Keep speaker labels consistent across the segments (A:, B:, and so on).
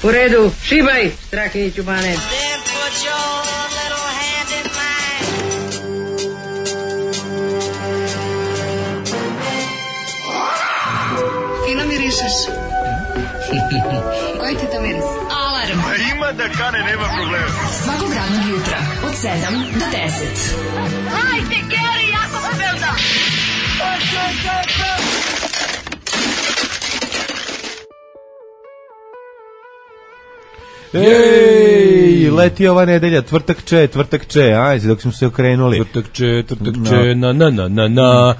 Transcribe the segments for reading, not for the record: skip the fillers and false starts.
A: U redu, šibaj, Strahinjiću Bane.
B: Fino mirišeš. Koji ti to miris? Alarm.
C: Ima da kane, nema problema.
B: Svakog radnog jutra, od 7 do 10.
D: Hajde, Geri, jako se velda.
E: Ej, leti ova nedelja, tvrtak če, ajde, dok smo se okrenuli.
F: Tvrtak če, na.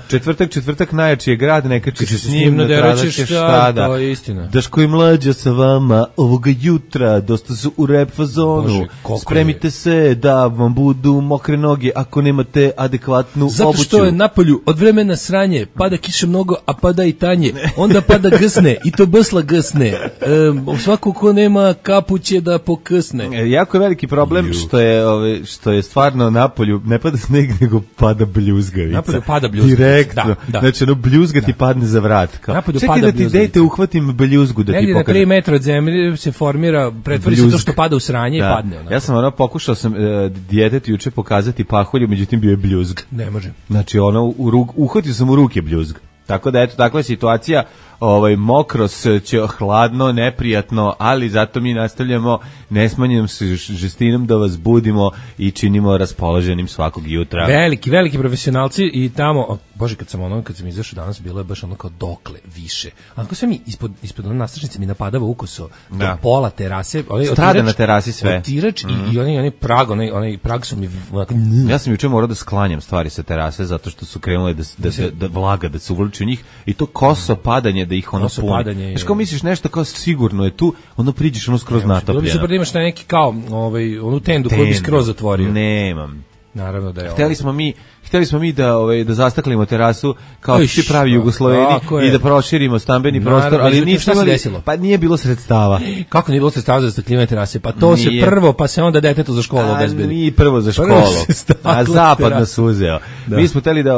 E: Četvrtak najjači je grad, neka će se s njim natradaće šta da.
F: To je istina.
E: Daško i mlađa sa vama ovoga jutra, dosta su u rap fazonu.
F: Bože,
E: spremite se da vam budu mokre noge ako nemate adekvatnu obuću.
F: Zato što je napolju od vremena sranje, pada kiša mnogo, a pada i tanje. Onda pada gsne, i to bsla gsne. Svako ko nema kapuće da pokrsne.
E: Jako je veliki problem što je stvarno napolju ne pada sneg, nego pada bljuzgavica.
F: Napolju pada bljuzgavica.
E: Direktno.
F: Da.
E: Znači, bljuzga ti padne za vrat.
F: Napolju
E: čekaj
F: pada
E: da ti dejte uhvatim bljuzgu da
F: negdje
E: ti pokažem.
F: Negdje na 3 metra od zemlje se formira, pretvori se to što pada u sranje i padne. Onako.
E: Ja sam pokušao sam djetetu juče pokazati pahulju, međutim bio je bljuzg.
F: Ne može.
E: Znači, uhvatio sam u ruke bljuzg. Tako da, eto, takva je situacija, mokros će hladno, neprijatno, ali zato mi nastavljamo nesmanjenom žestinom da vas budimo i činimo raspoloženim svakog jutra.
F: Veliki profesionalci i tamo, bože, kad sam izašao danas, bilo je baš ono kao dokle više. Onako sve mi ispod ono nastrašnice mi napadava ukoso do pola terase.
E: Strada na terasi sve.
F: Otirač i onaj prag, onaj prag su mi...
E: Ja sam juče morao da sklanjam stvari sa terase zato što su krenule da vlaga, da se uvlači u njih i to koso padanje da ih ono puni. Znaš, kao misliš nešto kao sigurno je tu, ono priđeš ono skroz natopljeno.
F: Bilo bi super da imaš neki kao onu tendu koju bi skroz zatvorio.
E: Nemam.
F: Naravno da je
E: Hteli smo mi da zastaklimo terasu kao svi pravi Jugosloveni i da proširimo stambeni prostor, ali nismo imali, pa nije bilo sredstava.
F: Kako nije bilo sredstava za zastaklivanje terase? Pa to se prvo, pa se onda detetu za školu obezbedi.
E: Nije prvo za školu, a zapad nas uzeo. Mi smo hteli da,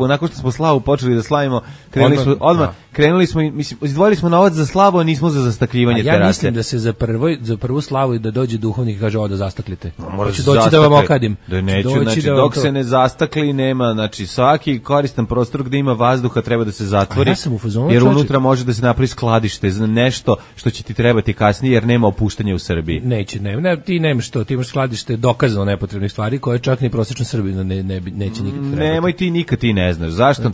E: nakon što smo slavu počeli da slavimo, krenuli smo, mislim, izdvojili smo novac za slavu, a nismo za zastakljivanje terase.
F: Ja mislim da se za prvu slavu da dođe duhovnik i kaže ovo da zastaklite. Hoću doći da vam okadim.
E: Dok se ne zastakli nema, znači svaki koristan prostor gde ima vazduha treba da se zatvori, jer unutra može da se napravi skladište za nešto što će ti trebati kasnije, jer nema opuštanja u Srbiji.
F: Ti nemaš to, ti imaš skladište dokazano nepotrebnih stvari koje čak ni prosječan Srbin neće nikad trebati.
E: Nemoj ti ne znaš. Zašto?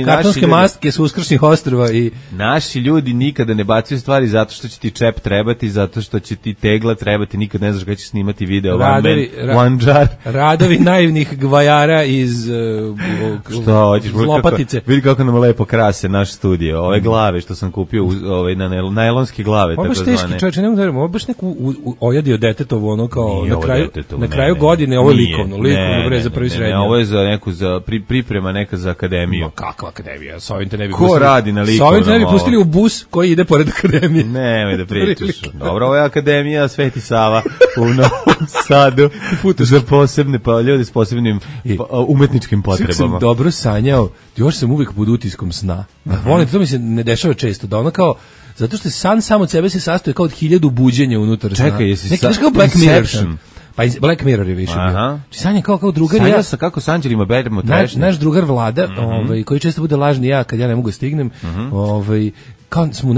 F: Kartonske maske s uskršnjih ostrva i...
E: Naši ljudi nikada ne bacaju stvari zato što će ti čep trebati, zato što će ti tegla trebati, nikad ne znaš kada će snimati video. One jar.
F: Radovi naivnih gvajara iz Lopatice.
E: Vidi kako nam lepo krase naš studio. Ove glave što sam kupio, na najlonske glave.
F: Ovo baš teški čovječe, ne mogu ovo baš neku ojadio detetovo, ono kao na kraju godine, ovo je likovno bre za prvi srednji.
E: Ovo je za neku, priprema neka za akademiju.
F: Kakva akademija? Sa ovim te ne bi
E: pustili. Ko radi na likovnom?
F: Sa ovim te ne bi pustili u bus koji ide pored akademije.
E: Nemoj da pričaš. Dobro, ovo je akademija Sveti Sava u Novom Sadu. Za posebne ljudi s posebnim umetničkim potrebama.
F: Sve sam dobro sanjao, još sam uvijek pod utiskom sna. Volim, to mi se ne dešava često, da ono kao, zato što san sam od sebe se sastoji kao od 1000 buđenja unutar sna.
E: Čekaj, jesi
F: kao Black Mirror. Pa Black Mirror je više bio. Sanjam kao drugar.
E: Sanjao sam kako s anđelima beremo trešnje.
F: Naš drugar Vlada, koji često bude lažni ja kad ja ne mogu stignem, kao smo u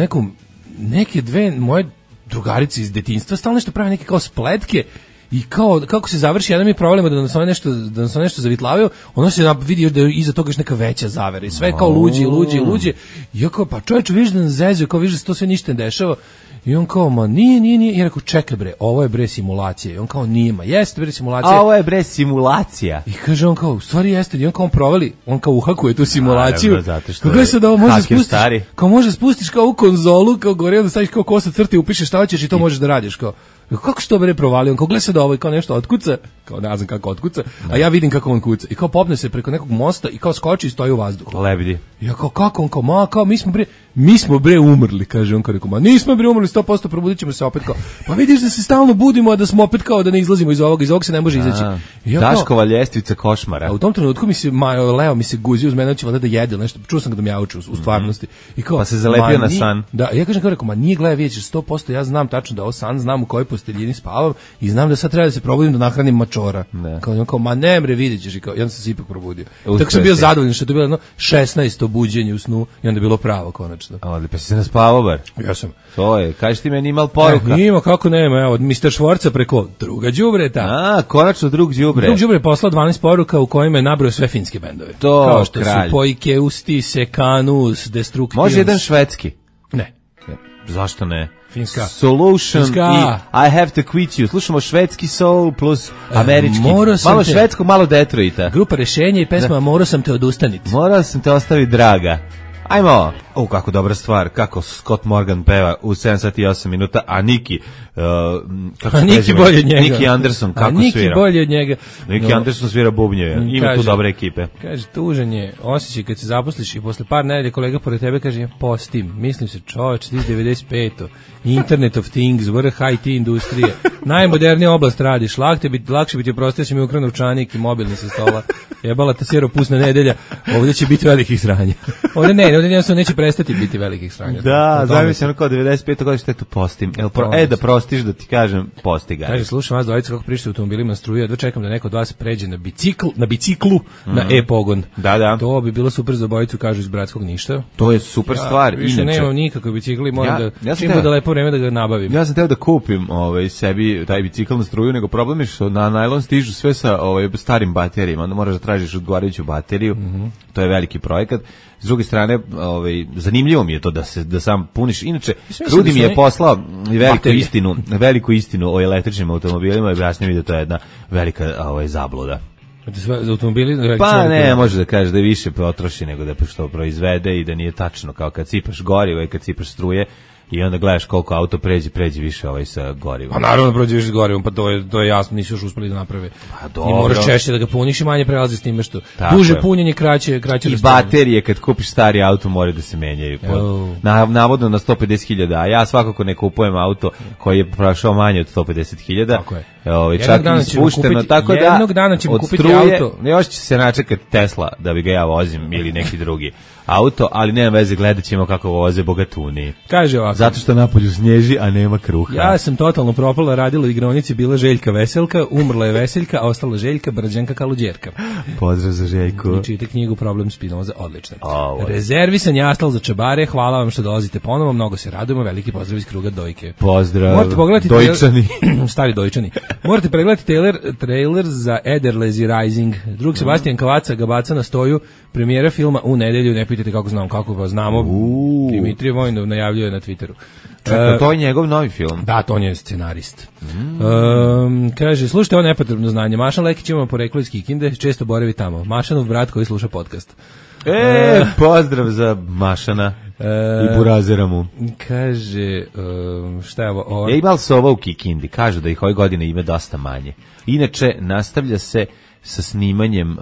F: neke dve moje drugarice iz detinjstva stalno nešto prave neke kao spletke. I kako se završi jedan mi problema da nas nešto zavitlavaju, ono se vidi da je iza toga još neka veća zavera i sve kao luđe. I ja kao, pa čovječe, vidiš da nas zezuje, kao vidiš da se to sve ništa ne dešava. I on kao, ma nije. I ja rekao, čekaj bre, ovo je bre simulacija. I on kao, nije, ma jeste bre simulacija.
E: A ovo je bre simulacija.
F: I kaže on kao, u stvari jeste. I on kao provali, on kao uhakuje tu simulaciju.
E: Naravno, zato što
F: je sad ovo može spustiš, kao može spustiš kao u konzolu, kao gore, onda staviš kao kosa crte, upišeš šta hoćeš i to možeš da radiš, kao. Kako se to bre provalio? On kao gleda se da ovo i kao nešto otkuca, kao ne znam kako otkuca, a ja vidim kako on kuca. I kao popne se preko nekog mosta i kao skoči i stoji u vazduhu.
E: Lebdi.
F: Ja kao kako on kao mi smo bre mi smo bre umrli, kaže on, kao rekao, ma nismo bre umrli, 100% probudit ćemo se opet, kao, pa vidiš da se stalno budimo, a da smo opet kao da ne izlazimo iz ovog se ne može izaći. Ja,
E: Daškova ljestvica košmara.
F: A u tom trenutku Leo mi se guzi uz mene, će valjda da jede nešto, čuo sam ga da mjauču u stvarnosti. I kao,
E: pa se zalepio na san.
F: Da, ja kažem, kao rekao, ma nije, gledaj, vidjet ćeš 100%, ja znam tačno da ovo san, znam u kojoj posteljini spavam i znam da sad treba da se probudim da nahranim mačora. Kao, ma ne bre, vidjet ćeš, i kao, ja sam se ipak probudio. Tako sam bio zadovoljan što je to bilo 16 obuđenje u snu i onda je bilo pravo konačno.
E: Ali pa si se naspavao bar.
F: Ja sam.
E: To je, kažeš ti meni imal poruka.
F: Nima, kako nema, evo, od Mr. Švorca preko druga đubreta.
E: Konačno drug đubre.
F: Drug đubre je poslao 12 poruka u kojima je nabrojao sve finske bendove.
E: To,
F: kao što
E: kralj.
F: Su Poikeusti, Sekanus, Destructions.
E: Može jedan švedski?
F: Ne.
E: Zašto ne?
F: Finska.
E: Solution i I Have to Quit You. Slušamo švedski soul plus američki. Malo švedskog, malo Detroita.
F: Grupa Rešenje i pesma Morao sam te odustaniti.
E: Morao sam te ostaviti, draga. Ajmo. Kako dobra stvar, kako Scott Morgan peva u 7 sati i 8 minuta, a Niki
F: Niki bolje od njega.
E: Niki Anderson kako
F: Niki
E: svira.
F: Bolje od njega.
E: Niki Anderson svira bubnjeve. Ima tu dobre ekipe.
F: Kaže, tužan je osjećaj kad se zaposliš i posle par nedelja kolega pored tebe kaže, ja postim. Mislim se, čoveč, ti 95. Internet of Things, vrh IT industrije. Najmodernija oblast radiš. Lakše bi ti oprostio si mi ukrao novčanik i mobilni sa stola. Jebala ta siropusna nedelja. Ovdje će biti velikih sranja. Ovdje jednostavno neće prestati biti velikih sranja.
E: Da, zamislim kao 95. godine što je tu postim. Da prostiš da ti kažem, posti ga.
F: Kaže, slušam vas dvojica kako pričate automobilima na struju, jedva čekam da neko od vas pređe na biciklu, na e-pogon.
E: Da.
F: To bi bilo super za obojicu, kažu iz Bratskog Ništa.
E: To je super stvar.
F: Više nemam nikakve bicikli, moram čim bude lepo vreme da ga nabavim.
E: Ja sam teo da kupim sebi taj bicikl na struju, nego problem je što na najlon stižu sve sa starim baterijama, onda moraš da tražiš odgovarajuću bateriju. To je veliki projekat. S druge strane, zanimljivo mi je to da sam puniš. Inače, Krudi mi je poslao veliku istinu o električnim automobilima i objasnio mi da to je jedna velika zabluda.
F: Za automobili?
E: Pa ne, može da kaže da je više potroši nego da što proizvede i da nije tačno, kao kad sipaš gorivo i kad sipaš struje i onda gledaš koliko auto pređi više sa gorivom.
F: Pa naravno prođe više s gorivom, pa to je jasno, nisu još uspeli da naprave. Pa dobro. I moraš češće da ga puniš i manje prelazi s time što duže punjenje, kraće
E: i
F: rastojanje.
E: baterije kad kupiš stari auto moraju da se menjaju. Navodno na 150.000, a ja svakako ne kupujem auto koji je prošao manje od 150.000.
F: Tako je.
E: Čak i ispušteno, tako da
F: jednog dana ćemo kupiti auto.
E: Još će se načekati Tesla da bi ga ja vozim ili neki drugi auto, ali nema veze, gledat ćemo kako voze bogatuni.
F: Kaže ovako.
E: Zato što napolju snježi, a nema kruha.
F: Ja sam totalno propala, radila u igraonici, bila Željka Veselka, umrla je Veseljka, a ostala Željka Brđanka Kaluđerka.
E: Pozdrav za Željku.
F: I čite knjigu Problem Spinoza, odlično. Rezervisan jastal za čabare, hvala vam što dolazite ponovo, mnogo se radujemo, veliki pozdrav iz kruga Dojke.
E: Pozdrav,
F: morate pogledati
E: Dojčani.
F: Stari Dojčani. Morate pregledati trailer za Ederlezi Rising. Drug Sebastian Kavaca ga baca na stoju, premijera filma u nedelju, ne pitajte kako vas znamo. Dimitrije Vojnov najavljuje na Twitteru.
E: Čekaj, to je njegov novi film.
F: Da, to on je scenarist. Kaže, slušajte ovo nepotrebno znanje. Mašan Lekić ima poreklo iz Kikinde, često boravi tamo. Mašanov brat koji sluša podcast.
E: Pozdrav za Mašana i Burazera mu.
F: Kaže, šta je ovo?
E: Imali se ovo u Kikindi, kažu da ih ove godine ima dosta manje. Inače, nastavlja se sa snimanjem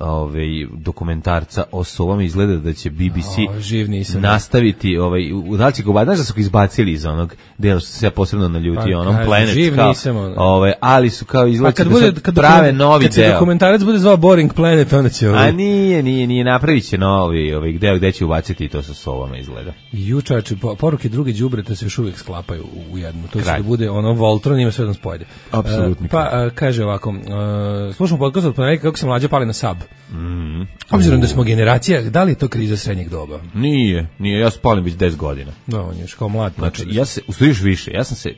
E: dokumentarca o sovama, izgleda da će BBC nastaviti da li će ga znaš da su ga izbacili iz onog dela što se ja posebno naljutio, onom Planet ali su kao izgleda da prave novi deo.
F: Kad se dokumentarac bude zvao Boring Planet, onda će
E: a nije napravit će novi deo gde će ubaciti i to sa sovama izgleda.
F: Jučače, poruke druge đubreta se još uvijek sklapaju u jednu, to će da bude Voltron, ima sve da spojde.
E: Apsolutno.
F: Pa kaže ovako, slušamo podcast od ponedjeljka kako se mlađa pali na Sab. Obzirom da smo generacija, da li je to kriza srednjeg doba?
E: Nije, ja se palim već 10 godina.
F: Da, on je još kao mlad.
E: Znači, još više,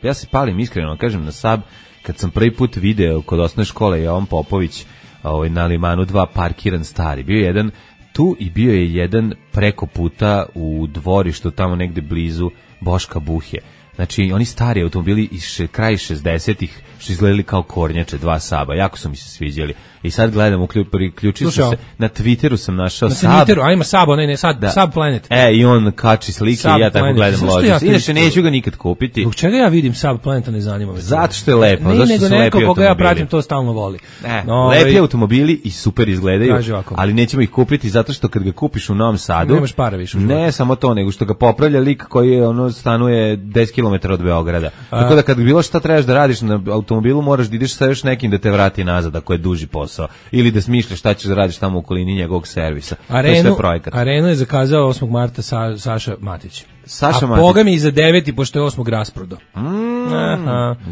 E: ja se palim iskreno, kažem, na Sab, kad sam prvi put video kod osnovne škole Jovan Popović na Limanu 2 parkiran stari. Bio je jedan tu i bio je jedan preko puta u dvorištu tamo negde blizu Boška Buhje. Znači, oni stari automobili iz kraj 60-ih što izgledali kao kornjače, 2 Saba. Jako su mi se sviđali. I sad gledam, priključio sam se, na Twitteru sam našao Sab.
F: Na Twitteru, a ima Sab, Sab Planet.
E: I on kači slike
F: Sab
E: i ja tako
F: Planet.
E: gledam Lotus. Inače, neću ga nikad kupiti.
F: Zbog čega ja vidim Sab Planeta, ne zanima me.
E: Zato što je lepo,
F: ne,
E: zato što su lepi
F: neko koga ja
E: automobili.
F: pratim to stalno voli.
E: Lepi automobili i super izgledaju, ali nećemo ih kupiti zato što kad ga kupiš u Novom Sadu,
F: nemaš para više.
E: Ne samo to, nego što ga popravlja lik koji je stanuje 10 km od Beograda. Tako da kad bilo šta trebaš da radiš na automobilu, moraš da ideš sa još nekim da te vrati nazad ako je duži posao. Ili da smišljaš šta ćeš da radiš tamo u okolini njegovog servisa. To je sve projekat.
F: Arenu je zakazao 8. marta Saša Matić.
E: Saša
F: Matić. Boga mi i za 9. pošto je 8. rasprodo.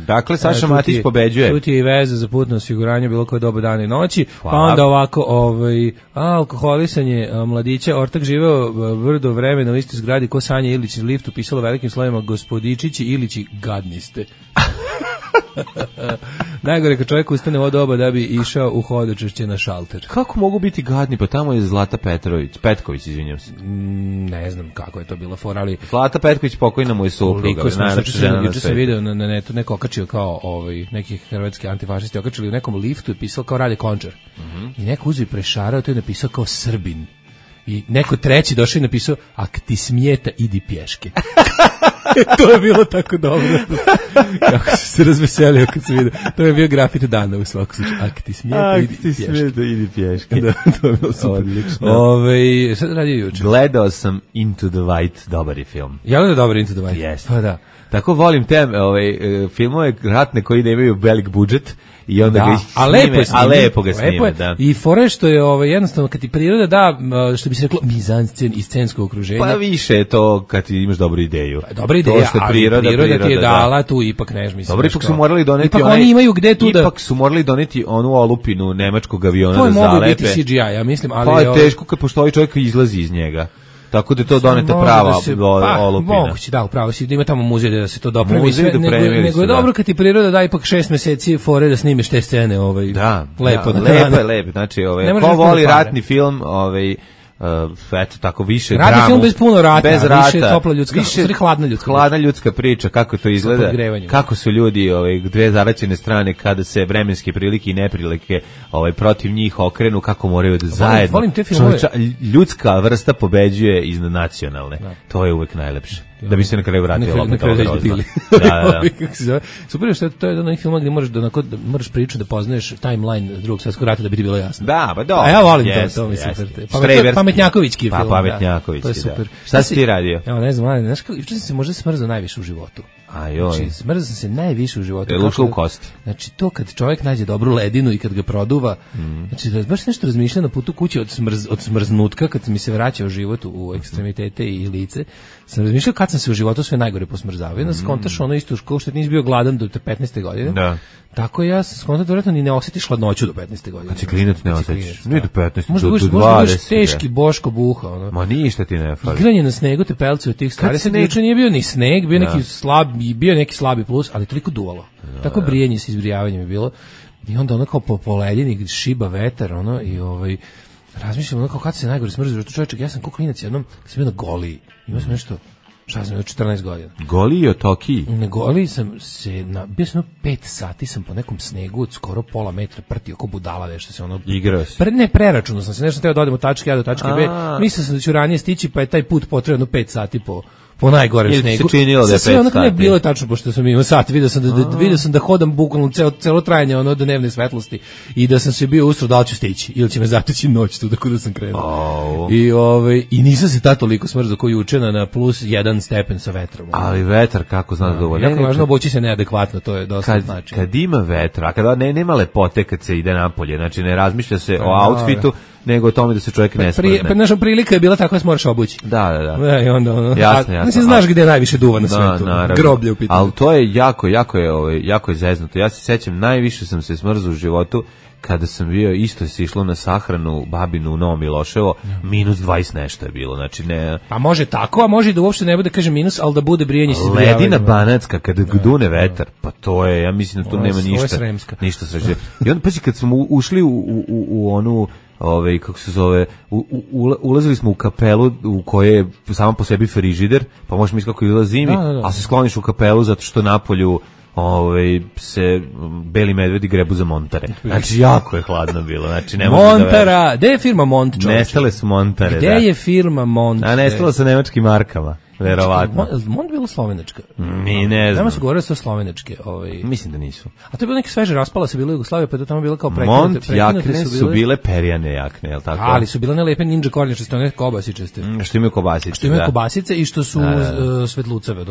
E: Dakle, Saša Matić pobeđuje.
F: Tu ti je i veza za putno osiguranje bilo koje doba dana i noći. Hvala. Pa onda ovako, alkoholisanje mladića, ortak živeo brdo vremena u istoj zgradi ko Sanja Ilić iz liftu, pisalo velikim slovima gospodičići Ilići gadni ste. Najgore kad čovjek ustane od doba da bi išao u hodočešće na šalter.
E: Kako mogu biti gadni? Pa tamo je Zlata Petković, izvinjam se.
F: Ne znam kako je to bila fora, ali
E: Zlata Petković pokojna mu je supruga.
F: Juče sam video na netu neko okačio kao neki hrvatski antifašisti okačili u nekom liftu i pisao kao Rade Končar. I neko uzeo i prešarao to i napisao kao Srbin. I neko treći došao i napisao ak ti smijeta idi pješke. To je bilo tako dobro. Kako sam se razveselio kad sam vidio. To je bio grafit dana u svakom slučaju. Ak ti smijeta
E: idi pješke.
F: Da, to je bilo super.
E: Odlično.
F: Šta radio juče?
E: Gledao sam Into the White, dobar je film.
F: Ja li je dobar Into the White?
E: Yes.
F: Pa da.
E: Tako volim te filmove ratne koji nemaju velik budžet i onda ga snime, a lepo ga snime, da.
F: I fore što je jednostavno kad ti priroda da, što bi se reklo, mizanscen i scensko okruženje.
E: Pa više je to kad ti imaš dobru ideju.
F: Dobra ideja, ali priroda ti je dala tu ipak mislim.
E: Dobro, ipak su morali doneti
F: ipak oni imaju gde tu da...
E: Ipak su morali doneti onu olupinu nemačkog aviona da zalepe.
F: To je mogu biti CGI, ja mislim, ali...
E: Pa je teško kad postoji čovjek koji izlazi iz njega. Tako da to donete prava olupina.
F: Moguće, da, upravo si, da ima tamo muzej da se to dopremi.
E: Nego
F: je dobro kad ti priroda da ipak 6 meseci fore da snimiš te scene, lepo.
E: Lepo, znači, ko voli ratni film, eto tako više dramu.
F: Ratni film bez puno rata,
E: bez rata,
F: više topla ljudska,
E: hladna ljudska priča, kako to izgleda, kako su ljudi, dve zaraćene strane kada se vremenske prilike i neprilike protiv njih okrenu, kako moraju da zajedno.
F: Volim te filmove.
E: Ljudska vrsta pobeđuje iznad nacionalne. To je uvek najlepše. Da bi se na kraju vratio
F: na kraju da bili.
E: Da.
F: Super što to je onaj film gdje moraš priču da poznaješ timeline Drugog svjetskog rata da bi ti bilo jasno.
E: Da, pa dobro.
F: A ja volim to mi super. Pametnjakovićki film.
E: Pametnjakovićki, da. Šta si ti radio?
F: Evo, ne znam, znaš kako, juče sam se možda smrzao najviše u životu. Znači, smrzao sam se najviše u životu.
E: Je ušlo u kosti.
F: Znači, to kad čovjek nađe dobru ledinu i kad ga produva, znači, baš nešto razmišlja na putu kuće od smrznutka, kad mi se vraćao život u ekstremitete i lice, sam razmišljao kad sam se u životu sve najgore posmrzavao. Onda skontaš ono isto kao što nisi bio gladan do te 15. godine.
E: Da.
F: Tako ja sam skontao da vjerojatno ni ne osjetiš hladnoću do 15. godine.
E: Kad si klinac ne osjetiš. Nije do 15.
F: Možda
E: do 20.
F: Možda budeš teški Boško Buha.
E: Ma ništa ti ne fali.
F: Igranje na snegu, tepelci od tih stvari. Juče nije bio ni sneg, bio neki slabi plus, ali toliko duvalo. Tako brijenje sa izbrijavanjem je bilo. I onda ono kao po ledini šiba vetar, i razmišljam ono kao kad se najgore smrzio. Čovječek, ja sam kao klinac jednom, kad sam bio na Goliji, imao sam nešto, šta sam, 14 godina.
E: Goliji o Tokiji?
F: Na Goliji sam se, bio sam 5 sati, sam po nekom snegu od skoro pola metra prtio oko budala, nešto se
E: igrao si?
F: Ne, preračunao sam se, nešto teo da odem od tačke A do tačke B, mislio sam da ću ranije stići, pa je taj put potrebno 5 sati po najgorem snegu.
E: Ili se činilo da je 5 sati? Sve onako
F: ne bilo tačno, pošto sam imao sat, vidio sam da hodam bukvalno celo trajanje do dnevne svetlosti i da sam se bio ustro da li ću stići, ili će me zateći noć tu da sam krenuo. I nisam se toliko smrzao koji juče na plus 1 stepen sa vetrom.
E: Ali vetar, kako znam da dovoljno.
F: Jako važno obući se neadekvatno, to je dosta znači.
E: Kad ima vetra, a kada nema lepote kad se ide napolje, znači ne razmišlja se o outfitu, nego o tome da se čovjek ne smrzne.
F: Naša prilika je bila tako da se moraš obući.
E: Da.
F: I onda
E: jasno.
F: Mislim, znaš gdje je najviše duva na svijetu. Groblje u pitanju.
E: Ali to je jako je zeznuto. Ja se sećam, najviše sam se smrzao u životu kada sam bio, isto se išlo na sahranu babinu u Novom Miloševo, minus 20 nešto je bilo, znači ne...
F: Pa može tako, a može da uopšte ne bude, kaže minus, ali da bude brijanje se izbrijavanje.
E: Ledina banatska, kada dune vetar, pa to je, ja mislim da tu nema ništa sreće. I onda, pazi, kad smo ušli u onu kako se zove, ulazili smo u kapelu u kojoj je sama po sebi frižider, pa možeš misliti kako izgleda zimi, a se skloniš u kapelu zato što napolju se beli medvedi grebu za Montare. Znači, jako je hladno bilo. Znači, ne
F: Montara, gde je firma Mont, čovječe?
E: Nestale su Montare,
F: gde je firma Mont?
E: A nestalo sa nemačkim markama, verovatno.
F: Mont bilo slovenačka?
E: Mi ne znam.
F: Tamo su govorili da su slovenačke.
E: Mislim da nisu.
F: A to je bilo neke sveže raspala se bilo Jugoslavija, pa je to tamo bilo kao
E: Mont jakne su bile perjane jakne, je li tako?
F: Ali su bile ne lepe ninja kornjačaste, one kobasičaste.
E: Što imaju kobasice,
F: što imaju kobasice i što su svetlucave,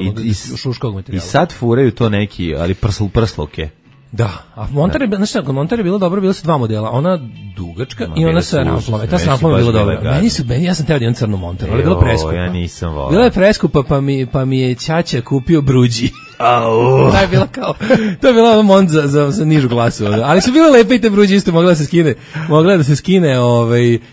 F: šuškog materijala.
E: I sad furaju to neki, ali prsluke.
F: Da, a Montare, znači kod Montare je bilo dobro, bilo su dva modela, ona dugačka i ona sa ramflom. Ta s ramflom je bila dobra. Ja sam teo da imam crnu Montaru, ali je bilo preskupa.
E: Ja nisam volao.
F: Bila je preskupa, pa mi je ćaća kupio bruđi. To je bila Mont za nižu klasu, ali su bile lepe i te bruđe isto mogla da se skine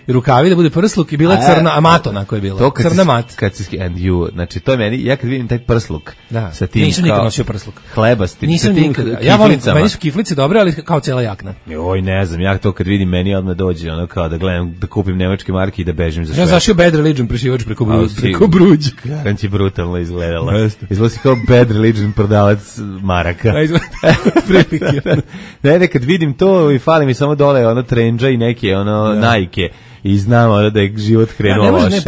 F: rukavi da bude prsluk i bila crna mato na kojoj je bila crna mat.
E: Kad se and you, znači to je meni, ja kad vidim taj prsluk sa tim,
F: nisam nikad nosio prsluk,
E: hlebasti,
F: nisam nikad, ja volim, meni su kiflice dobre, ali kao cela jakna.
E: Joj, ne znam, ja to kad vidim meni odmah dođe ono kao da gledam, da kupim nemačke marke i da bežim za sve.
F: Ja zašio Bad Religion prešivač preko bruđa.
E: Kako ti brutalno izgledala. Izgleda kao Bad Religion prodavac maraka. Ne, kad vidim to i fali mi samo dole ono trendža i neke Nike i znamo da je život krenuo loše.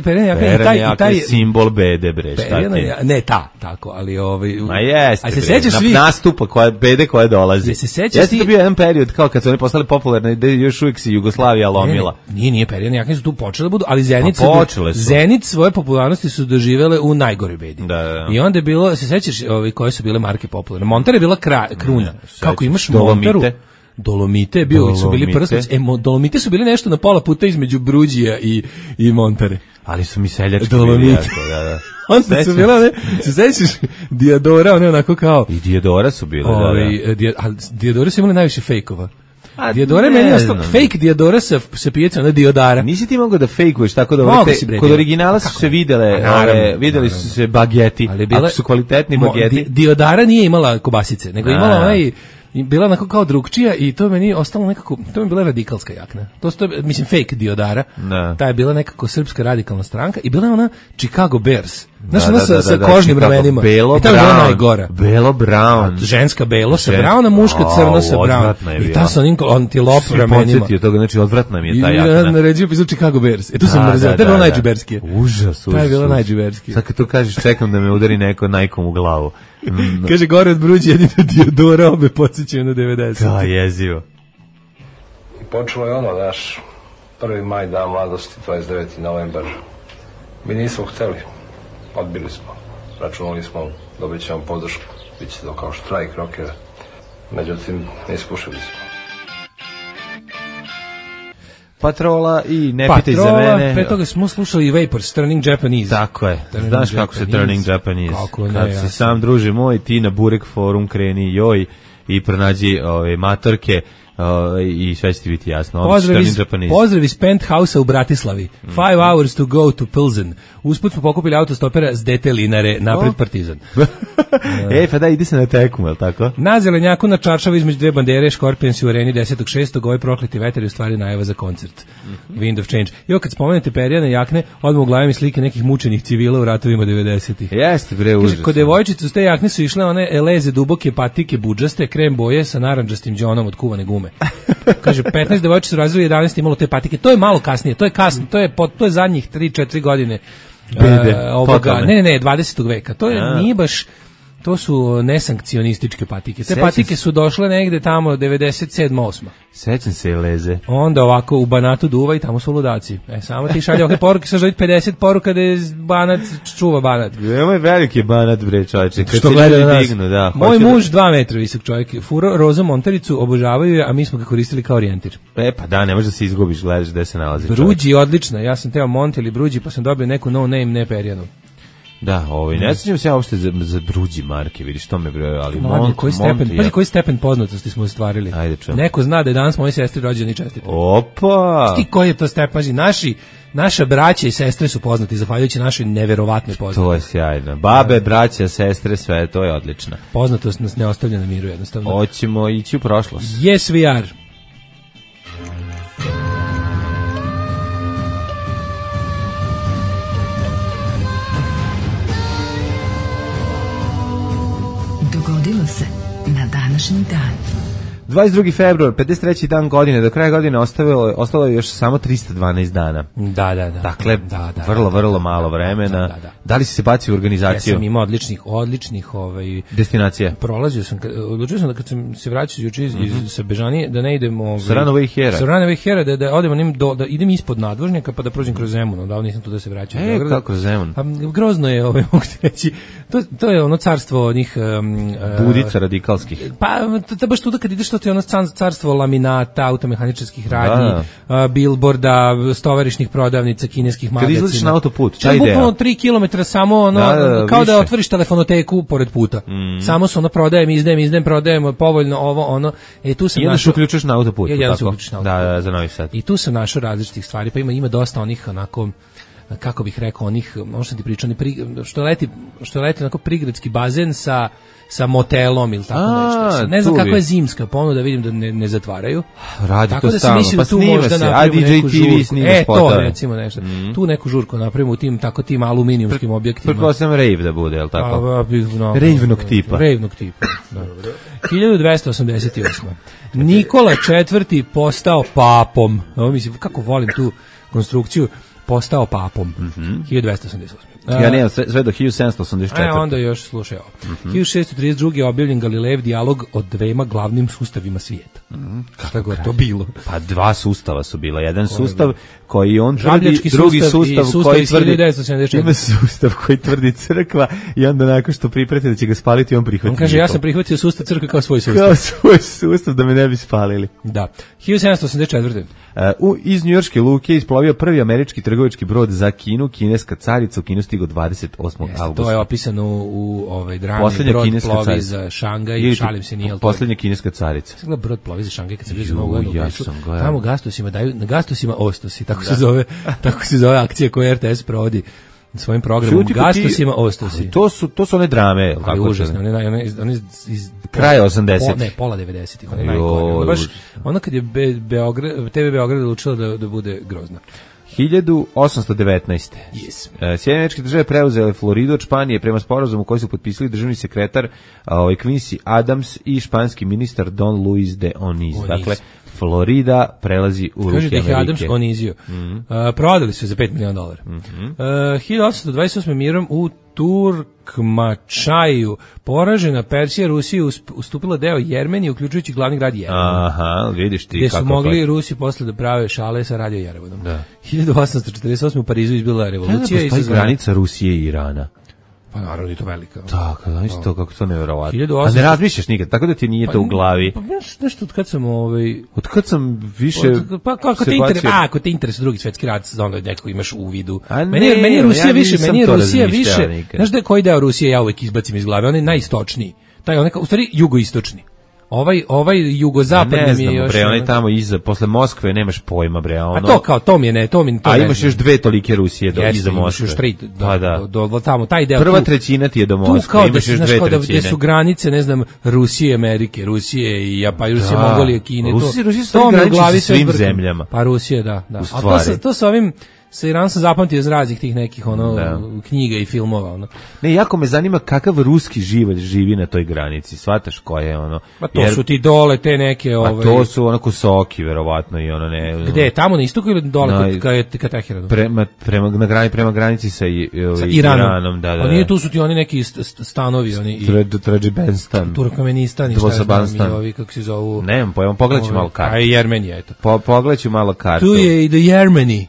F: Perena
E: jaka je simbol bede, bre, šta ti?
F: Ne, tako, ali
E: Ma jeste,
F: se sećaš
E: nastupa bede koja dolazi. Jeste to bio jedan period kao kad su oni postali popularni, da još uvijek se Jugoslavija lomila.
F: Nije Perena jaka su tu počele da budu, ali Zenit svoje popularnosti su doživele u najgore bedi. I onda je bilo, se sećaš koje su bile marke popularne? Montar je bila kruna. Kako imaš Montaru? Dolomite su bili prstnici. Dolomite su bili nešto na pola puta između Bruđija i Montare.
E: Ali su mi seljački
F: Dolomite.
E: Da.
F: Onda su bila, se sećaš Diadora, one onako kao...
E: I Diadora su bile,
F: Diadora su imali najviše fejkova. Diodora meni ostalo, fake Diodora sa pijecom na Diodara.
E: Nisi ti mogao da fejkuješ tako da kod originala su se videli su se bageti, ali su kvalitetni bageti.
F: Diodara nije imala kobasice, nego imala bila onako kao drugčija i to meni ostalo nekako, to mi je bila radikalska jakna. Mislim, fake Diodara. Ta je bila nekako srpska radikalna stranka i bila je ona Chicago Bears. Znaš, ona sa kožnim ramenima.
E: Belo,
F: brown.
E: Belo, brown.
F: Ženska belo sa brown, a muška crno sa brown. I ta sa onim antilop ramenima.
E: Podsjetio toga, znači odvratna mi je ta jakna.
F: Ja naređio pisao Chicago Bears. Tu sam mrzeo. To je bilo najđuberskije.
E: Užas.
F: To je bilo najđuberskije.
E: Sad kad to kažeš, čekam da me udari neko najkom u glavu.
F: Kaže, gore od Bruđi jedino Diodora, obe podsjećaju na 90.
E: Da, jezivo.
G: I počelo je naš 1. maj, dan mladosti, 29. novembar. Mi nismo hteli, odbili smo, računali smo, dobit ćemo podršku, bit će to kao štrajk rokera, međutim, ispušili smo.
E: Patrola i Ne pitaj za mene.
F: Pre toga smo slušali i Vapors, Turning Japanese.
E: Tako je. Znaš kako se Turning Japanese. Kad se sam druže moj, ti na Burek forum kreni joj i pronađi matorke i sve će ti biti jasno.
F: Pozdrav iz Penthouse-a u Bratislavi. 5 hours to go to Pilsen. Usput smo pokupili autostopera s DT Linare, napred Partizan.
E: Pa da, ide se na tekmu, je li tako?
F: Na Zelenjaku na Čaršavu između dve bandere, Scorpions u areni 10.6. Ovaj prokleti veter je u stvari najava za koncert. Wind of Change. I kad spomenete perjane jakne, odmah u glavi mi slike nekih mučenih civila u ratovima 90-ih.
E: Jeste, bre, užasno.
F: Kod devojčice uz te jakne su išle one leze duboke patike budžaste, krem boje sa narandžastim džonom od kuvane gume. Kaže, 15 devojčica su razvili, 11 imalo te patike. To je malo kasnije, to je kasno, to je zadnjih 3-4 godine. Ne, 20. veka. To nije baš, to su nesankcionističke patike. Te patike su došle negde tamo 97-8.
E: Sećam se i leze.
F: Onda ovako u Banatu duva i tamo su ludaci. Samo ti šalje ove poruke, sa želiti 50 poruka da je Banat, čuva Banat.
E: Veoma je veliki Banat, bre, čovječe.
F: Što gleda na nas. Moj muž 2 metra visok čovjek, furo roza montaricu, obožavaju je, a mi smo ga koristili kao orijentir.
E: Pa da, ne možeš da se izgubiš, gledaš gde se nalazi čovjek.
F: Bruđi je odlična, ja sam teo Monti ili Bruđi, pa sam dobio neku no name, ne perjanu.
E: Da, ne sjećam se ja uopšte za Bruđi marke, vidiš, to me bre, ali
F: koji stepen poznatosti smo ostvarili.
E: Ajde, čujem.
F: Neko zna da je danas moje sestri rođeni čestite.
E: Opa!
F: Ti koji je to stepen? Naša braća i sestre su poznati, zahvaljujući našoj neverovatnoj poznatosti.
E: To je sjajno. Babe, braća, sestre, sve, to je odlično.
F: Poznatost nas ne ostavlja na miru, jednostavno.
E: Hoćemo ići u prošlost.
F: Yes, we are.
B: Dogodilo se na današnji dan.
E: 22. februar, 53. dan godine, do kraja godine ostalo je još samo 312 dana.
F: Da.
E: Dakle, vrlo malo vremena. Da li si se bacio u organizaciju?
F: Ja sam imao odličnih
E: destinacija.
F: Prolazio sam, odlučio sam da kad sam se vraćao juče iz sa Bežanije, da ne idem
E: Saranova i Hera,
F: da odem da idem ispod nadvožnjaka pa da prođem kroz Zemun, da nisam tu da se vraćam.
E: Kako kroz Zemun?
F: Grozno je, mogu ti reći. To je ono carstvo onih
E: budica radikalskih.
F: Pa baš tu da kad ideš, to je ono carstvo laminata, automehaničarskih radnji, bilborda, stovarišnih prodavnica, kineskih magazina.
E: Kad izlaziš na autoput,
F: šta ideja? Bukvalno 3 km samo kao da otvoriš telefonoteku pored puta. Samo se ono izdajem, prodajem, povoljno ovo, ono. Tu sam
E: našao. Uključuješ na autoput.
F: Jedan se uključiš na autoput.
E: Da, za Novi Sad.
F: I tu sam našao različitih stvari, pa ima dosta onih onako, kako bih rekao, onih, možda ti pričao, što leti onako prigradski bazen sa motelom ili tako nešto. Ne znam kako je zimska ponuda, vidim da ne zatvaraju.
E: Radi
F: tako
E: to
F: da
E: stalno,
F: pa snima se, a DJ TV snima spotove. To recimo nešto. Tu neku žurku napravimo u tim aluminijumskim objektima.
E: Pretpostavljam rave da bude, je li tako? Ravenog tipa.
F: Ravenog tipa, da. 1288. Nikola IV postao papom. Mislim, kako volim tu konstrukciju. Postao papom. 1288.
E: Ja nemam sve do 1784.
F: Onda još slušaj ovo. 1632. je objavljen Galilejev dijalog o dvema glavnim sustavima svijeta. Kako je to bilo?
E: Pa dva sustava su bila. Jedan sustav koji on tvrdi, drugi sustav koji tvrdi... Ima sustav koji tvrdi crkva i onda nakon što pripreti da će ga spaliti, on prihvati.
F: On kaže, ja sam prihvatio sustav crkve kao svoj sustav.
E: Kao svoj sustav, da me ne bi spalili.
F: Da. 1784.
E: Iz njujorške luke isplovio prvi američki trgovački brod za Kinu, kineska carica u Kinu stigo 28. augusta.
F: To je opisano u drami. Brod plovi za Šangaj, šalim se, nije to.
E: Poslednja kineska carica.
F: Sad brod plovi za Šangaj kad se blizu Novog godina. Tamo Gastosima daju, na Gastosima Ostosi, tako se zove akcija koju RTS provodi svojim programom. Gastosima Ostosi.
E: To su one drame,
F: kako užasne, one iz
E: kraja 80-ih.
F: Ne, pola 90-ih, one najgore. Baš ono kad je TV Beograd odlučila da bude grozna.
E: 1819.
F: Yes.
E: Sjedinjene Američke Države preuzele Floridu od Španije prema sporazumu koji su potpisali državni sekretar Quincy Adams i španski ministar Don Luis de Onís. Dakle, Florida prelazi u ruke Amerike.
F: Kaže da ih Adams onizio. Prodali su za $5 miliona. 1828. mirom u Turkmačaju poražena Persija Rusiji ustupila deo Jermenije, uključujući glavni grad Jerevan.
E: Aha, vidiš ti
F: gde su mogli Rusi posle da prave šale sa radio Jerevanom. 1848. u Parizu izbila revolucija.
E: Postoji granica Rusije i Irana.
F: Pa naravno je to velika.
E: Tako, znaš to kako to neverovatno. A ne razmišljaš nikad, tako da ti nije to u glavi.
F: Pa nešto od kad sam
E: Od kad sam više
F: ako te interesuje drugi svetski rat, onda nekako imaš u vidu. Meni je Rusija više. Znaš da je koji deo Rusije ja uvek izbacim iz glave, on je najistočniji. Taj on u stvari jugoistočni. Ovaj jugozapadni mi je još...
E: Bre, onaj tamo iza, posle Moskve nemaš pojma, bre, ono...
F: A to kao, to mi je ne, to
E: a imaš još dve tolike Rusije iza Moskve.
F: Imaš još tri, do tamo, taj deo...
E: Prva trećina ti je do Moskve, imaš još dve trećine.
F: Gde su granice, ne znam, Rusije, Amerike, Rusije i Japan, Rusije, Mongolije, Kine,
E: Rusije su graniči sa svim zemljama.
F: Pa Rusije, da. A to sa ovim... Sa Iranom sam zapamtio iz raznih tih nekih knjiga i filmova.
E: Ne, jako me zanima kakav ruski život živi na toj granici, shvataš koje je ono...
F: Pa to su ti dole te neke...
E: Pa to su ono Kosoki, verovatno, i ono ne...
F: Gde, tamo na istoku ili dole ka Teheranu?
E: Prema granici sa Iranom, da.
F: Pa nije, tu su ti oni neki stanovi, oni...
E: Tadžikistan.
F: Turkmenistan i šta znam, i ovi, kako se zovu...
E: Nemam pojma, pogledaj ću malo kartu.
F: A i Jermenija, eto.
E: Pogledaj ću malo kartu.
F: Tu je i do Jermeni.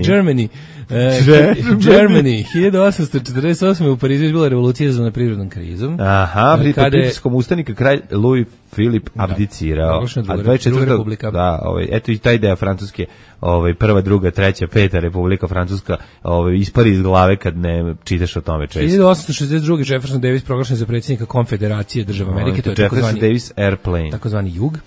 F: Germany. 1848. u Parizu je bila revolucija za prirodnom krizom.
E: Aha, pritiskom ustanika kralj Louis Filip abdicirao. A 24. Da, eto i ta ideja francuske, prva, druga, treća, peta republika francuska, ispari iz glave kad ne čitaš o tome često.
F: 1862. Jefferson Davis proglašen za predsjednika Konfederacije država Amerike, to je
E: Jefferson Davis Airplane.
F: Takozvani jug.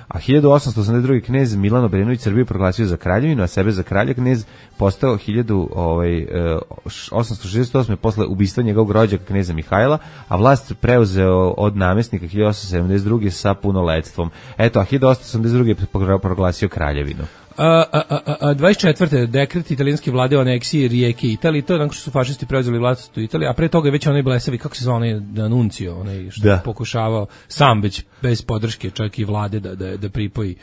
E: A 1882. knez Milan Obrenović Srbiju proglasio za kraljevinu, a sebe za kralja. Knez postao 1868. posle ubistva njegovog rođaka kneza Mihajla, a vlast preuzeo od namestnika 1872. sa punoletstvom. Eto, a 1882. je proglasio kraljevinu.
F: 24. dekret italijanske vlade o aneksiji rijeke Italije, to je nakon što su fašisti preuzeli vlast u Italiji, a pre toga je već onaj blesavi, kako se zvao onaj D'Annunzio, onaj što je pokušavao sam već bez podrške čak i vlade da pripoji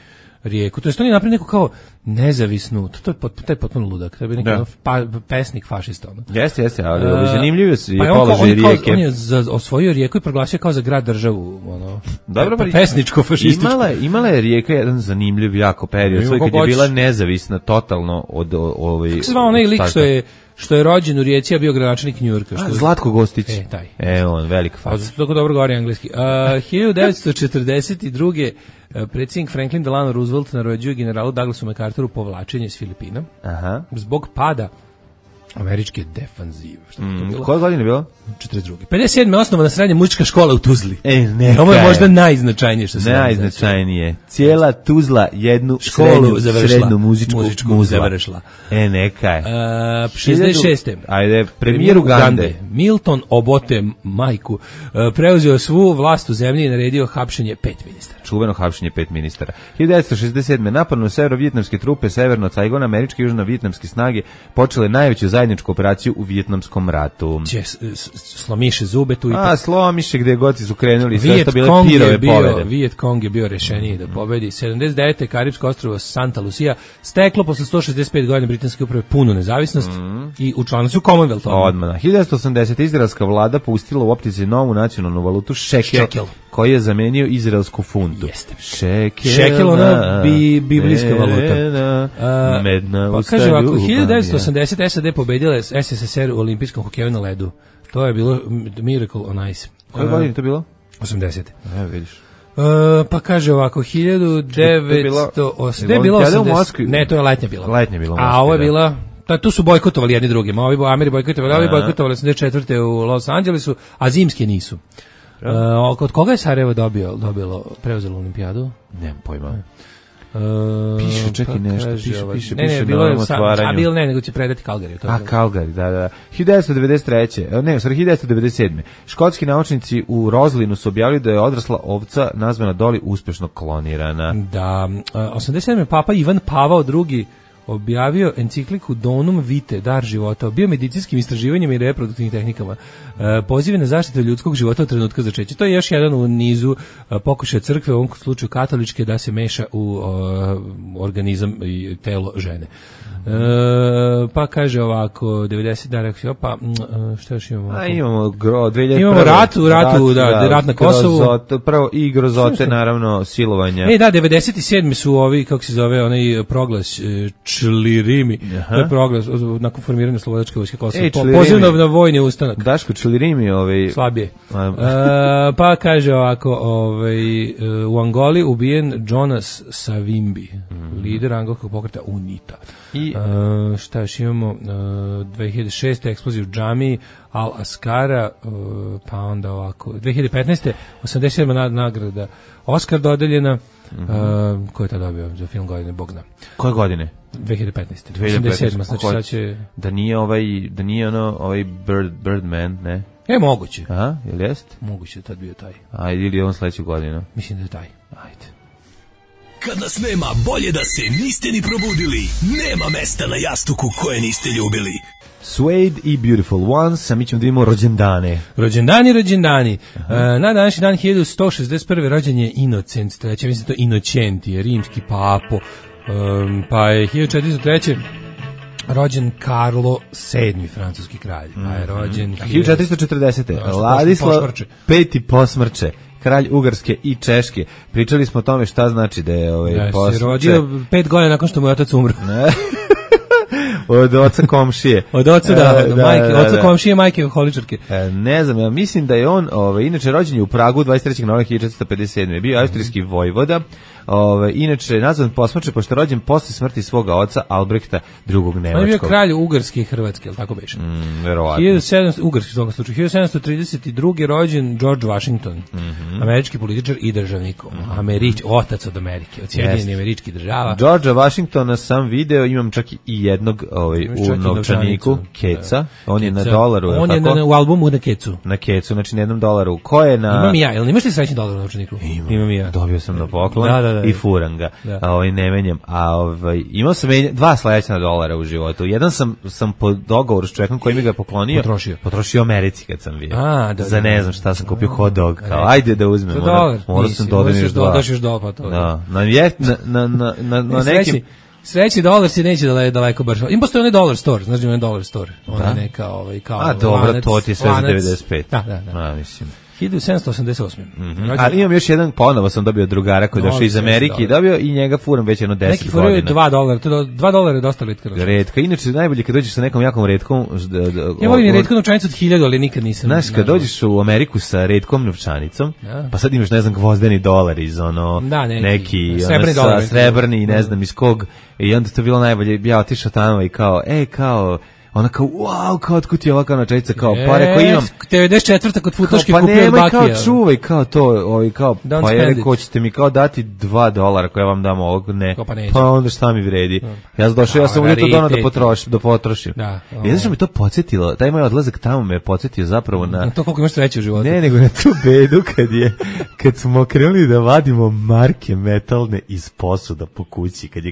F: rijeku. To je oni napravili neku kao nezavisnu, to je potpuno ludak, to je neki pesnik fašista.
E: Jeste, ali zanimljivo je položaj rijeke.
F: On je osvojio rijeku i proglasio kao za grad državu,
E: dobro,
F: pesničko fašističko.
E: Imala je rijeka jedan zanimljiv jako period, svoj kad je bila nezavisna totalno od
F: kako se zvao onaj lik što je rođen u Rijeci, a bio gradonačelnik Njujorka.
E: Zlatko Gostić.
F: Taj.
E: On, velika faca.
F: Tako dobro govori engleski. 1942. predsjednik Franklin Delano Roosevelt naređuje generalu Douglasu MacArthuru povlačenje s Filipina. Aha. Zbog pada američke defanzive.
E: Koje godine je bilo?
F: 42. 57. osnovana srednja muzička škola u Tuzli.
E: Ovo
F: je možda najznačajnije što se
E: najznačajnije. Cijela Tuzla jednu školu srednju muzičku završila. Neka je.
F: 66.
E: Ajde, premijer Ugande.
F: Milton Obote Majku preuzeo svu vlast u zemlji i naredio hapšenje 5 ministara.
E: Čuveno hapšenje 5 ministara. 1967. napadnu severovjetnamske trupe severno od Saigona, američke i južno-vjetnamske snage počele najveću zajedničku operaciju u Vjetnamskom ratu.
F: Slomiše zube tu i
E: slomiše gde god su krenuli, sve što bile pirove pobede.
F: Viet Cong je bio rešeniji da pobedi. 79. Karibsko ostrvo Santa Lucia steklo posle 165 godina britanske uprave punu nezavisnost i učlanili su Commonwealth.
E: Odmah. 1980. izraelska vlada pustila u opticaj novu nacionalnu valutu šekel, koji je zamenio izraelsku funtu.
F: Jeste.
E: Šekel,
F: ona biblijska valuta.
E: Medna
F: pa kaže ovako, 1980. SAD pobedila SSSR u olimpijskom hokeju na ledu. To je bilo Miracle on Ice.
E: Koje godine to bilo?
F: 80.
E: Vidiš.
F: Pa kaže ovako, 1980.
E: Ne,
F: bilo 80. Ne, to je letnja bila. A ovo je bila... Tu su bojkotovali jedni drugim. Ovi Ameri bojkotovali, ovi bojkotovali 84. u Los Angelesu, a zimske nisu. Od koga je Sarajevo preuzelo olimpijadu?
E: Nemam pojma. Piše, čekaj nešto, piše
F: bilo je otvaranju. Nego će predati Calgary.
E: Calgary, da. 1993. Ne, 1997. Škotski naučnici u Roslinu su objavili da je odrasla ovca nazvana Dolly uspešno klonirana.
F: Da, 87. Papa Ivan Pavao II objavio encikliku Donum Vitae, dar života, o biomedicinskim istraživanjima i reproduktivnim tehnikama, pozive na zaštitu ljudskog života od trenutka začeća. To je još jedan u nizu pokušaja crkve, u ovom slučaju katoličke, da se meša u organizam i telo žene. Pa kaže ovako 90 dana pa šta još imamo?
E: Imamo 2001.
F: Imamo rat na Kosovu.
E: Prvo i grozote, naravno, silovanja.
F: Da, 97. su ovi, kako se zove, onaj proglas Člirimi. To je proglas nakon formiranja Slobodačke vojske Kosova. Poziv na vojni ustanak.
E: Daško Člirimi
F: slabije. Pa kaže ovako, u Angoli ubijen Jonas Savimbi, lider angolskog pokreta UNITA. I šta još imamo, 2006. eksplozija u džamiji Al-Askara, pa onda ovako 2015. 87. nagrada Oscar dodeljena. Ko je to dobio za film godine, Bog zna.
E: Koje godine?
F: 2015. 87. Znači sad će...
E: Da nije ovaj Birdman, ne?
F: Moguće.
E: Aha, ili jest?
F: Moguće da tad bio taj.
E: Ajde, ili on sledeću godinu?
F: Mislim da je taj.
E: Ajde.
H: Kad nas nema, bolje da se niste ni probudili. Nema mesta na jastuku koje niste ljubili.
E: Suede i Beautiful Ones, a mi ćemo da imamo rođendane.
F: Rođendani. Na današnji dan 1161. rođen je Inocent III. Mislim to Inocenti je rimski papo. Pa je 1403. rođen Karlo VII, francuski kralj. Pa je rođen
E: 1440. Ladislav V posmrče, kralj Ugarske i Češke. Pričali smo o tome šta znači da je posmrče.
F: Se rodio 5 godina nakon što mu je otac umro.
E: Od oca komšije.
F: Od oca, majke. Oca komšije, majke alkoholičarke.
E: Ne znam, ja mislim da je on, inače rođen je u Pragu 23. novembra 1457. Bio austrijski vojvoda. Inače, nazvan posmrče, pošto je rođen posle smrti svoga oca Albrehta II. Nemačkog.
F: On je bio kralj Ugarske i Hrvatske, ali tako beše?
E: Verovatno.
F: Ugarski u tom slučaju. 1732. rođen George Washington, američki političar i državnik. Otac od Amerike, od Sjedinjenih Američkih Država.
E: Georgea Washingtona sam video, imam čak i jednog u novčaniku Keca, on je na dolaru.
F: On je u albumu na Kecu.
E: Na Kecu, znači na $1. Ko je na...
F: Imam i ja, jel imaš ti srećni dolar u novčaniku?
E: Imam i ja. Dobio sam na poklon i furam ga. Ne menjam. Imao sam dva sledeća dolara u životu. Jedan sam po dogovoru s čovjekom koji mi ga je poklonio. Potrošio u Americi kad sam bio. Za ne znam šta sam kupio hot dog. Kao, ajde da uzmem. Morao sam dodam još dva.
F: Dodaš još dolar pa to.
E: Da. Na nekim...
F: Srećni dolar se neće daleko baš. Im postoji onaj dollar store, znaš da je onaj dollar store. Ona je neka kao
E: a dobro, lanac, to ti je sve za 95.
F: Da.
E: Mislim.
F: 1788.
E: Ali imam još jedan, ponovo sam dobio drugara koji je došao iz Amerike i dobio i njega furam već jedno 10 godina.
F: Neki furaju $2, $2 je dosta retka.
E: Retka, inače najbolje kad dođeš sa nekom jakom retkom.
F: Ja volim retku novčanicu od 1000, ali nikad nisam.
E: Znaš, kad dođeš u Ameriku sa retkom novčanicom, pa sad imaš, ne znam, gvozdeni dolar iz neki srebrni, ne znam iz kog, i onda to bilo najbolje, ja otišao tamo i kao, ona kao, wow, kao otkud ti je ovakva novčanica, kao, pa rekao imam.
F: 94. kod futoške kupio od Bakija.
E: Pa nemoj kao čuvaj, kao to, kao, pa je rekao, ćete mi kao dati $2 koje vam damo ovog, ne. Pa onda šta mi vredi. Ja sam došao, ja sam uvijek to dono da potrošim. I znaš što mi to podsjetilo, taj moj odlazak tamo me podsjetio zapravo na...
F: to koliko imaš sreće u životu.
E: Ne, nego na tu bedu kad smo krenuli da vadimo marke metalne iz posuda po kući, kad je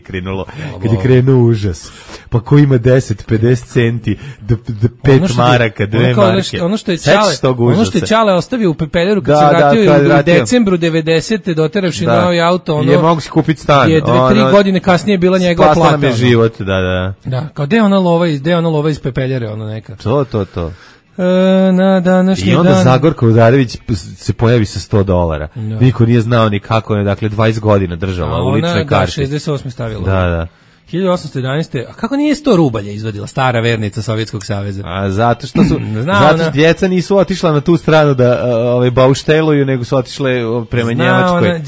E: krenuo užas. Pa ko ima 10, 50 centi, do 5 maraka, 2 marke.
F: Ono što je Čale ostavio u pepeljeru kad se vratio u decembru 90. doteravši novi auto,
E: je mogu si kupiti stan.
F: Je 3 godine kasnije bila njegova plata.
E: Spasla nam je život, da.
F: Da, kao gde ona lova iz pepeljere, ono neka.
E: To.
F: Na današnji dan.
E: I onda Zagorka Udarević se pojavi sa $100. Niko nije znao ni kako je, dakle 20 godina držala u ličnoj karti.
F: 68. stavila.
E: Da.
F: 1811. A kako nije 100 rubalja izvadila stara vernica Sovjetskog saveza?
E: A zato što djeca nisu otišla na tu stranu da baušteluju, nego su otišle prema Njemačkoj.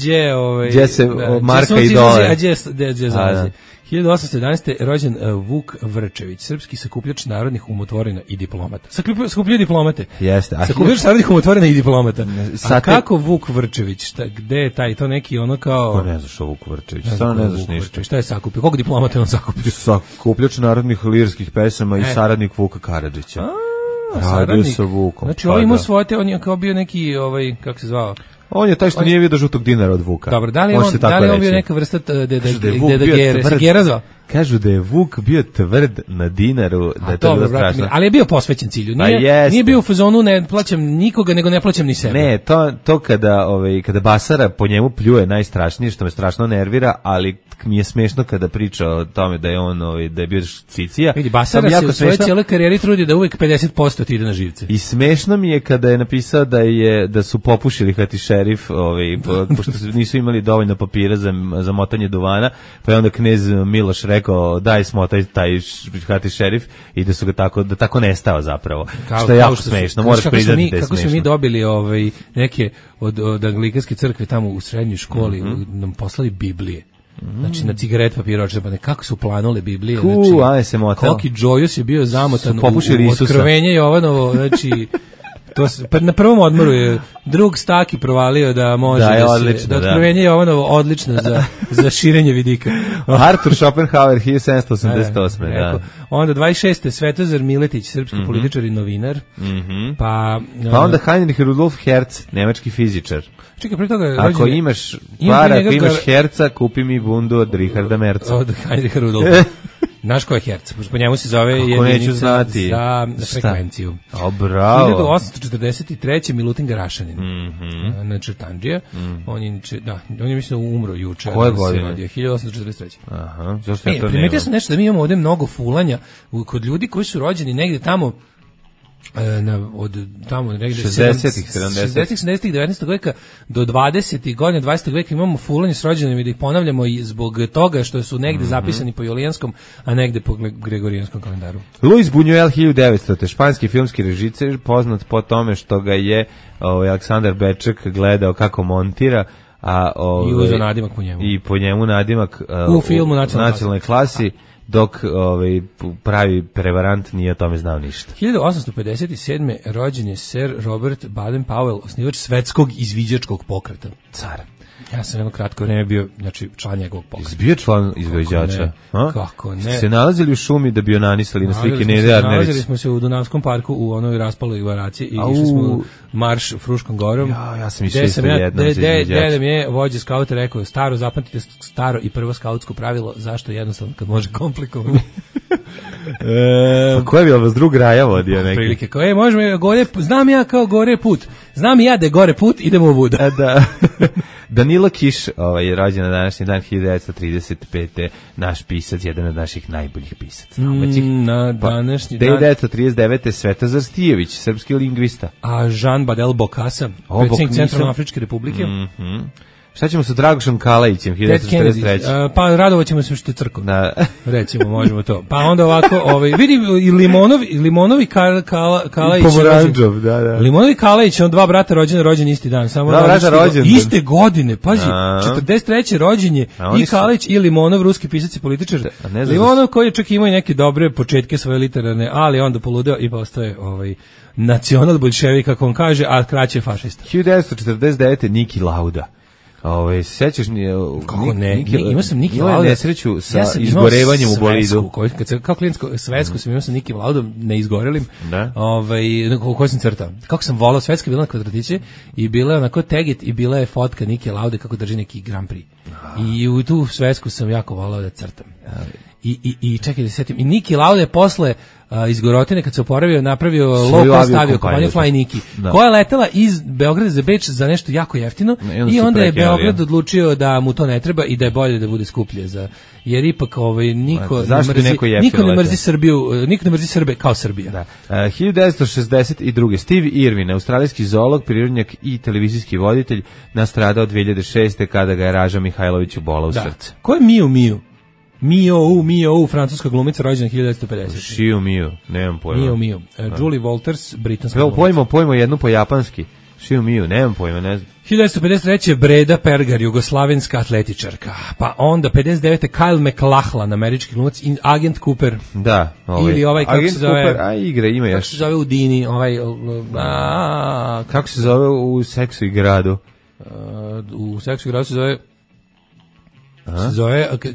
E: Gdje se marka i dolar.
F: A gdje zalazi? 1811. rođen Vuk Vrčević, srpski sakupljač narodnih umotvorina i diplomata. Sakupljaju diplomate.
E: Jeste.
F: Sakupljač narodnih umotvorina i diplomata. A kako Vuk Vrčević? Gde je taj? To neki ono kao...
E: Ko ne znaš o Vuk Vrčević? Stvarno ne znaš ništa.
F: Šta je sakupio? Koliko diplomata on sakupio?
E: Sakupljač narodnih lirskih pesama i saradnik Vuka Karadžića. Radio sa Vukom.
F: Znači, ovo imao svoje, on je kao bio neki, kako se zvao?
E: On je taj što nije vidio žutog dinara od Vuka.
F: Dobro, da li je on bio neka vrsta Gera zvao?
E: Kažu da je Vuk bio tvrd na dinaru, da je to bilo strašno.
F: Ali je bio posvećen cilju. Nije bio u fazonu ne plaćam nikoga, nego ne plaćam ni sebe.
E: Ne, to kada Basara po njemu pljuje najstrašnije, što me strašno nervira, ali mi je smešno kada priča o tome da je on da je bio cicija.
F: Vidi, Basara se u svojoj cijeloj karijeri trudi da uvijek 50% ti ide na živce.
E: I smešno mi je kada je napisao da su popušili Hati šerif, pošto nisu imali dovoljno papira za motanje duvana, pa je onda knez Miloš rekao daj smotaj taj Hati šerif i da su ga tako nestao zapravo. Što je jako smešno, moraš priznati da je smešno.
F: Kako su mi dobili neke od anglikanske crkve tamo u srednjoj školi, nam poslali Biblije. Znači na cigaret papiroče, pa nekako su planule Biblije. Koliki Džojus je bio zamotan u Otkrovenje Jovanovo, znači... na prvom odmoru je drug Staki provalio da može da Otkrovenje Jovanovo odlično za širenje vidika.
E: Artur Schopenhauer 1788.
F: Onda 26. Svetozar Miletić, srpski političar i novinar. Pa
E: onda Heinrich Rudolf Hertz, nemački fizičar.
F: Čekaj, pre toga
E: ako imaš para, ako imaš Herca, kupi mi bundu od Richarda Merca.
F: Od Heinricha Rudolfa. Znaš ko je Herc? Po njemu se zove jedinica za frekvenciju.
E: Bravo.
F: 1843. Milutin Garašanin. Znači Tandžija. On je mislim umro juče.
E: Koje godine?
F: 1843.
E: Aha, zašto ja to nemam?
F: Primetio sam nešto da mi imamo ovdje mnogo fulanja kod ljudi koji su rođeni negdje tamo od tamo negdje
E: 60-ih, 70-ih,
F: 19. veka do 20. godina 20. veka imamo fulanje s rođenima i da ih ponavljamo i zbog toga što su negdje zapisani po julijanskom, a negdje po gregorijanskom kalendaru.
E: Luis Buñuel 1900, španski filmski režiser, poznat po tome što ga je Aleksandar Beček gledao kako montira,
F: i uzeo nadimak po njemu.
E: I po njemu nadimak
F: u filmu
E: Nacionalnoj klasi. Dok pravi prevarant nije o tome znao ništa.
F: 1857. rođen je Sir Robert Baden-Powell, osnivač svetskog izviđačkog pokreta.
E: Car.
F: Ja sam jedno kratko vreme bio, znači, član njegovog pokreta.
E: Bio član izvođača?
F: Kako ne?
E: Se nalazili u šumi da bi onanisali na slike Nede Arnerić?
F: Nalazili smo se u Dunavskom parku u onoj raspaloj varaciji i išli smo marš Fruškom gorom.
E: Ja sam išao isto jednom za izvođača.
F: Dede mi je vođa skauta rekao, staro, zapamtite staro i prvo skautsko pravilo, zašto jednostavno kad može komplikovano.
E: Pa ko je bio vas drug raja vodio neki?
F: Prilike, kao, možemo gore, znam ja kao gore put, znam i ja da je gore put, idemo u Buda.
E: Da. Danilo Kiš je rođen na današnji dan 1935. Naš pisac, jedan od naših najboljih pisaca.
F: Na današnji dan
E: 1939. Svetozar Stijević, srpski lingvista.
F: A Jean Badel Bokassa, predsjednik Centralnoafričke republike.
E: Šta ćemo sa Dragošom Kalajićem 1943?
F: Pa radovat ćemo se što je crkva.
E: Da.
F: Recimo, možemo to. Pa onda ovako, vidi i Limonovi Kalajić.
E: Pomoranđov, da.
F: Limonovi Kalajić, on dva brata rođen isti dan. Samo iste godine, pazi, 43. rođenje i Kalajić i Limonov, ruski pisac i političar. Limonov koji je čak imao i neke dobre početke svoje literarne, ali onda poludeo i postoje nacional bolševik, kako on kaže, a kraće fašista.
E: 1949. Niki Lauda. Sećaš mi
F: kako ne? Imao sam Niki Lauda
E: nesreću sa izgorevanjem u bolidu.
F: Kad se kao klijentsko svetsku sam imao sam Niki Laudom ne izgorelim. Koji sam crtao. Kako sam volao, svetska bila na kvadratiće i bila je onako teget i bila je fotka Nike Laude kako drži neki Grand Prix. I u tu svetsku sam jako volao da crtam. I čekaj da se setim. I Niki Lauda je posle iz Gorotine kad se oporavio napravio low cost avio kompaniju Fly Niki, koja je letela iz Beograda za Beč za nešto jako jeftino i onda je Beograd odlučio da mu to ne treba i da je bolje da bude skuplje jer ipak niko ne mrzi Srbiju, niko ne mrzi Srbe kao Srbija.
E: Da. 1962. Steve Irwin, australijski zoolog, prirodnjak i televizijski voditelj, nastradao 2006. kada ga je Raža Mihajlović ubola u srce.
F: Ko je Miu? Mio, francuska glumica rođena 1950.
E: Šiu Mio, nemam pojma.
F: Mio. Julie Walters, britanska
E: glumica. Pojmo jednu po japanski. Šiu Mio, nemam pojma, ne znam.
F: 1953. Breda Pergar, jugoslavenska atletičarka. Pa onda 59. Kyle MacLachlan, američki glumac i agent Cooper.
E: Da,
F: ili kako se zove?
E: Cooper, igra ima još.
F: Kako se zove u Dini,
E: kako se zove u Seksu i gradu?
F: U Seksu i gradu se zove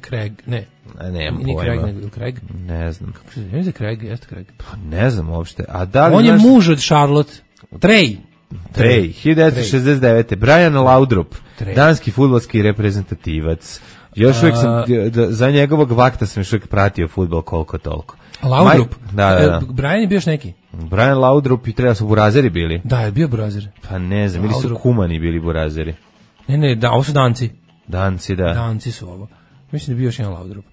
F: Craig, ne.
E: Nemam
F: pojma. Craig?
E: Ne znam.
F: Kako se zove Craig? Jeste Craig?
E: Pa ne znam uopšte. A da li
F: on je muž od Charlotte. Trey,
E: 1969. Brian Laudrup, danski fudbalski reprezentativac. Još uvijek sam, za njegovog vakta sam još uvijek pratio fudbal koliko toliko.
F: Laudrup? Da. Brian je bio još neki?
E: Brian Laudrup i treba su burazeri bili.
F: Da, je bio burazer.
E: Pa ne znam, ili su kumani bili burazeri.
F: Ne, ovo su danci.
E: Danci, da.
F: Danci su ovo. Mislim da je bio još jedan Laudrup.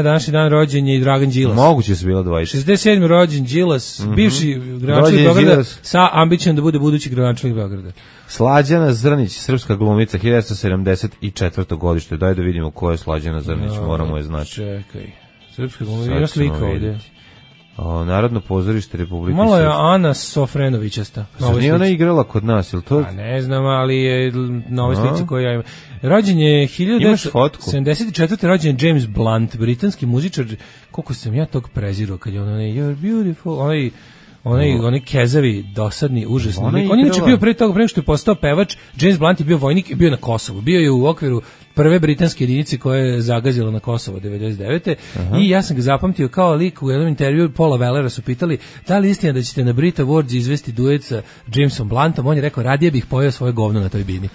F: Današnji dan rođen je i Dragan Đilas.
E: Moguće su bilo dvojice.
F: 67. rođen Đilas, bivši gradonačelnik Beograda, sa ambicijom da bude budući gradonačelnik Beograda.
E: Slađana Zrnić, srpska glumica, 1974. godište. Daj da vidimo ko je Slađana Zrnić, moramo je znati.
F: Čekaj, srpska glumica, ima slika ovdje.
E: Narodno pozorište Republike
F: Malo je Ana Sofrenovićasta.
E: Nije ona igrala kod nas, ili to?
F: Ne znam, ali je na ovoj slici koju ja imam. Rođen je 1974. rođen je James Blunt, britanski muzičar. Koliko sam ja tog prezirao kad je on You're beautiful, onaj kezavi, dosadni, užasni. On je inače bio pre toga, pre što je postao pevač, James Blunt je bio vojnik i bio na Kosovu. Bio je u okviru prve britanske jedinice koja je zagazila na Kosovo 99. I ja sam ga zapamtio kao lik u jednom intervju Paula Wellera su pitali da li istina da ćete na Brit Awards izvesti duet sa Jamesom Bluntom. On je rekao, radije bih pojeo svoje govno na toj bini.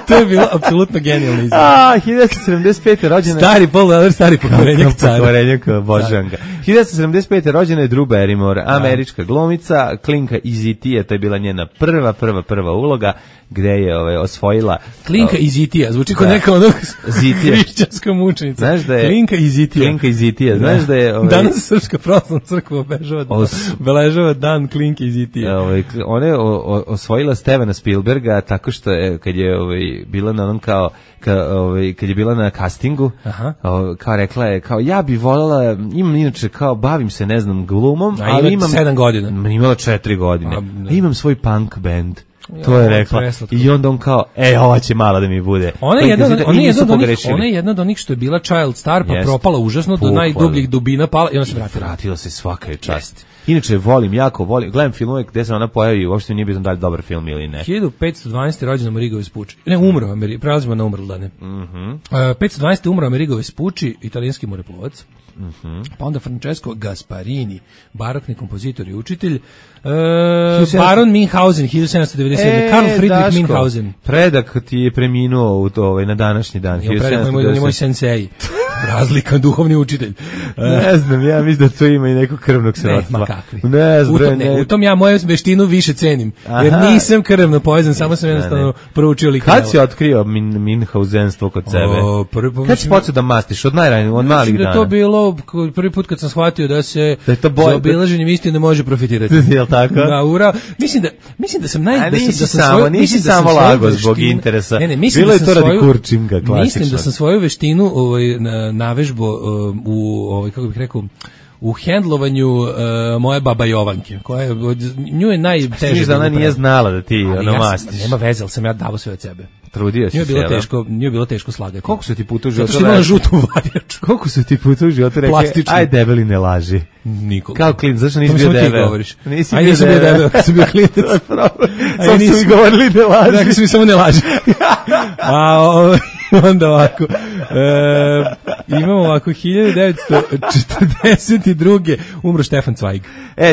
F: To je bilo apsolutno genijalno izgleda.
E: 1975. rođena...
F: Stari Paul Weller, stari pokvarenjak cara.
E: Pokvarenjak Božanka. 1975. rođena je Drew Barrymore, američka glumica, Klinka iz E.T.-a, to je bila njena prva uloga, gde je osvojila...
F: Klinka iz E.T.-a, zvuči kao neka onog hrišćanska mučenica.
E: Znaš da je...
F: Klinka iz E.T.a.
E: Znaš da je...
F: Danas Srpska pravoslavna crkva obeležava dan Klinke iz E.T.a.
E: Ona je osvojila Stevena Spielberga tako što je, kad je bila na onom kad je bila na castingu, kao rekla je, kao ja bi voljela, imam inače kao bavim se, ne znam, glumom, ali imam
F: 7 godina.
E: Imala 4 godine. Imam svoj punk band. To je rekla. I onda on kao, ova će mala da mi bude.
F: Ona je jedna od onih što je bila child star, pa propala užasno do najdubljih dubina pala i ona se vratila.
E: Vratila se, svaka je čast. Inače, jako volim, gledam filmove gde se ona pojavi, uopšte nije bitno da li dobar film ili ne.
F: 1512. rođen Amerigo Vespucci. Ne, umro, prelazimo na umrl dane. 512. umro Amerigo Vespucci, italijanski moreplovac. Pa onda Francesco Gasparini, barokni kompozitor i učitelj. Baron Minhausen, 1797. Karl Friedrich Minhausen.
E: Predak ti je preminuo na današnji dan.
F: Predak moj sensei. Razlika, duhovni učitelj.
E: Ne znam, ja mislim da to ima i neko krvnog srodstva.
F: Ma kakvi.
E: Ne znam,
F: u tom ja moju veštinu više cenim. Jer nisam krvno povezan, samo sam jednostavno proučio liknjava.
E: Kad si otkrio Minhausenstvo kod sebe? Kad si počeo da mastiš? Od najranije, od malih dana?
F: Da to bilo prvi put kad sam shvatio da se za obilaženjem istine može profitirati.
E: Jel tako?
F: Da, ura. Mislim da sam
E: nisi samo lago zbog interesa. Bilo je to radi kurčinga, klasično.
F: Mislim da sam svoju veštinu navežbo u kako bih rekao u hendlovanju moje baba Jovanke, koja je nju je najteže.
E: Mislim da ona nije znala da ti mastiš.
F: Nema veze, ali sam ja davo sve od sebe.
E: Trudio si se.
F: Nije bilo teško slagati.
E: Koliko su ti puta u životu?
F: Zato što imala žutu varjaču.
E: Koliko su ti puta u životu rekli? Aj debeli ne laži.
F: Nikoga.
E: Kao klinac, zašto nisi bio debel?
F: Nisi bio debel, kad sam bio klinac.
E: Sad su mi govorili ne laži.
F: Dakle su mi samo ne laži. Onda ovako, imamo ovako 1942. umro Stefan Zweig.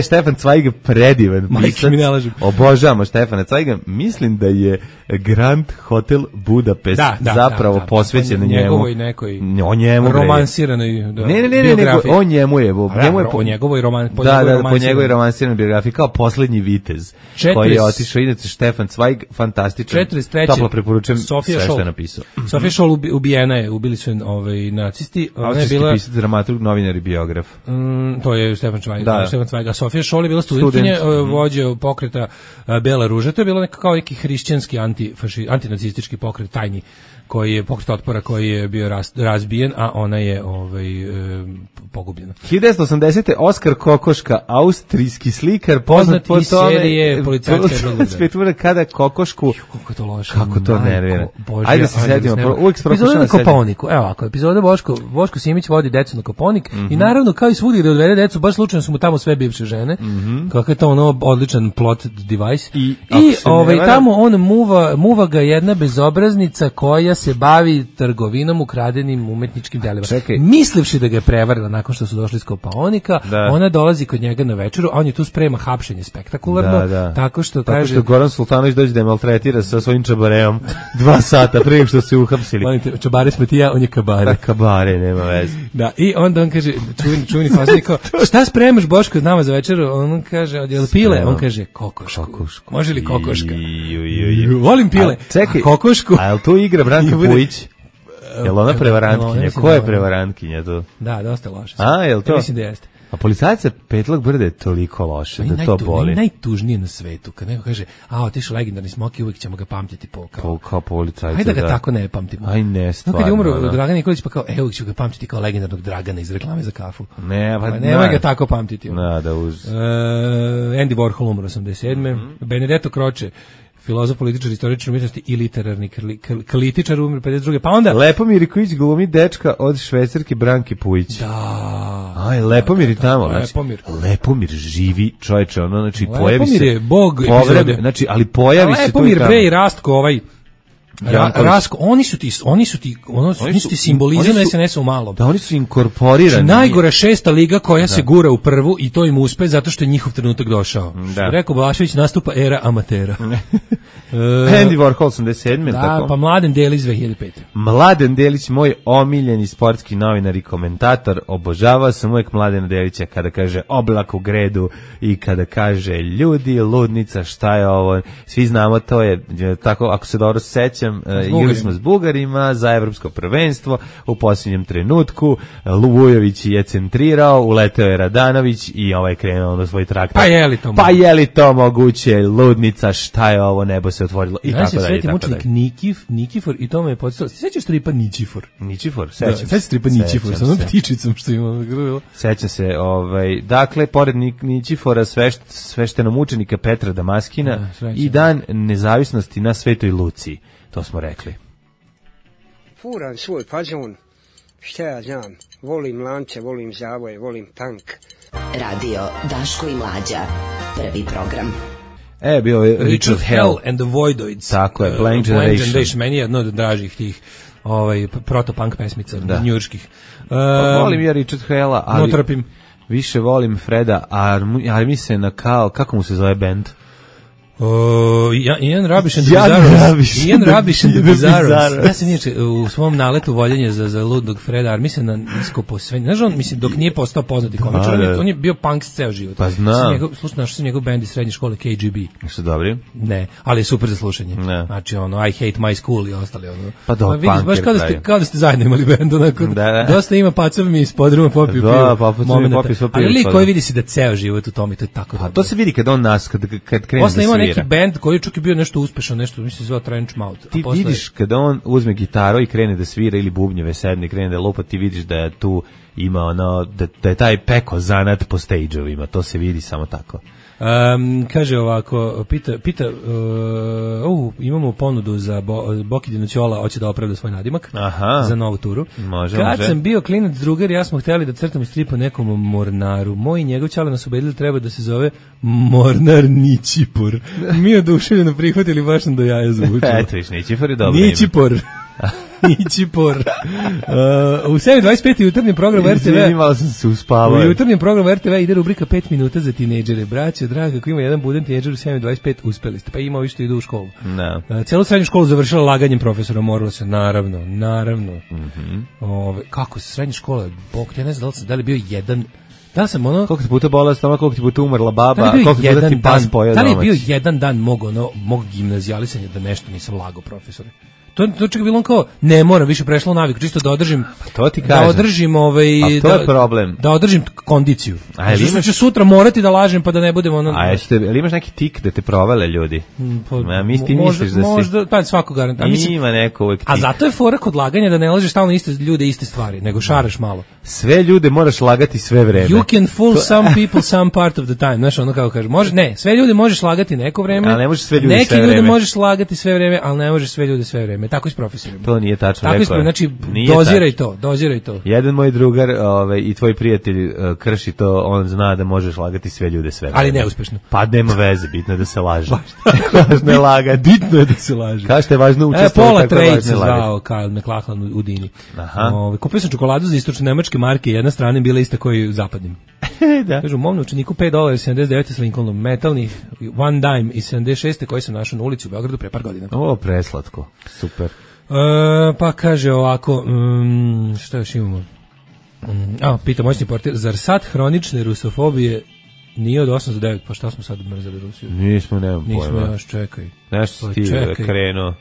E: Stefan Zweig predivan pisac. Obožavamo Stefana Zweiga. Mislim da je Grand Hotel Budapest zapravo posvećen njemu. O njemu.
F: Romansiranoj biografiji.
E: O njemu je.
F: Po njegovoj
E: romansiranoj biografiji kao poslednji vitez koji je otišao. Inače Stefan Zweig, fantastičan. Toplo preporučujem sve što je napisao.
F: Sofija Scholl ubijena je, ubili su nacisti.
E: Austrijski pisac, dramaturg, novinar i biograf.
F: To je Stefan Zweig. A Sofija Scholl je bila studentkinja, vođa pokreta Bela ruža. To je bilo kao neki hrišćanski antinacistički pokret, tajni, koji je pokret otpora koji je bio razbijen, a ona je pogubljena.
E: 1980. Oskar Kokoška, austrijski slikar, poznat po
F: iz serije Policajska
E: kada Kokošku...
F: Kako to loše.
E: Kako to nervira. Ajde se sedimo.
F: Epizoda na Kopaoniku. Evo ovako, epizoda Boško Simić vodi decu na Kopaonik i naravno kao i svugdje gde odvede decu, baš slučajno su mu tamo sve bivše žene. Kako je to odličan plot device. I tamo on muva ga jedna bezobraznica koja se bavi trgovinom ukradenim umetničkim delima. Mislivši da ga je prevarila nakon što su došli iz Kopaonika, ona dolazi kod njega na večeru, a on je tu sprema hapšenje spektakularno, tako što kaže...
E: Tako što Goran Sultanović dođe da je maltretira sa svojim čabareom 2 sata prije što se uhapsili.
F: Volite, čabare smo ti ja, on je kabare.
E: Kabare, nema veze.
F: Da, i onda on kaže, čuveni faznik, šta spremaš Boško od nama za večeru? On kaže, jel pile? On kaže, kokošku. Može li kokoška? Volim pile.
E: Čekaj,
F: kokošku.
E: A jel tu igra Branka Pujić? Jel ona prevarantkinja? Ko je prevarantkinja tu?
F: Da, dosta loše.
E: A, jel to?
F: Mislim da jeste.
E: A policajaca Petlog Brde je toliko loše da to boli.
F: Najtužnije na svetu, kad neko kaže, otišao legendarni Smoki, uvijek ćemo ga pamtiti
E: kao policajca.
F: Hajde da ga tako ne pamtimo.
E: Aj ne, stvarno.
F: Kad je umro Dragan Nikolić, pa kao, uvijek ću ga pamtiti kao legendarnog Dragana iz reklame za kafu. Nemoj ga tako pamtiti. Andy Warhol umro 87. Benedetto Croce, filozof, političar, istoričar umetnosti i literarni kritičar, umre 52. Pa onda
E: Lepomir Iković glumi dečka od švajcarke Branke Pujić.
F: Da.
E: Lepomir i tamo, Lepomir živi, čoveče, znači pojavi se.
F: Lepomir je bog epizode.
E: Znači, ali pojavi se tu.
F: Lepomir bre i Rastko Rasko, oni su ti simbolizam SNS-a u malom.
E: Da, oni su inkorporirani.
F: Najgora 6. liga koja se gura u prvu i to im uspe zato što je njihov trenutak došao. Rekao Balašević, nastupa era amatera.
E: Andy Warhol 87.
F: Da, pa Mladen Delić 2005.
E: Mladen Delić, moj omiljeni sportski novinar i komentator, obožavao sam uvijek Mladena Delića kada kaže oblak u gredu i kada kaže ljudi, ludnica, šta je ovo, svi znamo, to je tako, ako se dobro sećam, sećam, igrali smo s Bugarima za evropsko prvenstvo u posljednjem trenutku, Vujović je centrirao, uleteo je Radanović i ovaj krenuo na svoj traktor. Pa je li to moguće, ludnica, šta je ovo, nebo se otvorilo i tako dalje.
F: Sveti mučenik Nikifor i to me je podsjetilo. Sećaš stripa Ničifor?
E: Ničifor, sećam se.
F: Sećaš stripa Ničifor, sa onom ptičicom što ima.
E: Sećam se, dakle, pored Ničifora sveštenog mučenika Petra Damaskina i dan nezavisnosti na Svetoj Luciji, to smo rekli.
I: Furam svoj fazon, šta ja znam, volim lance, volim zavoje, volim tank.
B: Radio Daško i Mlađa, prvi program.
E: Bio je Richard Hell
F: and the Voidoids.
E: Tako je, Blank Generation.
F: Meni je jedno od dražih tih proto-punk pesmica, njujorških.
E: Volim ja Richard Hella, ali više volim Freda Armisena kao, kako mu se zove band?
F: Ian Rubbish and the Bizarros. Ja sam inače u svom naletu voljenja za ludnog Freda Armisena nisko posvenje. Znaš, on, mislim, dok nije postao poznati komičar, on je bio punk ceo život.
E: Pa znam.
F: Slušaj, našao sam njegov band iz srednje škole KGB.
E: Su dobri?
F: Ne, ali je super za slušanje. Ne. Znači, I Hate My School i ostali.
E: Pa do,
F: vidiš, baš kao da ste zajedno imali band. Dosta ima pacov mi iz podruma popiju pivo. Ali lik koji vidi se da ceo život u tome, to je tako dobro.
E: To se vidi kad on nas, kad krene da svira.
F: Neki band koji čak je bio nešto uspešan, nešto mislim zvao Trench Mouth.
E: Ti vidiš kada on uzme gitaru i krene da svira ili bubnjeve sedne i krene da lupa, ti vidiš da je tu ima da je taj peko zanat po stage-ovima, to se vidi samo tako.
F: Kaže ovako, pita imamo ponudu za Boki Dinoćola, hoće da opravda svoj nadimak.
E: Aha.
F: Za novu turu.
E: Može.
F: Sam bio klinac drugar, ja smo hteli da crtamo strip o nekom Mornaru. Moj i njegov čale nas ubedili treba da se zove Mornar Ničipor. Mi oduševljeno prihvatili, baš nam do jaja zvučilo.
E: Eto viš, Ničipor je dobro
F: Ničipor. Ničipor. U 7:25 jutarnji program RTV.
E: Malo sam se uspavao.
F: U jutarnjem programu RTV ide rubrika 5 minuta za tinejdžere. Braćo, draga, ako ima jedan budan tinejdžer u 7:25, uspeli ste. Pa ima ovi što idu u školu. Celu srednju školu završila laganjem profesora, moralo se, naravno. Kako se srednja škola, bog, ja ne znam da li bio jedan. Da sam koliko
E: ti puta bola stomak, koliko ti puta umrla baba, koliko ti puta ti pas pojeo domaći.
F: Da li je bio jedan dan mog gimnazijalisanja da nešto nisam lagao profesore? To čak je bilo kao, ne moram, više prešlo naviku, čisto da održim,
E: to ti kažem.
F: Da održim
E: to je problem.
F: Da održim kondiciju. Što ću sutra morati da lažem pa da ne budem ono.
E: Ali imaš neki tik da te provale ljudi? Misliš da si...
F: Možda, pa svako garant.
E: Ima neko uvek tik.
F: A zato je fora kod laganja da ne lažeš stalno iste ljude, iste stvari, nego šaraš malo.
E: Sve ljude moraš lagati sve vreme.
F: You can fool some people some part of the time. Znaš, ono kako kaže, sve ljude možeš lagati neko vreme,
E: ali ne možeš sve ljude
F: sve vreme. Neki ljude možeš lagati sve vreme, ali ne možeš sve ljude sve vreme. Tako je s profesorima.
E: To nije tačno
F: rekao. Znači, doziraj to.
E: Jedan moj drugar i tvoj prijatelj krši to, on zna da možeš lagati sve ljude sve vreme.
F: Ali neuspešno.
E: Pa nema veze, bitno je da se laže. Važno je lagati.
F: Bitno je da se laže.
E: Kažete, važno učestvovati.
F: Pola Trade se zvao Karl McLachlan u Dini. Kupio sam čokoladu za istočno nemačke marke, jedna strana je bila ista koji u zapadnim. Da. Kažu, mom učeniku $5.79 s Lincolnom, metalni One Dime iz 76. koji sam našao na ulici u Beogradu pre par godina.
E: Preslatko, super.
F: Pa kaže ovako, šta još imamo? Pita moćni portir, zar sad hronične rusofobije nije od 8 do 9, pa šta smo sad mrzeli Rusiju?
E: Nismo, nemam pojma.
F: Nismo još, čekaj.
E: Nešto ti krenuo.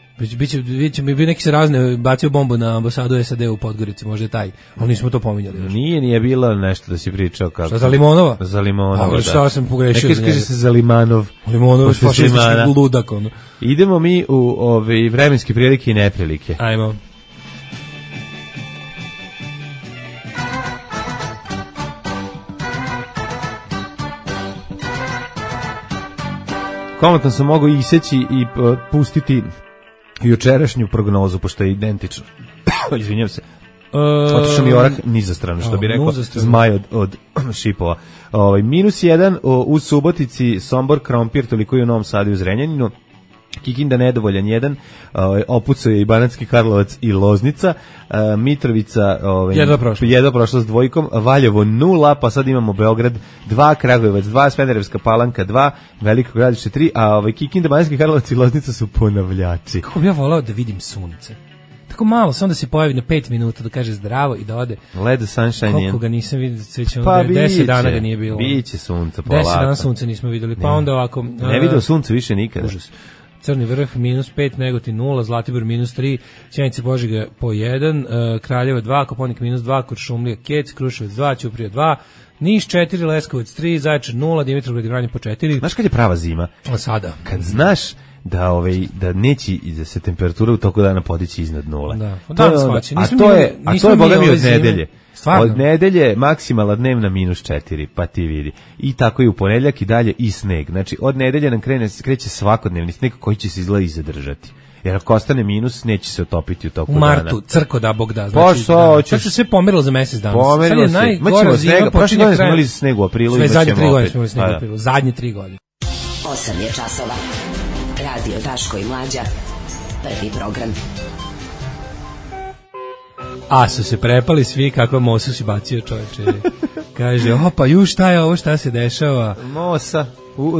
F: Biće mi neki se razne bacio bombu na ambasadu SAD u Podgorici, možda je taj, ali nismo to pominjali.
E: Nije bilo nešto da si pričao kako.
F: Šta, za Limonova?
E: Za Limonova, da.
F: Šta sam pogrešio za njega?
E: Kaže se za Limanov.
F: Limonov je fašistički ludak, ono.
E: Idemo mi u vremenske prilike i neprilike.
F: Ajmo.
E: Komotno sam mogao iseći i pustiti jučerašnju prognozu, pošto je identično. Izvinjam se. Otišao mi orah niza stranu, što bi rekao zmaj od šipova. -1 u Subotici, Sombor, Krompir, toliko i u Novom Sadu i u Zrenjaninu. Kikinda nedovoljan 1, opucao je i Banatski Karlovac i Loznica, Mitrovica jedva prošla s 2, Valjevo 0, pa sad imamo Beograd 2, Kragujevac 2, Smederevska Palanka 2, Veliko Gradište 3, a Kikinda, Banatski Karlovac i Loznica su ponavljači.
F: Kako bi ja volao da vidim sunce? Tako malo, samo da se pojavi na 5 minuta, da kaže zdravo i da ode.
E: Let the sunshine in.
F: Koliko ga nisam vidio, pa 10 dana ga nije bilo.
E: Biće sunca polako.
F: 10 dana sunca nismo vidjeli, pa onda ovako...
E: Ne vidio sunce više nikada.
F: Užas. Crni Vrh -5, Negotin 0, Zlatibor -3, Sjenica Požega po 1, Kraljevo 2, Koponik -2, Kuršumlija Kec, Kruševac 2, Ćuprija 2, Niš 4, Leskovac 3, Zaječar 0, Dimitrovgrad i Vranje po 4.
E: Znaš kad je prava zima?
F: A sada?
E: Kad znaš da neće da se temperatura u toku dana podići iznad nula.
F: Da.
E: To je boga mi od nedelje. Stvarno? Od nedelje maksimalna dnevna -4, pa ti vidi. I tako i u ponedjeljak i dalje i sneg. Znači, od nedelje nam kreće svakodnevni sneg koji će se izgleda i zadržati. Jer ako ostane minus, neće se otopiti u toku dana.
F: U martu, crko da Bog da. Znači, sad se sve pomerilo za mesec dana.
E: Pomerilo se.
F: Najgora zima
E: počinje kraj. Smo imali sneg u aprilu.
F: Sve zadnje 3 godine smo imali sneg u aprilu. Zadnje 3 godine.
B: 8 je časova. Radio Daško i Mlađa. Prvi program.
F: A su se prepali svi kako Mosu si bacio, čoveče. Kaže, pa šta je ovo, šta se dešava?
E: Mosa.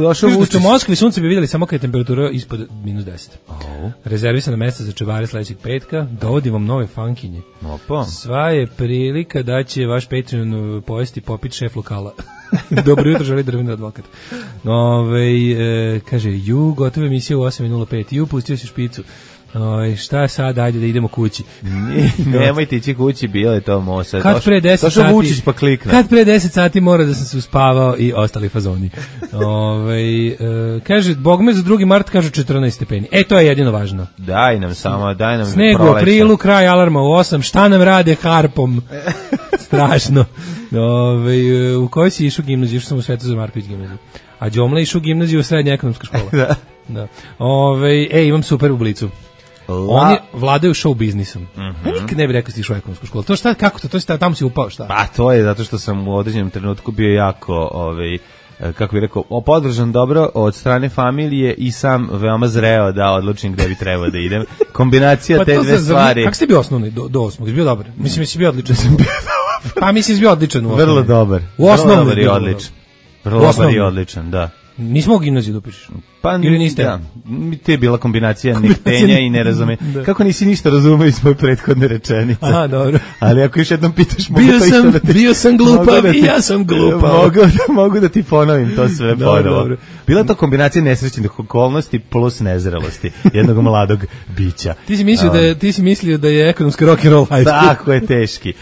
E: Došao
F: Vučić. U Moskvi sunce bi vidjeli samo kad je temperatura ispod -10. Rezervisana mesta za čevare sledećeg petka. Dovodim vam nove fankinje.
E: Opa.
F: Sva je prilika da će vaš Patreon pojesti popit šef lokala. Dobro jutro, želi Drveni advokat. Kaže, gotova emisija u 8:05. Pustio si špicu. Šta sad, ajde da idemo kući.
E: Nemojte ići kući, bilo je to Mosa.
F: Kad pre 10 sati,
E: Vučić pa klikne.
F: Kad pre 10 sati mora da sam se uspavao i ostali fazoni. Kaže, Bogme za 2. mart kažu 14 stepeni. To je jedino važno.
E: Daj nam
F: sneg u aprilu, kraj alarma u 8, šta nam rade harpom? Strašno. U kojoj si išao gimnaziju? Išao sam u Svetozar Marković gimnaziju. A Đomla išao u gimnaziju, srednja ekonomska škola. Da. Imam super ublicu. Oni vladaju show biznisom. Ja nikad ne bih rekao si išao u ekonomsku školu. To šta, kako to? To si tamo si upao, šta?
E: Pa to je zato što sam u određenom trenutku bio jako, kako bih rekao, podržan dobro od strane familije i sam veoma zreo da odlučim gde bi trebao da idem. Kombinacija te dve stvari.
F: Kako ste bio osnovni do 8? Jesi bio dobar? Mislim, jesi bio odličan. Pa mislim, jesi bio odličan u osnovni.
E: Vrlo dobar.
F: U osnovni.
E: Vrlo dobar i odličan, da.
F: Nismo u gimnaziju da upišeš.
E: Pa
F: ili niste?
E: Da. To je bila kombinacija nektenja i nerazume. Kako nisi ništa razumeo iz moje prethodne rečenice?
F: Aha, dobro.
E: Ali ako još jednom pitaš,
F: bio sam glupav i ja sam glupav.
E: Mogu da ti ponovim to sve ponovo. Bila to kombinacija nesrećnih okolnosti plus nezrelosti jednog mladog bića.
F: Ti si mislio da je ekonomski rock and roll high school.
E: Tako je, teški.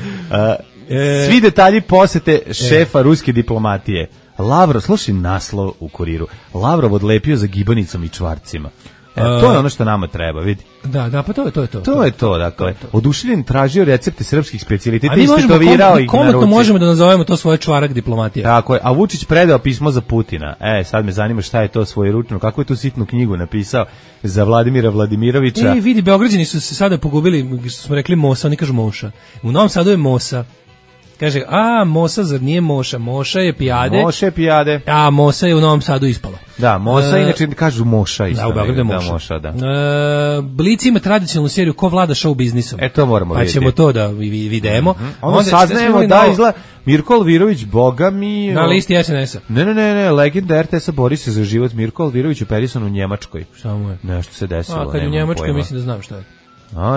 E: Svi detalji posete šefa ruske diplomatije. Lavrov, slušaj naslov u Kuriru. Lavrov odlepio za gibanicom i čvarcima. To je ono što nama treba, vidi.
F: Da, pa to je to.
E: To je to, dakle. Oduševljen tražio recepte srpskih specijaliteta i istetovirao ih na ruci.
F: Komotno možemo da nazovemo to svoje čvarak diplomatije.
E: Tako je, a Vučić predao pismo za Putina. Sad me zanima šta je to svojeručno, kako je tu sitnu knjigu napisao za Vladimira Vladimirovića.
F: Vidi, Beograđani su se sada pogubili, što smo rekli Mosa, oni kažu Moša. U Novom Sadu je Mosa. Kaže, Mosa, zar nije Moša? Moša je pijade.
E: Moša je pijade.
F: A Mosa je u Novom Sadu ispalo.
E: Da, Mosa, inače kažu Moša isto.
F: Da, u Beogradu je Moša. Blic ima tradicionalnu seriju Ko vlada show biznisom.
E: To moramo vidjeti.
F: Pa ćemo to da vidimo.
E: Onda saznajemo da izgleda Mirko Alvirović, boga mi...
F: Na listi SNS-a.
E: Ne, legenda RTS-a bori se za život. Mirko Alvirović uperisan u Njemačkoj.
F: Šta mu je?
E: Nešto se desilo.
F: Kad je u Njemačkoj, mislim da znam šta je.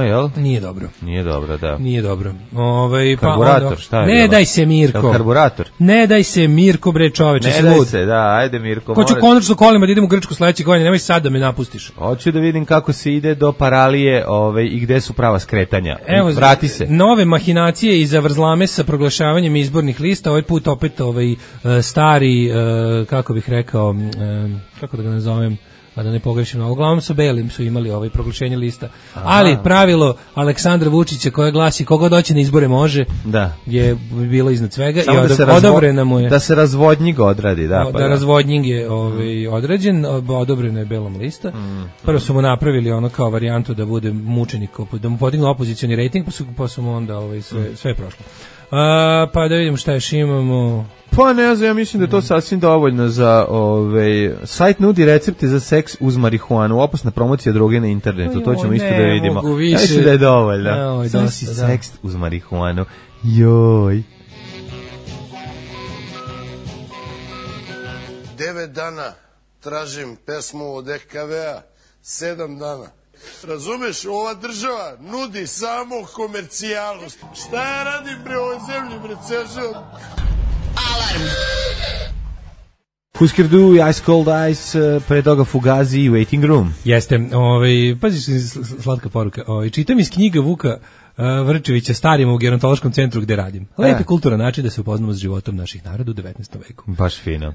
E: Jel?
F: Nije dobro.
E: Nije dobro, da.
F: Nije dobro.
E: Karburator, šta je?
F: Ne daj se, Mirko.
E: Karburator.
F: Ne daj se, Mirko, bre, čoveče.
E: Ne daj se, da, ajde, Mirko.
F: Hoću konačno kolima da idem u Grčku sledeće godine, nemoj sad da me napustiš.
E: Hoću da vidim kako se ide do Paralije i gde su prava skretanja.
F: Evo,
E: vrati se.
F: Nove mahinacije i zavrzlame sa proglašavanjem izbornih lista, ovaj put opet stari, kako bih rekao, kako da ga nazovem, a da ne pogrešim, uglavnom su belim su imali proglašenje lista. Ali pravilo Aleksandra Vučića koje glasi koga doći na izbore može, je bilo iznad svega i odobrena mu je.
E: Da se razvodnjing odradi, da.
F: Da razvodnjing je odrađen, odobrena je belom lista. Prvo su mu napravili ono kao varijantu da bude mučenik, da mu podignu opozicioni rejting, pa su mu onda sve prošlo. Pa da vidimo šta još imamo.
E: Pa ne znam, ja mislim da je to sasvim dovoljno za sajt nudi recepte za seks uz marihuanu, opasna promocija droge na internetu, to ćemo isto da vidimo. Ja mislim da je dovoljno. Znači seks uz marihuanu. Joj.
J: 9 dana tražim pesmu od EKV-a, 7 dana. Razumeš, ova država nudi samo komercijalu. Šta ja radim pre ovoj zemlji, bre, ceo život?
B: Alarm.
E: Husker Du, Ice Cold Ice, pre toga Fugazi i Waiting Room.
F: Jeste, pazi slatka poruka. Čitam iz knjiga Vuka Vrčevića Starima u gerontološkom centru gde radim. Lepi kulturan način da se upoznamo s životom naših naroda u 19. veku.
E: Baš fino.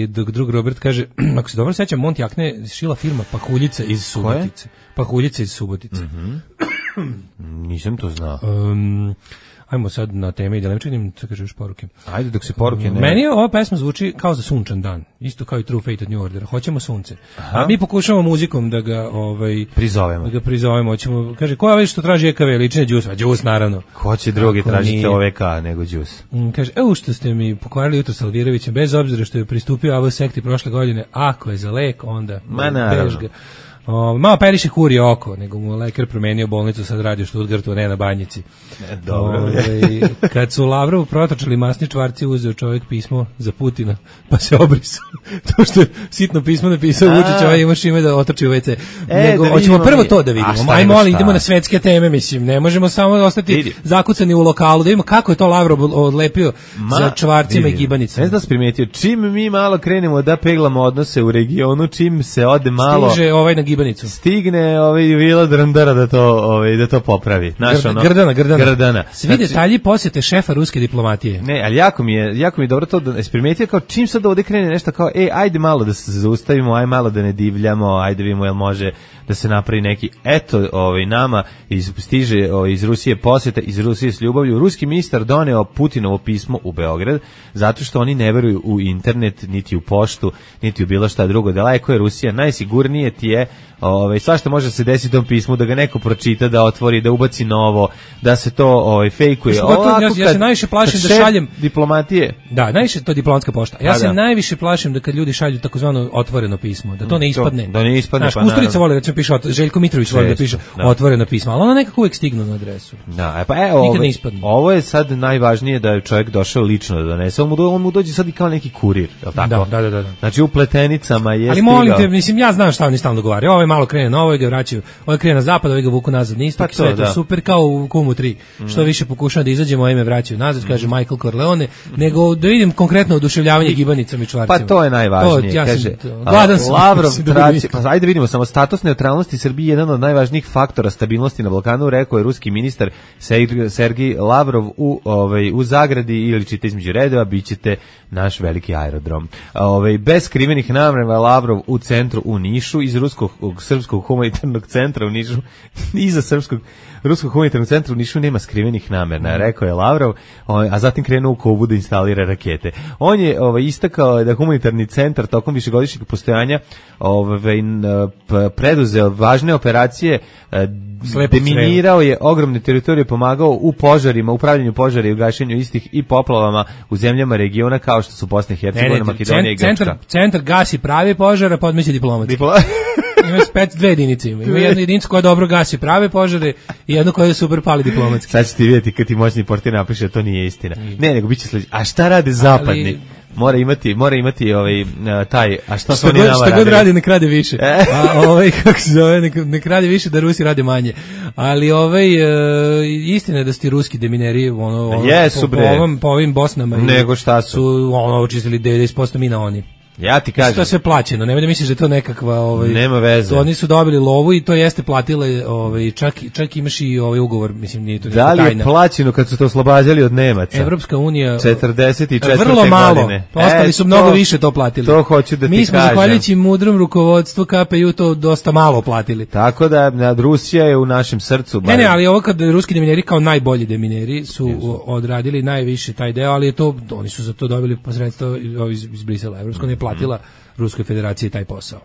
F: Dok drug Robert kaže, ako se dobro sećam, Monti Akne šila firma Pahuljica iz Subotice. Pahuljica iz Subotice.
E: Nisam to znao.
F: Ajmo sad na teme i da ne činim, sad kaže još poruke.
E: Ajde dok se poruke ne...
F: Meni ova pesma zvuči kao za sunčan dan, isto kao i True Fate od New Order. Hoćemo sunce. A mi pokušavamo muzikom da ga
E: prizovemo.
F: Da ga prizovemo. Hoćemo, kaže, ko je već što traži EKV, lične džus? Džus, naravno.
E: Ko će drugi tražiti OVK nego džus?
F: Kaže, što ste mi pokvarili jutro s Alvirovićem, bez obzira što je pristupio AV sekti prošle godine, ako je za lek, onda bež ga. Malo periše kurije oko, nego mu lekar promenio bolnicu, sad radi u Stuttgartu, ne na Banjici.
E: Dobro.
F: Kad su Lavrovu protočali masni čvarci, uzeo čovjek pismo za Putina, pa se obrisao. To što je sitno pismo napisao Vučić, imaš ime da otrči u WC. Nego, hoćemo prvo to da vidimo. Ajmo, ali idemo na svetske teme, mislim. Ne možemo samo ostati zakucani u lokalu, da vidimo kako je to Lavrov odlepio za čvarcima i gibanicama.
E: Ne znam da si primetio, čim mi malo krenemo da peglamo odnose u regionu, čim se ode malo...
F: Stiže na gibanicu.
E: Stigne Vila Drandara da to popravi. Grdana.
F: Svi detalji posjete šefa ruske diplomatije.
E: Ne, ali jako mi je dobro to da se primetio, kao čim sad ovde krene nešto kao, ajde malo da se zaustavimo, ajde malo da ne divljamo, ajde vidimo jel može da se napravi neki, nama stiže iz Rusije posjeta, iz Rusije s ljubavlju. Ruski ministar doneo Putinovo pismo u Beograd, zato što oni ne veruju u internet, niti u poštu, niti u bilo šta drugo. Daleko je Rusija, najsigurnije ti je, svašta može se desiti u tom pismu, da ga neko pročita, da otvori, da ubaci novo, da se to fejkuje.
F: Ja se najviše plašim da šaljem
E: diplomatije.
F: Da, najviše to diplomatska pošta. Ja se najviše plašim da kad ljudi šalju takozvano otvoreno pismo, da to ne ispadne.
E: Da ne ispadne.
F: Znaš, Kusturica voli da piše, Željko Mitrović voli da piše otvoreno pismo, ali ono nekako uvijek stignu na adresu.
E: Da,
F: nikad ne ispadne.
E: Ovo je sad najvažnije da je čovjek došao lično da donese. On mu dođe sad i kao neki kurir, je li tako?
F: Da.
E: Znači u pletenicama je
F: ali molim te, mislim, ja znam šta oni stalno dogovaraju. Ovo je malo krene na ovo, ga vraćaju, ovo krene na zapad, ovo ga vuku nazad na istok, sve je to super kao u Kumu 3. Što više pokušam da izađemo, a ime vraćaju nazad, kaže Michael Corleone, nego da vidim konkretno oduševljavanje gibanicama i čvarcima.
E: Pa to je najvažnije, kaže. Lavrov traži, pa ajde vidimo, samo status neutralnosti Srbije je jedan od najvažnijih faktora stabilnosti na Balkanu, rekao je ruski ministar Sergij Lavrov u zagradi, ili čita između redova, bićete naš veliki aerodrom. Bez skrivenih namera Lavrov u centru u Nišu, iz Srpskog humanitarnog centra u Nišu, iza Ruskog humanitarnog centra u Nišu nema skrivenih namera, rekao je Lavrov, a zatim krenuo u Kubu da instalira rakete. On je istakao da humanitarni centar tokom višegodišnjeg postojanja preduzeo važne operacije, deminirao je ogromne teritorije, pomagao u požarima, upravljanju požara i ugašenju istih i poplavama u zemljama regiona kao što su Bosna i Hercegovina, Makedonija i Grčka.
F: Centar gasi pravi požara, podmeće diplomat. Ima dve jedinice. Ima jednu jedinicu koja dobro gasi prave požare i jednu koja super pali diplomatski.
E: Sad ćete vidjeti kad ti moćni portir napiše da to nije istina. Ne, nego biće sledeće. A šta rade zapadni? Mora imati taj, a šta su oni nama radili?
F: Šta god radi, nek rade više. Kako se zove, nek rade više da Rusi rade manje. Ali istina je da su ti ruski demineri, po ovim Bosnama,
E: nego šta su
F: očistili 90% mina oni.
E: Ja ti kažem.
F: To je sve plaćeno, nemoj da misliš da je to nekakva...
E: Nema veze.
F: To oni su dobili lovu i to jeste platile, čak imaš i ugovor, mislim, nije to neka tajna.
E: Da li je plaćeno kad su to oslobađali od Nemaca?
F: Evropska unija...
E: 44.
F: Vrlo malo.
E: Godine.
F: Ostali su mnogo više to platili.
E: To hoću da ti kažem.
F: Mi smo zahvaljujući mudrom rukovodstvu KPU to dosta malo platili.
E: Tako da Rusija je u našem srcu.
F: Ne, ali ovo kad ruski demineri kao najbolji demineri su odradili najviše taj deo, ali je to, oni su za to dobili posredstvo iz Brisela. Evropska unija platila Ruskoj federaciji taj posao.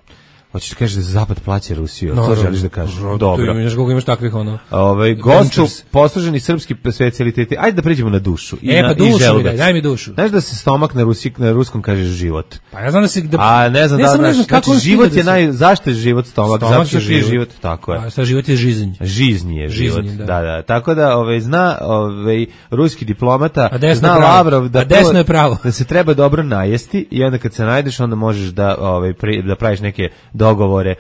E: Hoćeš da kažeš da Zapad plaća Rusiju, to želiš da kažeš. Dobro.
F: Imaš takvih
E: gošću posluženi srpski specijaliteti. Ajde da pređemo na dušu.
F: Daj mi dušu.
E: Znaš da se stomak na ruskom kaže život.
F: Pa ja znam da se...
E: A ne znam znači život je zašto je život stomak? Zato što je život, tako je.
F: A šta život je žizinj.
E: Žiznji je život, da. Tako da zna ruski diplomata, zna Lavrov da se treba dobro najesti i onda kad se najdeš onda možeš da praviš neke dogovore.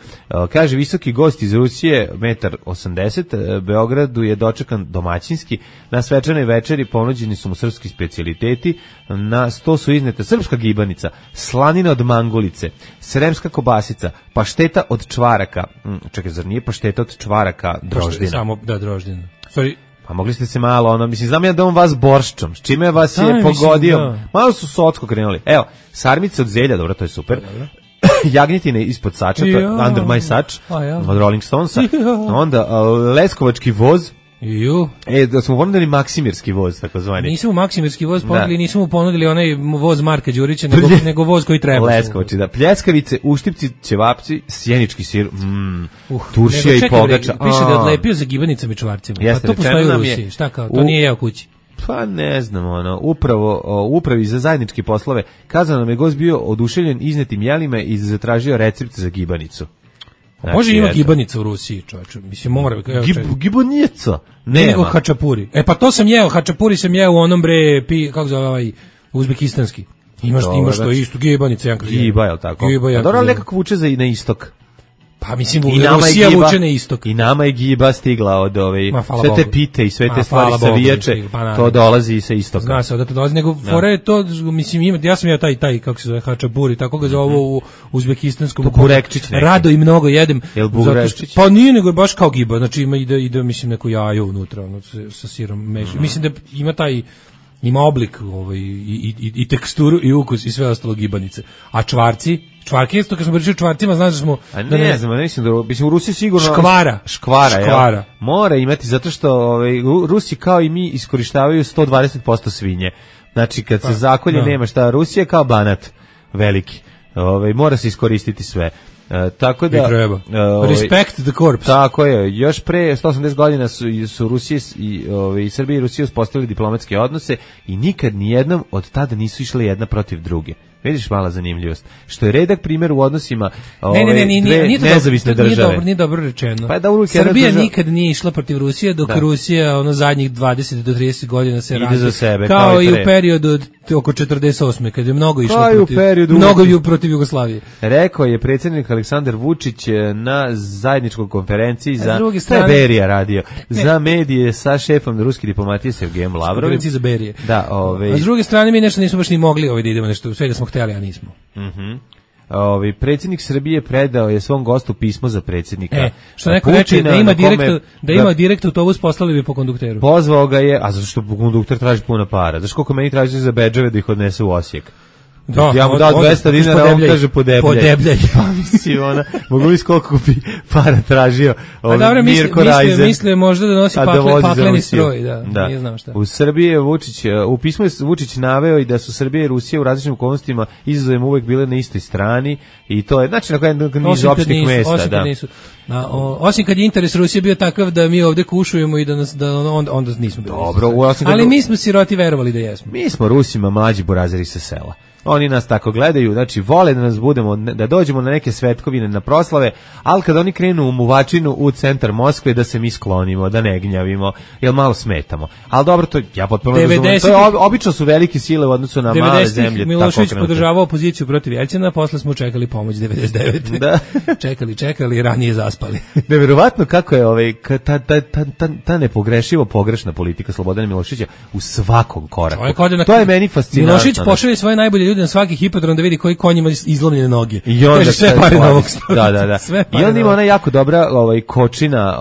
E: Kaže, visoki gost iz Rusije, 1,80 m, Beogradu je dočekan domaćinski. Na svečanoj večeri ponuđeni su mu srpski specijaliteti. Na sto su iznete srpska gibanica, slanina od mangulice, sremska kobasica, pašteta od čvaraka. Čekaj, zar nije pašteta od čvaraka droždina?
F: Samo, da, droždina. Sorry.
E: Pa mogli ste se malo, mislim, znam ja da on vas borščom, s čime vas je pogodio. Da. Malo su socko krenuli. Evo, sarmice od zelja, dobro, to je super. Jagnjetine ispod sača, to je Under My Sač, od Rolling Stonesa. Onda leskovački voz. Da smo ponudili maksimirski voz, takozvani.
F: Nismo maksimirski voz ponudili, nismo mu ponudili onaj voz Marka Đurića, nego voz koji treba.
E: Leskovači, da. Pljeskavice, uštipci, ćevapci, sjenički sir, turšija i pogača.
F: Piše da je odlepio za gibanicama i čvarcima. Pa to postoji u Rusiji, šta kao, to nije jeo kući.
E: Pa ne znam, upravi za zajedničke poslove kazano nam je gost bio oduševljen iznetim jelima i zatražio recept za gibanicu.
F: Znači, može ima gibanica u Rusiji, čovječe. Mislim, mora...
E: Gibanica?
F: Nego hačapuri. Pa to sam jeo, hačapuri sam jeo u onom kako zove ovaj uzbekistanski. Imaš to isto, gibanica.
E: Giba, je li tako?
F: Giba,
E: dobro, ali nekako vuče na istok.
F: Pa mislim, Rusija vuče na istok.
E: I nama je giba stigla od sve te pite i sve te stvari savijače, to dolazi sa istoka.
F: Zna se odatle dolazi, nego fora je to, mislim, ja sam ja taj, kako se zove, hačapuri, tako ga zove u uzbekistanskom.
E: Burekčić neki.
F: Rado i mnogo jedem.
E: Jel burekčić?
F: Pa nije, nego je baš kao giba, znači ide mislim, neko jajo unutra, sa sirom meši. Mislim da ima oblik i teksturu i ukus i sve ostalo gibanice. A čvarke isto, kad smo pričali o čvarcima, znaš da smo...
E: ne znam, mislim, u Rusiji sigurno...
F: Škvara.
E: Mora imati, zato što Rusi kao i mi iskorištavaju 120% svinje. Znači, kad se zakolje nema šta, Rusija kao Banat veliki. Mora se iskoristiti sve. Tako da
F: respect the corpse.
E: Tako je. Još pre 180 godina su Rusije i Srbija i Rusija uspostavili diplomatske odnose i nikad ni jednom od tada nisu išle jedna protiv druge. Vidiš mala zanimljivost. Što je redak primjer u odnosima dve nezavisne države.
F: Nije dobro rečeno. Srbija nikad nije išla protiv Rusije, dok Rusija zadnjih 20 do 30 godina se razvija. Kao i u periodu od oko 48. kad je mnogo išlo protiv Jugoslavije.
E: Rekao je predsjednik Aleksandar Vučić na zajedničkoj konferenciji za Berija radio. Za medije sa šefom ruske diplomatije Sergejem Lavrovim.
F: Za Berije.
E: Da,
F: a s druge strane mi nešto nismo baš ni mogli da idemo nešto, sve da smo htjeli, a nismo.
E: Predsjednik Srbije predao je svom gostu pismo za predsjednika.
F: Što neko reče da ima direkt autobus, poslali bi po kondukteru.
E: Pozvao ga je, a zato što kondukter traži puno para. Znaš koliko meni traži za bedževe da ih odnese u Osijek? Ja mu dao 200 dinara, on kaže podebljaj. Pa mislim, mogu li koliko bi para tražio Mirko Rajzen.
F: Misle možda da nosi pakleni stroj, da, nije znam šta.
E: U Srbiji je u pismu je Vučić naveo i da su Srbija i Rusija u različitim okolnostima izazovima uvek bile na istoj strani i to je, znači na kojem niz opštih mesta.
F: Osim kad je interes Rusije bio takav da mi ovde kušujemo i onda nismo bili.
E: Dobro,
F: ali mi smo siroti verovali da jesmo.
E: Mi smo Rusima mlađi burazeri sa sela. Oni nas tako gledaju, znači vole da nas budemo, da dođemo na neke svetkovine, na proslave, ali kad oni krenu u muvačinu u centar Moskve, da se mi sklonimo, da ne gnjavimo, jer malo smetamo. Ali dobro, to ja potpuno razumem. To je obično su velike sile u odnosu na male zemlje.
F: Milošević podržavao opoziciju protiv Jeljcina, posle smo čekali pomoć 99.
E: Da.
F: čekali, ranije zaspali.
E: Neverovatno kako je ta nepogrešivo pogrešna politika Slobodana Miloševića u svakom koraku. To je meni fascinantno.
F: Milošević pošalje svoje najbolje ljude na svaki hipodrom da vidi koji konj ima izlomljene noge.
E: I onda
F: sve pare na ovog
E: stoga. Da. I onda ima ona jako dobra kočina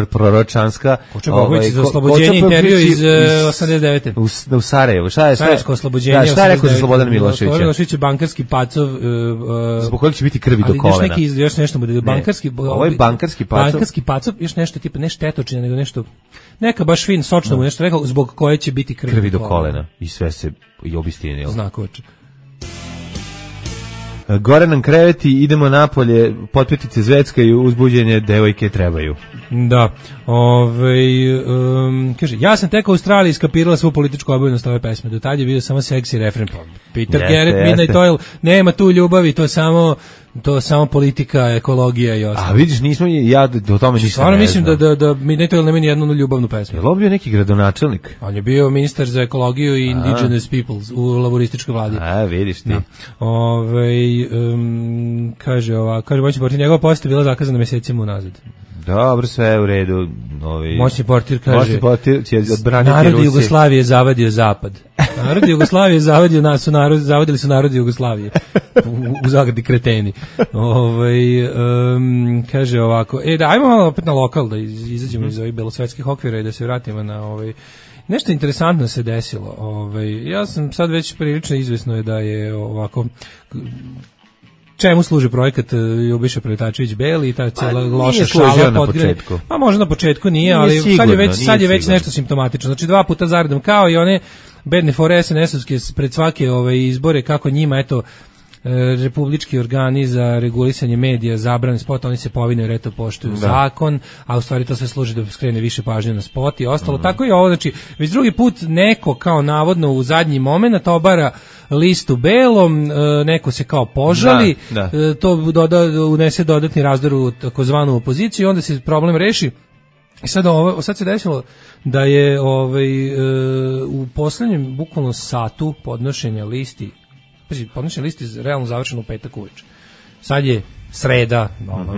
E: proročanska.
F: Kočina Bogović za oslobođenje intervju iz 89.
E: U Sarajevu.
F: Sarajevsko oslobođenje.
E: Šta je rekao za Slobodana Miloševića?
F: Milošević je bankarski pacov.
E: Zbog kojeg će biti krvi do kolena.
F: Ali još nešto mu da
E: ovo je bankarski pacov.
F: Bankarski pacov, još nešto tipa ne štetočina, nego nešto neka baš fin, sočno mu nešto rekao, zbog koje će biti krvi
E: do kolena. I sve se i obistinilo.
F: Znakovače.
E: Gore nam kreveti, idemo napolje, potpetice Zvecka i uzbuđenje devojke trebaju.
F: Da. Kaže, ja sam tek u Australiji iskapirala svu političku obavljenost ove pesme. Do tad je bio samo seksi refren. Peter Garrett, Midnight Oil, nema tu ljubavi, to je samo to samo politika, ekologija i ostalo.
E: A vidiš, nismo, ja o tome nisam.
F: Stvarno mislim da Midnight Oil nema ni jednu ljubavnu pesmu.
E: Je li on bio neki gradonačelnik?
F: On je bio ministar za ekologiju i indigenous peoples u laborističkoj vladi.
E: A, vidiš ti.
F: Kaže moćni portir, njegova poseta bila zakazana mesecima unazad.
E: Dobro, sve je u redu.
F: Moćni portir kaže,
E: moćni portir će odbraniti
F: narod
E: Rusiju.
F: Jugoslavije zavadio zapad. Narod Jugoslavije zavadili su narod Jugoslavije. U zagradi kreteni. Kaže ovako, ajmo malo opet na lokal da izađemo iz ovih belosvetskih okvira i da se vratimo na nešto interesantno se desilo. Ja sam sad već prilično izvesno je da je ovako čemu služi projekat Ljubiša Preletačević Beli i ta cijela loša šala
E: na početku.
F: Pa možda na početku nije, ali sad je već nešto simptomatično. Znači 2 puta zaredom kao i one bedne fore SNS-ovske pred svake izbore kako njima eto republički organi za regulisanje medija zabrane spota, oni se povine jer eto poštuju zakon, a u stvari to sve služi da skrene više pažnje na spot i ostalo. Tako je ovo, znači već drugi put neko kao navodno u zadnji moment obara listu belom, neko se kao požali, to unese dodatni razdor u takozvanu opoziciju i onda se problem reši. I sad se desilo da je u poslednjem bukvalno satu podnošenja listi realno završeno u petak uveče. Sad je sreda,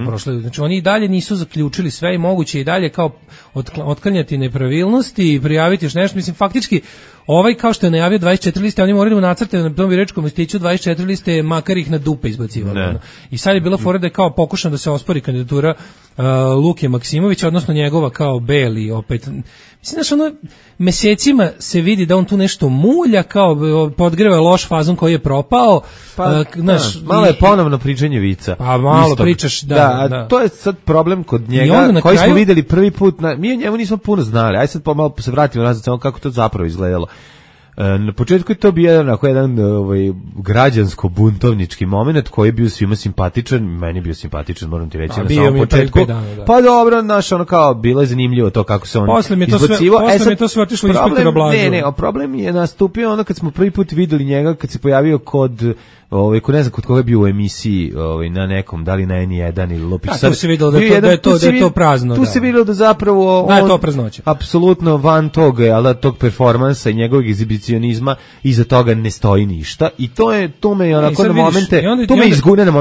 F: prošle, znači oni i dalje nisu zaključili sve i moguće i dalje kao otklanjati nepravilnosti i prijaviti još nešto. Mislim, faktički, kao što je najavio 24 liste, oni moraju nacrtati na tom biračkom listiću 24 liste, makar ih na dupe izbacivali. I sad je bila fora da je kao pokušano da se ospori kandidatura Luke Maksimovića, odnosno njegova kao Beli opet. Mislim, znaš, mesecima se vidi da on tu nešto mulja, kao podgreva loš fazon koji je propao.
E: Malo je ponovno pričanje vica.
F: Pa malo pričaš, da.
E: To je sad problem kod njega, koji smo videli prvi put. Mi o njemu nismo puno znali. Ajde sad malo se vratimo nazad samo kako to zapravo izgledalo. Na početku je to bio jedan građansko-buntovnički moment koji je bio svima simpatičan, meni je bio simpatičan, moram ti reći, na samom početku. Pa dobro, kao, bilo je zanimljivo to kako se on izbacivao.
F: Posle mi je to sve otišlo inspektora Blažu.
E: Problem je nastupio kad smo prvi put videli njega, kad se pojavio kod ne znam kod koga je bio u emisiji na nekom, da li na N1 ili Lopić.
F: Tu se videlo da je to prazno.
E: Tu se videlo da zapravo
F: da je to praznoća.
E: Apsolutno van toga, tog performansa i njegovog egzibicionizma, iza toga ne stoji ništa i to me onako na momente,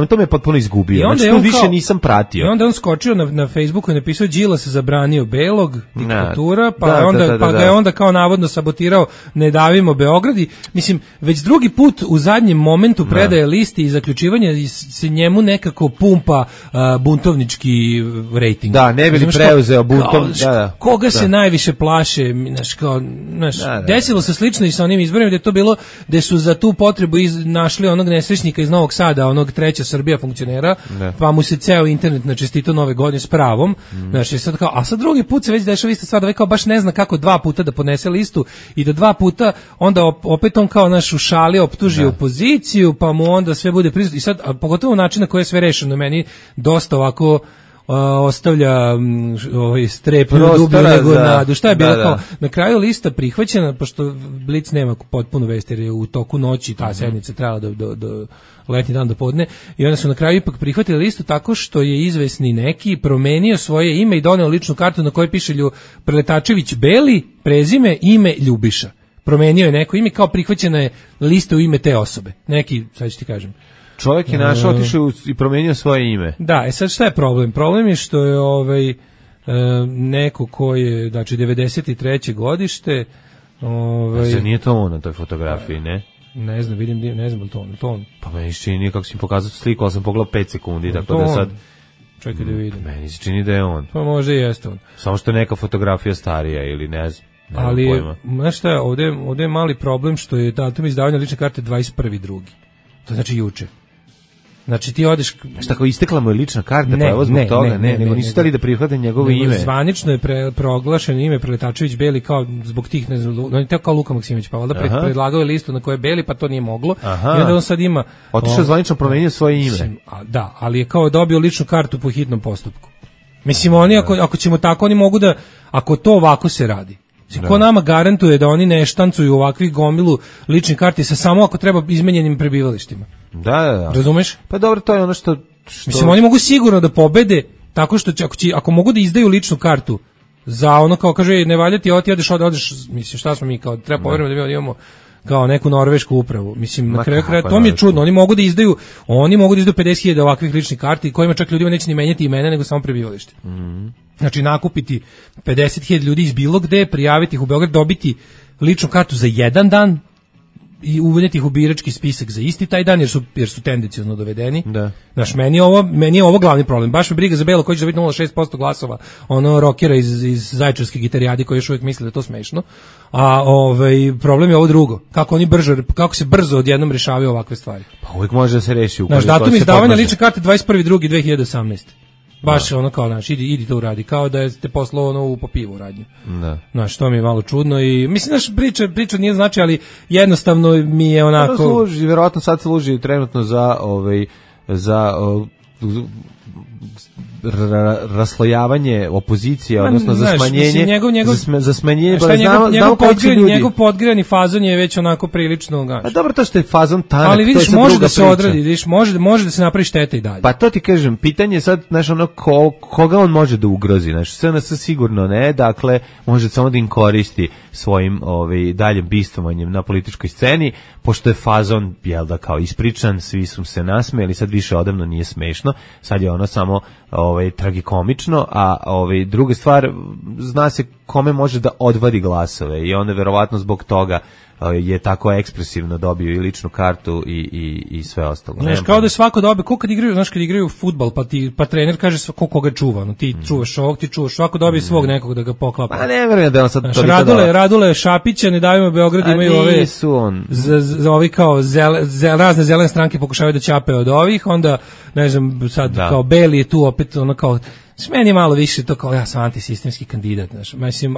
E: to me potpuno izgubio. Znači tu više nisam pratio.
F: I onda on skočio na Facebooku i napisao Đilas zabranio Belog, diktatura, pa ga je onda kao navodno sabotirao Ne davimo Beograd i mislim, već drugi put u zadnjem momentu predaje listi i zaključivanja se njemu nekako pumpa buntovnički rejting.
E: Da, ne bi li preuzeo buntom.
F: Koga se najviše plaše, desilo se slično i sa onim izborima gde je to bilo, gde su za tu potrebu našli onog nesrećnika iz Novog Sada, onog Treća Srbija funkcionera, pa mu se ceo internet načestitao Nove godine s pravom. A sad drugi put se već dešava ista stvar, da kao baš ne zna kako 2 puta da podnese listu i da 2 puta onda opet on kao u šali optuži opoziciju, pa mu onda sve bude prisutno. I sad, pogotovo način na koji je sve rešeno, meni dosta ovako ostavlja strepnju dublju nego nadu. Šta je bilo kao? Na kraju lista prihvaćena, pošto Blic nema potpunu vest, jer je u toku noći ta sednica trebala do letnji dan do podne, i onda su na kraju ipak prihvatili listu tako što je izvesni neki promenio svoje ime i doneo ličnu kartu na kojoj piše Preletačević Beli, prezime, ime Ljubiša. Promenio je neko ime, kao prihvaćena je lista u ime te osobe. Neki, sad ću ti kažem.
E: Čovjek je našao, otišao i promenio svoje ime.
F: Da, sad šta je problem? Problem je što je neko ko je, znači 93. godište.
E: Nije to on na toj fotografiji, ne?
F: Ne znam, ne znam to on.
E: Pa meni se čini, kako si mi pokazao sliku, ali sam pogledao 5 sekundi, tako da sad...
F: Čekaj da vidim.
E: Meni se čini da je on.
F: Pa možda i jeste on.
E: Samo što je neka fotografija starija ili ne znam.
F: Ali, znaš šta je, ovdje je mali problem što je datum izdavanja lične karte 21.2. To znači juče. Znači ti odeš...
E: Šta, kao istekla mu je lična karta, pa evo zbog toga? Ne, nisu stali da prihvate njegovo ime.
F: Zvanično je proglašeno ime Preletačević Beli kao zbog tih, ne znam, on je teo kao Luka Maksimović, pa valjda predlagao je listu na kojoj je Beli, pa to nije moglo. I onda on sad ima...
E: Otišao zvanično promenio svoje ime.
F: Da, ali je kao dobio ličnu kartu po hitnom postupku. Mislim, oni, ako ćemo tako, oni mogu da... Ako to ovako se radi, ko nama garantuje da oni ne štancuju ovakvih gomilu ličnih karti sa samo ako treba izmenjenim prebivalištima?
E: Da.
F: Razumeš?
E: Pa dobro, to je ono što...
F: Mislim, oni mogu sigurno da pobede tako što će, ako mogu da izdaju ličnu kartu za ono kao kaže ne valja ti, ti odeš, mislim šta smo mi kao treba poverujemo da mi imamo kao neku norvešku upravu. Mislim, na kraju kraja to mi je čudno. Oni mogu da izdaju 50.000 ovakvih ličnih karti kojima čak ljudima neće ni menjati imena nego samo prebivalište. Znači nakupiti 50.000 ljudi iz bilo gde, prijaviti ih u Beograd, dobiti ličnu kartu za jedan dan i uvedeti ih u birački spisak za isti taj dan jer su tendenciozno dovedeni.
E: Da.
F: Znaš, meni je ovo glavni problem. Baš me briga za Belo koji će dobiti 0,6% glasova, ono rokera iz Zaječarske gitarijade koji još uvijek misle da je to smešno. A problem je ovo drugo. Kako se brzo odjednom rešavaju ovakve stvari.
E: Pa uvijek može da se reši.
F: Znaš, datum izdavanja lične karte 21.2.2018. Baš ono kao, znaš, idi to uradi, kao da ste poslao ono u popivu radnju.
E: Da.
F: Znaš, to mi je malo čudno i mislim, znaš, priča nije znači, ali jednostavno mi je onako...
E: Služi, vjerojatno sad služi trenutno za raslojavanje opozicije, odnosno za smanjenje, za smanjenje,
F: njegov podgrejani fazon je već onako prilično gaš.
E: A dobro, to što je fazon tanak,
F: ali vidiš,
E: to je
F: može da se odradi, vidiš, može da se napravi šteta i dalje.
E: Pa to ti kažem, pitanje je sad, znaš, ono, koga on može da ugrozi, znaš, SNS sigurno ne, dakle, može samo da im koristi svojim daljim bistvovanjem na političkoj sceni, pošto je fazon, jel da, kao ispričan, svi su se nasmejali, sad više odavno nije smešno, sad je ono samo tragikomično, a druga stvar, zna se kome može da odvadi glasove i onda verovatno zbog toga je tako ekspresivno dobio i ličnu kartu i sve ostalo.
F: Znaš, kao da je svako dobio, kad igraju fudbal, pa trener kaže koga čuva, no, ti čuvaš ovog, ti čuvaš, svako dobije svog nekog da ga poklapa.
E: Pa ne verujem da on sad...
F: Znaš, Radule Šapića, Ne davimo Beograd, imaju ove kao razne zelene stranke pokušavaju da ćape od ovih, onda, ne znam, sad kao Beli je tu opet, ono kao, meni je malo više to kao, ja sam antisistemski kandidat, znaš, mislim,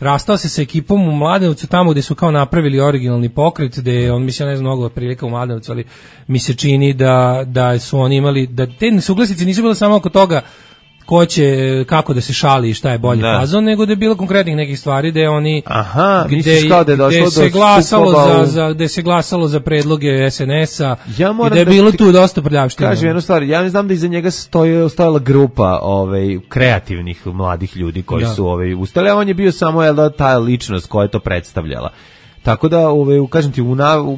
F: rastao se sa ekipom u Mladenovcu tamo gde su kao napravili originalni pokret, gde on, mislim, ne znam mnogo prilika u Mladenovcu, ali mi se čini da su oni imali, da te nesuglasice nisu bile samo oko toga ko će, kako da se šali i šta je bolji fazon, nego da je bilo konkretnih nekih stvari gde oni gde se glasalo za predloge SNS-a i da je bilo tu dosta prljavština.
E: Kažem jednu stvar, ja ne znam da iza njega stojala grupa kreativnih mladih ljudi koji su ustali, a on je bio samo ta ličnost koja je to predstavljala. Tako da, kažem ti,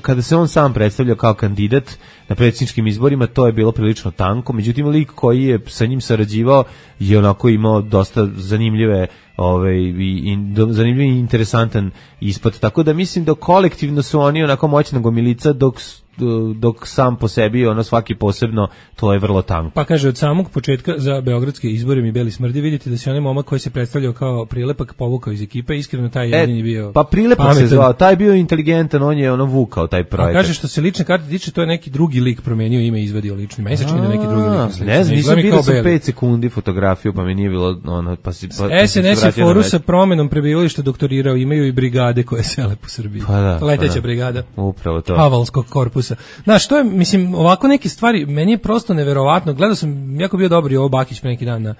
E: kada se on sam predstavljao kao kandidat na predsjedničkim izborima, to je bilo prilično tanko, međutim, lik koji je sa njim sarađivao je onako imao dosta zanimljiv i interesantan ispad, tako da mislim da kolektivno su oni onako moćna gomilica, dok sam po sebi, svaki posebno, to je vrlo tanko.
F: Pa kaže, od samog početka za beogradske izbore mi Beli smrdi, vidite da se onaj momak koji se predstavljao kao Prilepak povukao iz ekipe, iskreno taj jedini bio
E: pa Prilepak pametan. Se zvao, taj bio inteligentan, on je vukao taj projekat.
F: A kaže, što se lične karte tiče, to je neki drugi lik promenio ime i izvadio lični. Meni se čini da neki drugi lik.
E: Ne znam, nisam vidio sam 5 sekundi fotografiju, pa mi nije bilo
F: SNS je foru sa promenom prebivališta doktorirao, imaju i brigade koje sele po Srbiji. Leteća brigada.
E: Upravo to.
F: Havalskog korpusa. Znaš, to je, mislim, ovako neke stvari, meni je prosto neverovatno. Gledao sam, jako bio dobri ovo Bakić pre neki dan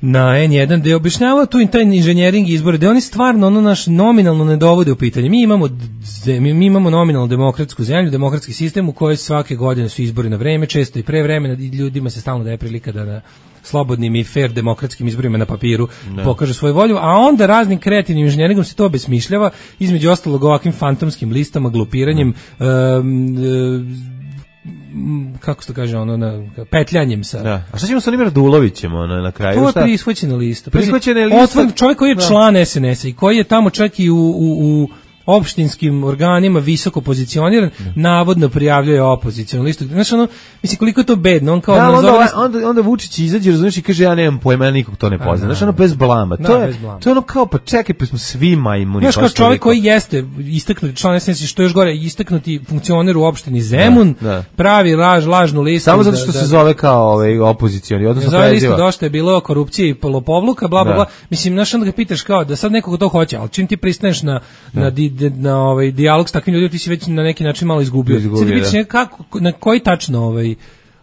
F: na N1, gde je objašnjavao tu taj inženjering izbore, gde oni stvarno naš nominalno ne dovode u pitanje. Mi imamo nominalno demokratsku zemlju, demokratski sistem u kojoj svake godine su izbori na vreme, često i pre vremena, i ljudima se stalno daje prilika da na slobodnim i fair demokratskim izborima na papiru pokaže svoju volju, a onda raznim kreativnim inženjeringom se to obesmišljava, između ostalog ovakvim fantomskim listama, glupiranjem, kako se to kaže, petljanjem sa...
E: Da. A šta ćemo sa onim Radulovićem na kraju?
F: To je prisvoćena lista. Čovjek koji je član SNS-a i koji je tamo čak i u opštinskim organima visoko pozicioniran, navodno prijavljuje opozicionu listu. Znaš, mislim, koliko je to bedno, on kao...
E: onda Vučić izađe, razumiješ, i kaže, ja nemam pojma, ja nikog to ne poznam. Znaš, bez blama. To je kao, pa čekaj, pa smo svi majmuni.
F: Znaš, kao čovjek koji jeste istaknuti član SNS, što još gore, istaknuti funkcioner u opštini Zemun, pravi lažnu listu.
E: Samo zato što se zove kao opozicioni, odnosno
F: preziva. Zove listu, dosta je bilo korupcije i lopovluka, bla, bla, bla. Mislim, znaš, onda ga pitaš kao da sad nekog to hoće, ali čim ti pristaneš na dijalog s takvim ljudima, ti si već na neki način malo izgubio. Sad vidiš na koji tačno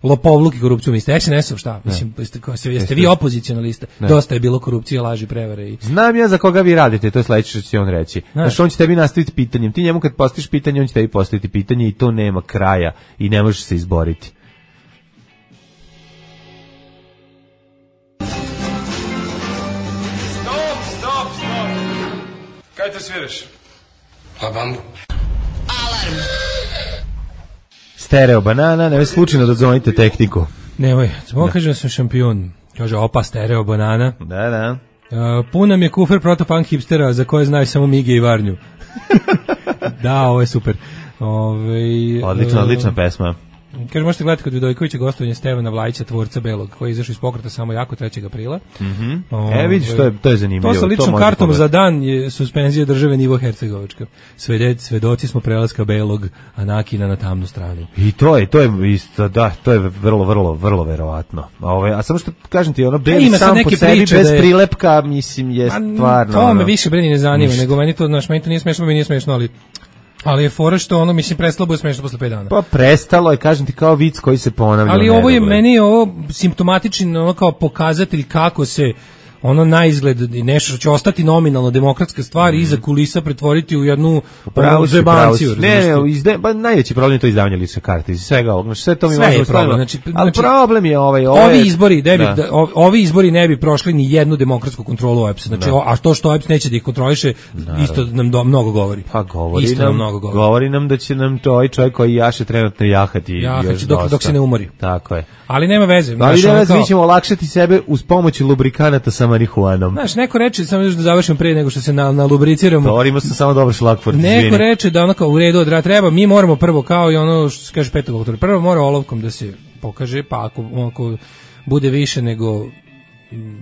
F: lopovluk i korupciju mislite. SNS-ov šta? Mislim, jeste vi opozicijona lista? Dosta je bilo korupcije, laži, prevare. I...
E: Znam ja za koga vi radite, to je sledeće što će on reći. Znaš, on će tebi nastaviti pitanjem. Ti njemu kad postaviš pitanje, on će tebi postaviti pitanje i to nema kraja i ne možeš se izboriti.
K: Stop. Kaj te sviraš?
J: Pa bambu.
B: Alarm.
E: Stereo banana, ne slučajno da zvonite tehniku.
F: Nemoj, samo kažem da sam šampion. Kaže, opa, stereo banana.
E: Da.
F: Pun nam je kufer protopunk hipstera za koje znaju samo Mige i Varnju. Da, ovo je super.
E: Odlična pesma.
F: Kaže, možete gledati kod Vidojkovića gostovanje Stevana Vlajića, tvorca Belog, koji je izašao iz pokreta samo jako 3. aprila.
E: Vidiš, to je zanimljivo.
F: To sa ličnom kartom za dan je suspenzija države nivo Hercegovačka. Svedoci smo prelaska Belog Anakina na tamnu stranu.
E: I to je isto, da, to je vrlo verovatno. A samo što kažem ti, ono Beli sam po sebi bez prilepka, mislim, je stvarno...
F: To me više breni ne zanima, nego meni to nije smešno, mi nije smešno, ali je fora što ono, mislim, prestalo bude smešno posle 5 dana.
E: Pa prestalo je, kažem ti, kao vic koji se ponavlja.
F: Ali ovo je meni simptomatični, ono kao pokazatelj kako se ono na izgled i nešto što će ostati nominalno demokratska stvar iza kulisa pretvoriti u jednu zebanciju.
E: Ne, najveći problem je to izdavanje lične karte. Iz svega ovog, sve to mi
F: možemo staviti.
E: Ali problem je
F: ovi izbori ne bi prošli ni jednu demokratsku kontrolu OEPS. Znači, a to što OEPS neće da ih kontroliše, isto nam mnogo govori.
E: Pa govori nam da će nam to ovaj čovjek koji jaše trenutno jahati
F: dok se ne umori.
E: Tako je.
F: Ali nema veze.
E: Mi ćemo olakšati sebe uz pomoć lubrikanata sa marihuanom.
F: Znaš, neko reče, samo još da završim prije nego što se nalubriciramo.
E: Govorimo se samo dobro šlagford.
F: Neko reče da ono kao u redu treba, mi moramo prvo kao i ono što se kaže 5. oktobra, prvo mora olovkom da se pokaže, pa ako bude više nego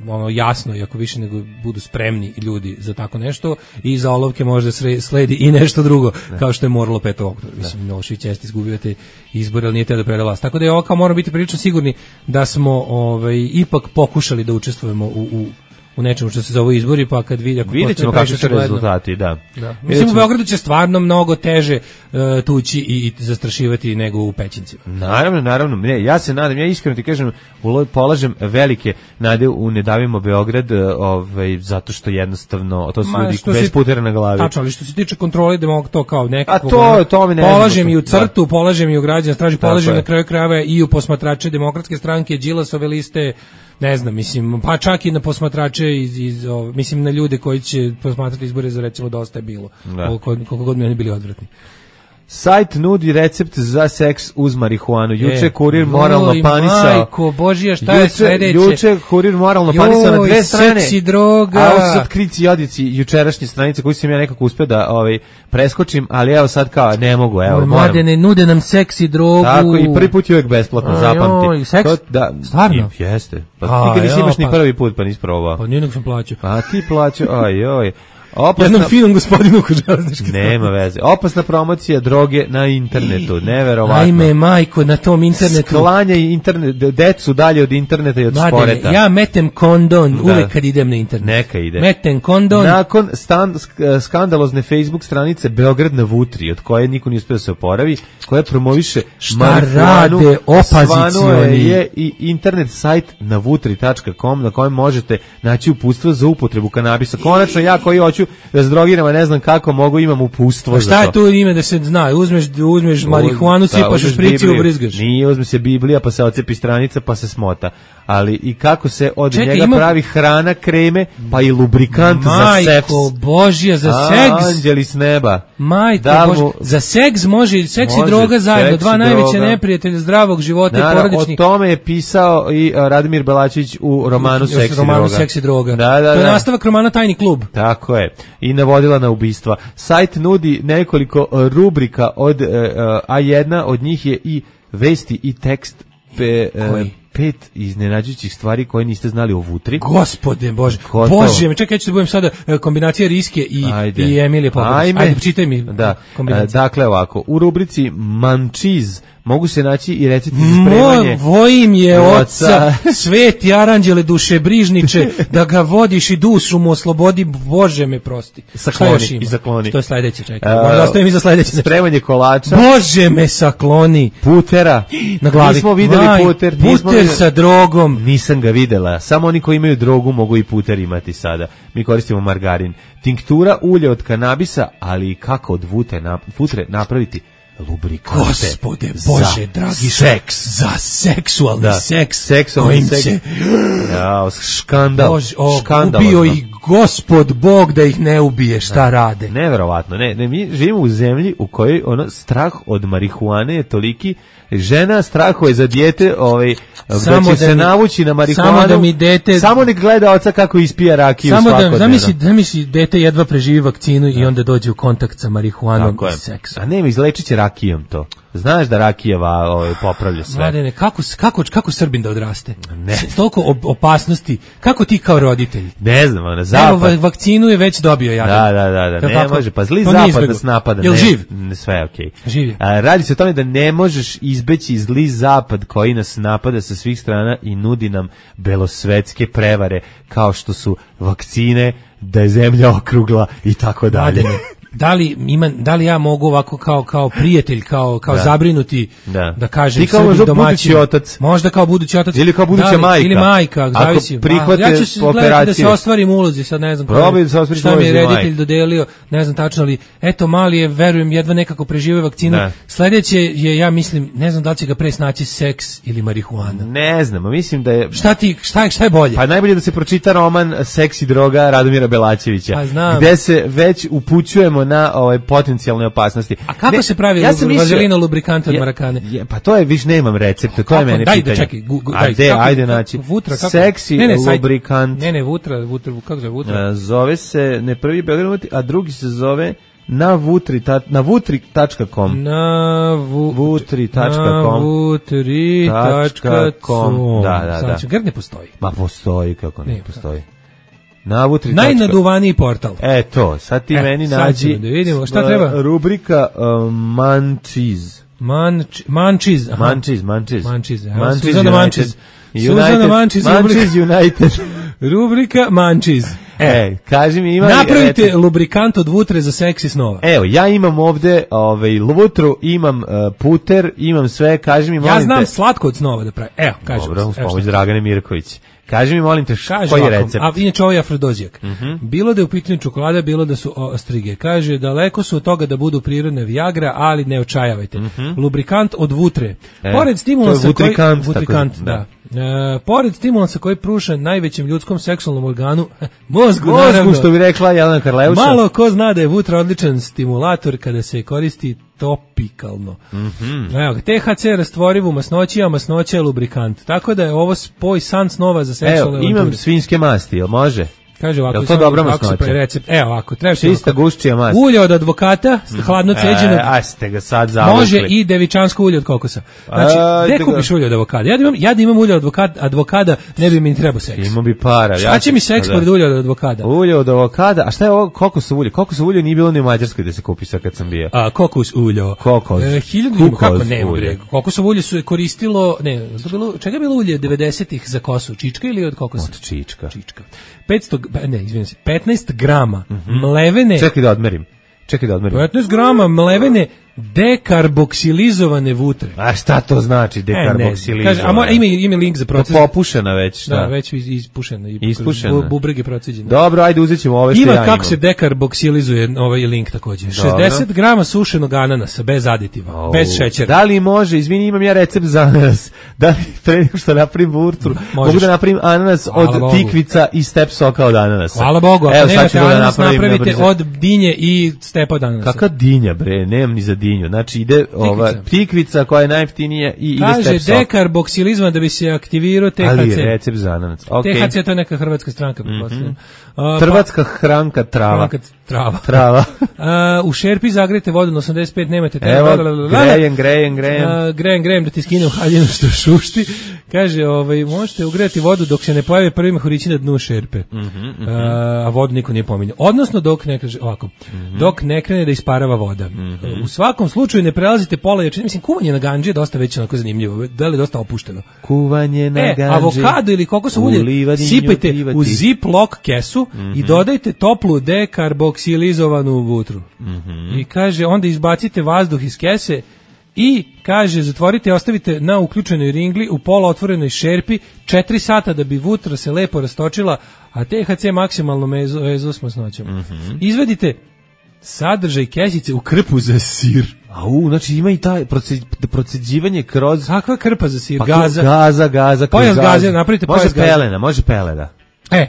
F: ono jasno i ako više nego budu spremni ljudi za tako nešto i za olovke možda sledi i nešto drugo, kao što je moralo 5. oktobra. Mislim, Milošević jeste izgubio te izbore, ali nije teo da preda vlast. Tako da je ovo kao moramo biti prilično sigurni da smo ipak pokušali da učestvujemo u nečemu što se zove izbori, pa kad vidjet
E: ćemo kakvi su rezultati, da.
F: Mislim, u Beogradu će stvarno mnogo teže tući i zastrašivati nego u Pećincima.
E: Naravno. Ne, ja se nadam, ja iskreno ti kažem, polažem velike nade u Ne davimo Beograd, zato što jednostavno, to su ljudi bez putera na glavi.
F: Tačno, ali što se tiče kontrole, to kao nekako...
E: to mi ne
F: polažem i u CRTU, polažem i u građana straži, polažem na kraju krajeva i u posmatrače Demokratske stranke, Đilasove liste, ne znam, mislim, pa čak i na posmatrače mislim na ljude koji će posmatrati izbore za recimo Dosta je bilo, koliko god mi oni bili odvratni.
E: Sajt nudi recept za seks uz marihuanu. Juče kurir moralno panisao.
F: Majko Božija, šta je sledeće?
E: Juče kurir moralno panisao na 2 strane.
F: Seksi droga.
E: A ovo su sad krici i odici jučerašnje stranice koji sam ja nekako uspio da preskočim, ali evo sad kao ne mogu, evo.
F: Mladene, nude nam seksi drogu.
E: Tako, i prvi put je uvijek besplatno, zapamti.
F: Seks? Stvarno?
E: Jeste. Pa nikad nisi imaš ni prvi put, pa nisi probao.
F: Pa nije nego sam plaćao.
E: A ti plaćao, oj.
F: Jednom finom gospodinu kod železničke.
E: Nema veze. Opasna promocija droge na internetu, neverovatno.
F: Ajme, majko, na tom internetu.
E: Sklanjaj decu dalje od interneta i od sporeta.
F: Ja metem kondon uvek kad idem na internet.
E: Neka ide.
F: Metem kondon.
E: Nakon skandalozne Facebook stranice Beograd na Vutri, od koje niko nije uspio da se oporavi, koja promoviše marihuanu,
F: opozicioni.
E: Je i internet sajt navutri.com na kojem možete naći uputstvo za upotrebu kanabisa. Konačno ja koji hoću da se drogiram, a ne znam kako mogu, imam uputstvo za to.
F: Šta je tu ime da se zna? Uzmeš marihuanu, sipaš u šprici i ubrizgaš.
E: Nije, uzme se Biblija, pa se ocepi stranica, pa se smota. Ali i kako se od njega pravi hrana, kreme, pa i lubrikant za seks.
F: Majko Božja, za seks.
E: Anđeli s neba.
F: Majko Božja, za seks može seks i droga zajedno. Dva najveća neprijatelja zdravog života i porodičnih.
E: O tome je pisao i Radimir Belačić u romanu Seks i droga.
F: To je nastavak romana Tajni klub.
E: Tako je. I navodila na ubistva. Sajt nudi nekoliko rubrika od A1, od njih je i vesti i tekst 5 iznenađujućih stvari koje niste znali o Vutri.
F: Gospode Bože. Bože, čekaj, ja ću da budem sada kombinacija Riske i Emilije Popović. Ajde, čitaj mi kombinaciju.
E: Dakle, ovako, u rubrici Mančiz mogu se naći i recepti za spremanje.
F: Vojim je oca, sveti aranđele dušebrižniče, da ga vodiš i dušu mu oslobodi, Bože me prosti.
E: Sakloni i zakloni.
F: Što je sledeće, čekaj. Možda ostavim i za sledeće.
E: Spremanje kolača.
F: Bože me sakloni.
E: Putera.
F: Na glavi.
E: Nismo videli puter.
F: Puter sa drogom.
E: Nisam ga videla. Samo oni koji imaju drogu mogu i puter imati sada. Mi koristimo margarin. Tinktura ulje od kanabisa, ali i kako od futre napraviti lubrikante.
F: Gospode Bože, dragi
E: seks.
F: Za seksualni seks.
E: Seksualni seks. Ja, škandal.
F: Bože, ubio ih Gospod Bog da ih ne ubije, šta rade?
E: Neverovatno. Ne, mi živimo u zemlji u kojoj strah od marihuane je toliki. Žena strahuje za dijete, da će se navući na marihuanu.
F: Samo da mi dete,
E: samo nek gleda oca kako ispija rakiju svakodnevno.
F: Zamisli dete jedva preživi vakcinu i onda dođe u kontakt sa marihuanom i seksom.
E: A ne, izlečit će rakijom to. Znaš da rakijeva popravlja sve.
F: Mladene, kako Srbin da odraste? Ne. Toliko opasnosti. Kako ti kao roditelj?
E: Ne znam, zapad.
F: Evo, vakcinu je već dobio jadan.
E: Da. Ne može, pa zli zapad nas napada.
F: Jel živ?
E: Sve je okej.
F: Živ je.
E: Radi se o tome da ne možeš izbeći zli zapad koji nas napada sa svih strana i nudi nam belosvetske prevare kao što su vakcine, da je zemlja okrugla i tako dalje.
F: Da li ja mogu ovako kao prijatelj, kao zabrinuti da kažem
E: sebi domaćin,
F: možda kao budući otac
E: ili kao buduća majka,
F: ili majka, zavisi. Ja ću se gledati da se ostvarim ulozi, sad ne znam šta mi je reditelj dodelio, ne znam tačno, ali eto mali je, verujem, jedva nekako preživio vakcinu. Sledeće je, ja mislim, ne znam da li će ga pre snaći seks ili marihuana.
E: Ne znam, mislim da je...
F: Šta je bolje?
E: Pa najbolje da se pročita roman Seks i droga Radomira Belačevića, gde se već upućujemo na potencijalne opasnosti.
F: A kako se pravi vazelina lubrikante od marakane?
E: Pa to je, viš nemam recepta, to je mene pitanje. Ajde naći. Seksi lubrikant.
F: Ne, vutra, kako zove vutra?
E: Zove se, ne prvi Beograd, a drugi se zove na vutri.com.
F: Na vutri.com.
E: Da.
F: Znači, Grd ne postoji.
E: Ma postoji, kako ne postoji.
F: Najnaduvaniji portal.
E: To, sad ti meni nađi.
F: Da vidimo šta treba.
E: Rubrika Mančiz.
F: Mančiz.
E: Suzana Mančiz United.
F: Rubrika Mančiz.
E: Kaži mi,
F: napravite lubrikant od vutre za seksi snova.
E: Evo, ja imam ovde vutru, imam puter, imam sve, kaži mi, molim te.
F: Ja znam slatko od snova da pravi. Evo, kažem.
E: Dobro, uz pomoć Dragane Mirković. Kaži mi, molim te, koji je recept?
F: A inače ovo je afrodozijak. Bilo da je u pitanju čokolada, bilo da su ostrige. Kaže, daleko su od toga da budu prirodne Viagra, ali ne očajavajte. Lubrikant od vutre. Pored stimulansa pored stimulansa koji pruža najvećem ljudskom seksualnom organu, mozgu,
E: što bi rekla Jelena Karleuša.
F: Malo ko zna da je vutra odličan stimulator kada se koristi topikalno. Evo, THC rastvoriv u masnoći, a masnoća je lubrikant. Tako da je ovo spoj san snova za seksualne avanture.
E: Imam svinjske masti, jel može?
F: Kaže ovako,
E: je to dobra masnoća?
F: Evo ovako, treba
E: čista guščija mast.
F: Ulje od advokata, hladno ceđenog.
E: Ste ga sad zavukli.
F: Može i devičansko ulje od kokosa. Znači, gde kupiš ulje od avokada? Ja da imam ulje od advokada, ne bi mi trebao seks.
E: Imao bi para.
F: Šta će mi seks pored ulja od advokada?
E: Ulje od avokada, a šta je ovo kokosovo ulje? Kokosovo ulje nije bilo ni u Mađarskoj da se kupi sad kad sam bio.
F: Kokos ulje. Kokosovo ulje su koristilo, čega je bilo ulje 90-ih za kosu? Čička ili od kokosa?
E: Od čička.
F: 15 grama mlevene...
E: Čekaj da odmerim.
F: 15 grama mlevene dekarboksilizovane vutre.
E: A šta to znači dekarboksilizovane?
F: Ima link za proces.
E: To popušena već, šta?
F: Da, već ispušena. Bubrege prociđene.
E: Dobro, ajde uzet ćemo ove što ja imam.
F: Ima kako se dekarboksilizuje ovaj link također. 60 grama sušenog ananasa, bez aditiva, bez šećera.
E: Da li može, izvini, imam ja recept za ananas. Da li pre nego što napravim vutru, mogu da napravim ananas od tikvica i step soka od ananasa.
F: Hvala Bogu, ako nemate ananas, napravite od dinje i stepa od ananasa.
E: Kakva dinja, bre, nemam ni za dinju. Znači ide ova tikvica koja je najjeftinija i ide step sok.
F: Kaže dekarboksilizma da bi se aktivirao THC.
E: Ali recept za ananas.
F: THC to je neka hrvatska stranka.
E: Hrvatska hranka trava.
F: Trava. U šerpi zagrejte vodu na 85, nemate...
E: Evo, grejem
F: da ti skinem haljinu što šušti. Kaže, možete ugrejati vodu dok se ne pojave prvi mehurići na dnu šerpe. A vodu niko nije pominjao. Odnosno, dok ne krene da isparava voda. U svakom slučaju ne prelazite pola jačine. Mislim, kuvanje na gandži je dosta već onako zanimljivo. Da li je dosta opušteno?
E: Kuvanje na gandži.
F: Avokado ili kokosovo ulje sipajte u zip-lock kesu i dodajte toplu dekarboksilizovanu vutru. I kaže, onda izbacite vazduh iz kese i kaže, zatvorite i ostavite na uključenoj ringli u pola otvorenoj šerpi 4 sata da bi vutra se lepo rastočila, a THC maksimalno mezo s masnoćom. Izvedite sadržaj kesice u krpu za sir.
E: Znači ima i taj proceđivanje kroz...
F: Kakva krpa za sir?
E: Gaza.
F: Pojas gaze, napravite pojas gaze.
E: Može pelena.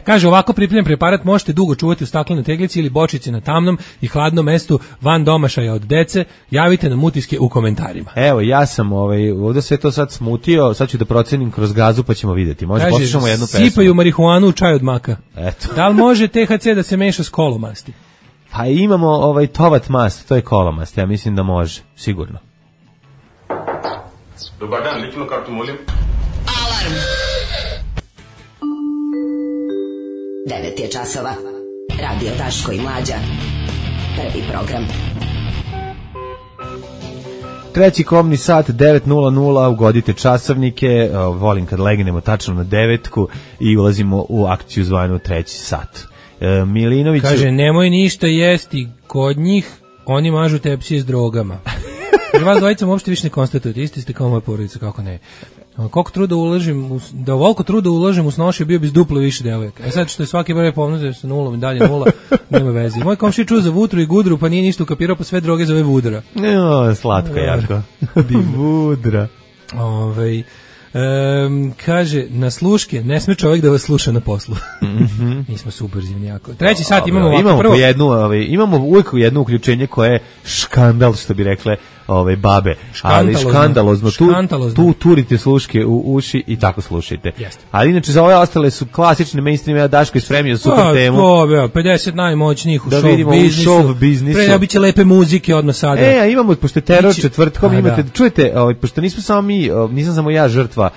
F: Kaže, ovako pripremljen preparat možete dugo čuvati u staklenoj teglici ili bočici na tamnom i hladnom mestu van domašaja od dece. Javite nam utiske u komentarima.
E: Evo, ja sam ovdje sve to sad smutio, sad ću da procenim kroz gazu pa ćemo vidjeti. Može, poslušamo jednu pesmu.
F: Sipaju marihuanu u čaj od maka.
E: Eto.
F: Da li može THC da se meša s kolomasti?
E: Pa imamo tovat mast, to je kolomast, ja mislim da može, sigurno.
K: Dobar dan, ličnu kartu molim.
B: Alarm! 9 je časova. Radio Daško i Mlađa. Prvi program.
E: Treći komni sat, 9:00, ugodite časovnike, volim kad legnemo tačno na 9 i ulazimo u akciju zvanu treći sat. Milinović
F: kaže, nemoj ništa jesti kod njih, oni mažu tepsije s drogama. Jer vas dvojica uopšte više ne konstatujete, isti ste kao moja porodica, kako ne. Koliko truda uložim, da ovoliko truda uložim u snošaju, bio bi s duplo više devojaka. Sad što je svaki broj pomnožio sa nulom i dalje nula, nema veze. Moj komšija čuo za vutru i gudru, pa nije ništa ukapirao, pa sve droge zove vudra.
E: Slatko jako. Vudra.
F: Kaže, na sluške ne sme čovjek da vas sluša na poslu. Mi smo super zimni jako. Treći sat imamo ovako.
E: Imamo uvijek jedno uključenje koje je škandal, što bi rekle babe. Ali škandalozno. Tu turite sluške u uši i tako slušajte. Ali inače za ove ostale su klasične mainstream, ja Daško je spremio super temu.
F: 50 najmoćnijih u show biznisu. Preobiće lepe muzike odmah sada.
E: Imamo, pošto je teror četvrtkom, imate, čujete, pošto nismo samo mi, nisam samo ja žrtva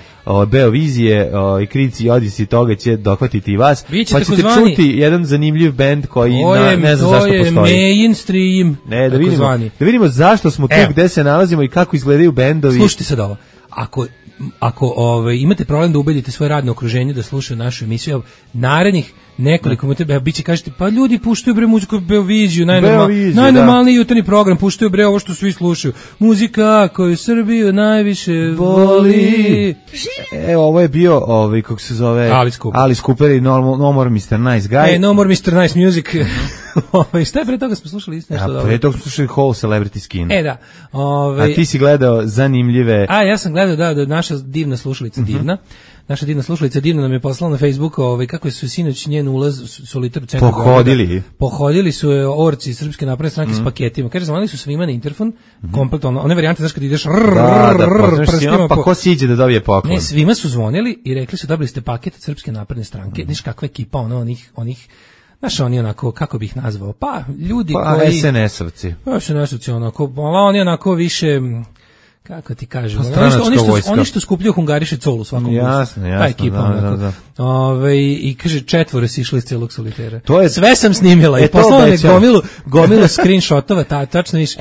E: Beovizije i Krici i Odisi, toga će dohvatiti i vas, pa ćete čuti jedan zanimljiv bend koji ne znam zašto postoji.
F: To je mainstream.
E: Da vidimo zašto smo tu, gde se nalazimo i kako izgledaju bendovi.
F: Slušajte sad ovo. Ako imate problem da ubedite svoje radno okruženje da slušaju našu emisiju, narednih nekoliko minuta biće kažete, pa ljudi puštaju bre muziku Beoviziju, najnormalniji jutarnji program, puštaju bre ovo što svi slušaju. Muzika koju Srbiju najviše voli.
E: Ovo je bio, kako se zove, Alice Cooper i No More Mr. Nice Guy.
F: No More Mr. Nice Music. Šta je pre toga smo slušali isto nešto dobro?
E: Pre toga smo slušali Whole Celebrity Skin.
F: Da.
E: A ti si gledao zanimljive...
F: Ja sam gledao, da, naša divna slušalica divna. Naša divna slušalica divna nam je poslala na Facebooku kako su sinoć njen ulaz solitar u centru
E: Pohodili.
F: Pohodili su je orci Srpske napredne stranke s paketima. Kaže, zvonili su svima na interfon, kompletno, one varijante, znaš kad ideš prstima.
E: Pa ko siđe da dobije poklon?
F: Ne, svima su zvonili i rekli su, dobili ste paket od Srpske napredne stranke. Znaš kakva ekipa, onih znaš, oni onako, kako bih nazvao, pa ljudi koji...
E: SNS-ovci.
F: SNS-ovci, oni onako više... Kako ti kažem, oni što skupljaju hungariše colu u svakom
E: jasno,
F: ta ekipa da. I kaže, 4 si išli iz celog solitera. Sve sam snimila i poslala je gomilu screenshotova, tačno više.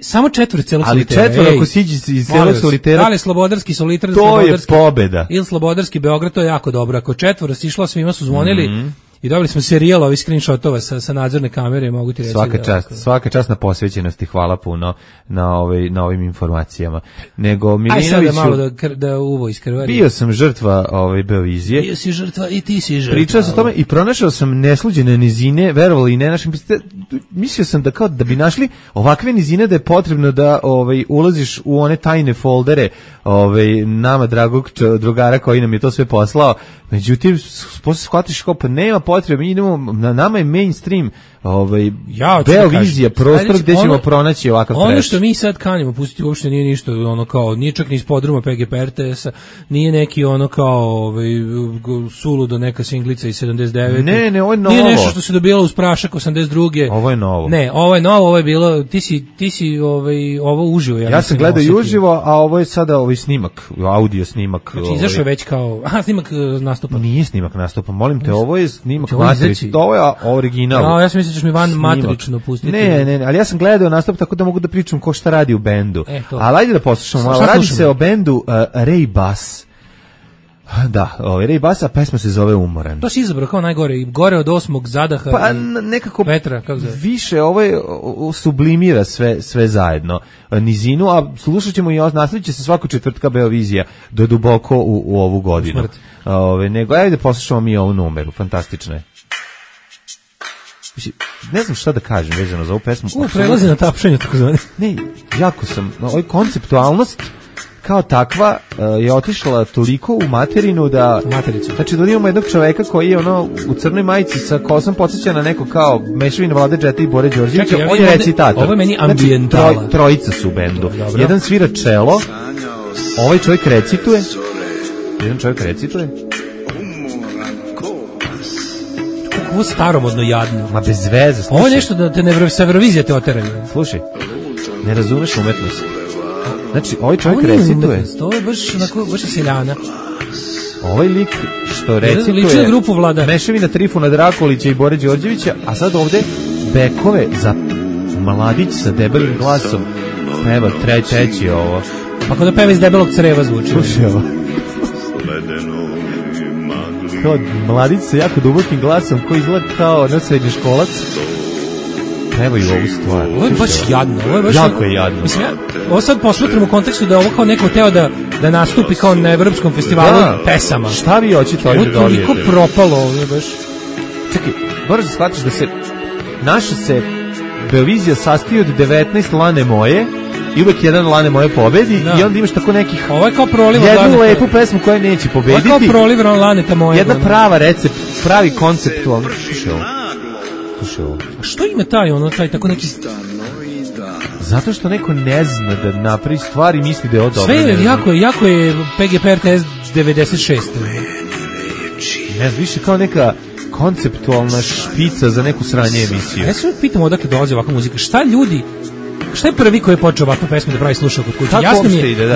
F: Samo 4 celog solitera.
E: Ali 4 ako siđi iz celog solitera.
F: Da li slobodarski solitar,
E: to je pobeda.
F: Ili slobodarski Beograd, to je jako dobro. Ako 4 si išla, svima su zvonili. I dobili smo serijal ovih screenshotova sa nadzorne kamere, mogu ti reći.
E: Svaka čast na posvećenosti, hvala puno na ovim informacijama. Nego Milinoviću...
F: Aj sada malo da uvo iskrvari.
E: Bio sam žrtva Beovizije.
F: Bio si žrtva i ti si žrtva.
E: Pričao sam o tome i pronašao sam nesluđene nizine, verovali i ne našim... Mislio sam da bi našli ovakve nizine da je potrebno da ulaziš u one tajne foldere nama dragog drugara koji nam je to sve poslao. Međutim, posle shvatiš kao pa nema potrebe, mi idemo, na nama je mainstream Beovizija, prostor gde ćemo pronaći ovakav trash.
F: Ono što mi sad kanimo pustiti uopšte nije ništa, ono kao, nije čak ni iz podruma PGP RTS-a, nije neki ono kao suludo neka singlica iz 79.
E: Ne, ovo je novo.
F: Nije nešto što se dobilo uz prašak 82.
E: Ovo je novo.
F: Ne, ovo je novo, ovo je bilo, ti si ovo uživo.
E: Ja sam gledao i uživo, a ovo je sada snimak, audio snimak.
F: Znači, izašao je već kao, snimak nastupa.
E: Nije snimak nastupa, molim te, ovo je snimak matrično, ovo je original.
F: Ja sam mislio da ćeš mi van matrično pustiti.
E: Ne, ali ja sam gledao nastup tako da mogu da pričam ko šta radi u bendu. Ali ajde da poslušamo, radi se o bendu Ray Bass. Da, Ray Bass, a pesma se zove Umoran.
F: To si izabrao kao najgore, gore od 8. zadaha.
E: Pa nekako
F: Petra, kako zove?
E: Više ovo sublimira sve zajedno nizinu, a slušat ćemo i nastavit će se svako četvrtka Beovizija do duboko u ovu godinu. Nego ajde poslušamo mi ovu numeru, fantastična je. Ne znam šta da kažem vezano za ovu pesmu.
F: Prelazi na tapšanje, tako zvani.
E: Ne, jako sam, ovaj konceptualnost kao takva je otišla toliko u materinu da...
F: Matericu.
E: Znači da imamo jednog čoveka koji je u crnoj majici sa kosom podsjeća na neko kao mešavina Vlade Džeta i Bore Đorđevića. On je recitator.
F: Ovo je meni ambijentala.
E: Znači, trojica su u bendu. Jedan svira čelo, ovaj čovjek recituje.
F: Ovo staromodno jadno.
E: Ma bez veze.
F: Ovo je nešto da te sa Eurovizije te oteraju.
E: Slušaj, ne razumeš umetnost. Znači, ovaj čovjek recituje.
F: Ovo je baš seljana.
E: Ovaj lik što recituje...
F: Liči na grupu Vlada.
E: Mešavina Trifuna Drakolića i Bore Đorđevića, a sad ovde bekove za mladić sa debelim glasom. Peva treći ovo.
F: Pa kada peva iz debelog creva zvuči.
E: Slušaj ovo. Kao mladić sa jako dubokim glasom koji izgleda kao srednjoškolac. Pevaju ovu stvar.
F: Ovo je baš jadno.
E: Jako je jadno.
F: Mislim, ovo sad posmatram u kontekstu da ovo kao neko teo da nastupi kao na Evropskom festivalu pesama.
E: Šta vi hoćete ovdje da dobijete?
F: Ovo je toliko propalo ovdje baš.
E: Čekaj, moraš da shvatiš da naša se Beovizija sastoji od 19 Lane moje i uvek jedan Lane moje pobedi i onda imaš tako nekih...
F: Ovo je kao proliv
E: jednu lepu pesmu koja neće pobediti.
F: Ovo je kao proliv Laneta moje.
E: Jedna prava recept, pravi konceptualno. Slušaj ovo.
F: A što ima taj tako neki...
E: Zato što neko ne zna da napravi stvari i misli da je ovo dobro.
F: Sve je, jako je PGP RTS 96.
E: Ne znam, više kao neka konceptualna špica za neku sranje emisiju.
F: Ja se uvijek pitam odakle dolazi ovakva muzika. Šta je prvi koji je počeo ovakvu pesmu da pravi slušao kod kuće?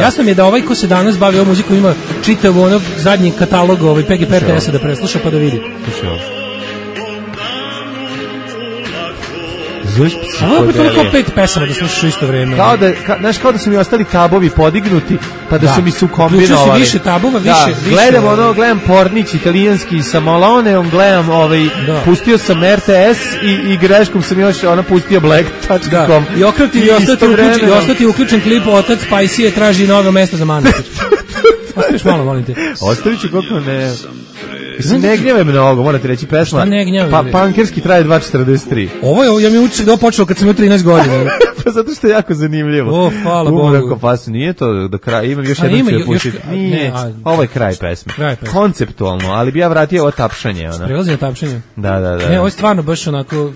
F: Jasno mi je da ovaj ko se danas bavi ovom muzikom ima čitav zadnji katalog PGP RTS-a da presluša pa da vidi.
E: Slušaj ovo.
F: Ovo je toliko 5 pesama da slušaš u isto vreme.
E: Kao da su mi ostali tabovi podignuti, pa da su mi su kombinovali.
F: Uključio si više tabova, više...
E: Gledam Pornić italijanski sa Maloneom, gledam pustio sam RTS i greškom sam još pustio Black.com.
F: I ostati uključen klip Otac Spicy traži novo mesto za Manatić. Ostaviš malo, molim te.
E: Ostavit ću koliko ne... Mislim, ne gnjeve mnogo, morate reći pesma.
F: Šta ne gnjeve?
E: Pa pankerski traje 2.43.
F: Ovo je, ja mi utisak da ovo počelo kad sam imao 13 godina.
E: Pa zato što je jako zanimljivo.
F: Hvala Bogu.
E: Nije to do kraja, imam još jednom ću je puštiti. Nije, ovo je kraj pesme. Konceptualno, ali bi ja vratio ovo tapšanje.
F: Prelazi na tapšanje?
E: Da.
F: Ne, ovo je stvarno baš onako...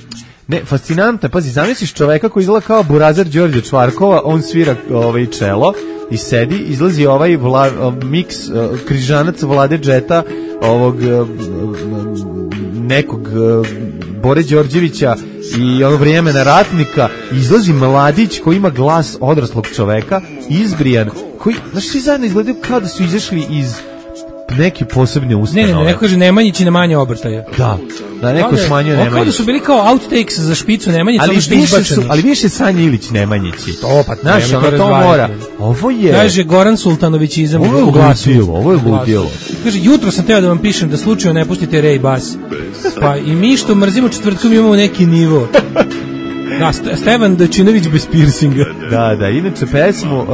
E: Ne, fascinantno, pazi, zamisliš čoveka koji izgleda kao Burazer Đorđe Čvarkova, on svira čelo i sedi, izlazi ovaj miks križanac Vlade Džeta, ovog nekog Bore Đorđevića i Vremena ratnika, izlazi mladić koji ima glas odraslog čoveka, izbrijan, koji, znaš, svi zajedno izgledaju kao da su izašli iz neke posebne ustanove.
F: Ne, neko kaže Nemanjić i Nemanje obrtaja.
E: Da neko smanjuje Nemanjić.
F: Kao da su bili kao outtakes za špicu Nemanjić,
E: ali više Sanja Ilić Nemanjići.
F: Znaš,
E: to mora. Ovo je...
F: Kaže Goran Sultanović izam
E: u glasu. Ovo je ludilo.
F: Kaže, jutro sam teo da vam pišem da slučajno ne pustite Ray Bass. Pa i mi što mrzimo četvrtkom imamo neki nivo. Da, Stevan Dačinović bez piercinga.
E: Da, inače pesmu...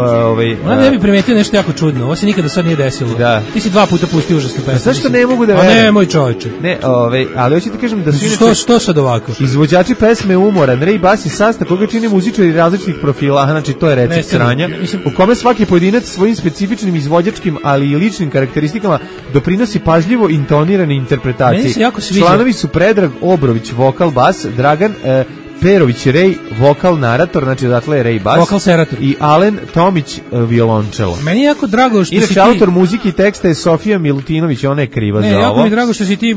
F: Ne bi primetio nešto jako čudno, ovo se nikada sad nije desilo.
E: Da.
F: Ti si 2 puta pustio užasnu pesmu.
E: Zašto ne mogu da verujem?
F: A ne, moj čoveče.
E: Ne, ali hoću ti kažem da su inače...
F: Što sad ovako?
E: Izvođači pesme umoran, Ray Bass i sastav koga čine muzičari različitih profila, znači to je recept sranja, u kome svaki pojedinac svojim specifičnim izvođačkim, ali i ličnim karakteristikama doprinosi pažljivo intonirane interpretacije.
F: Meni se jako sviđa.
E: Članovi su Predrag Obrović, vokal, bas, Dragan Perović Rej, vokal narator, znači odatle je Ray Bass.
F: Vokal serator.
E: I Alen Tomić, violončelo.
F: Meni je jako drago što
E: inače, autor muzike i teksta je Sofija Milutinović, ona je kriva za ovo.
F: Jako mi je drago što si ti,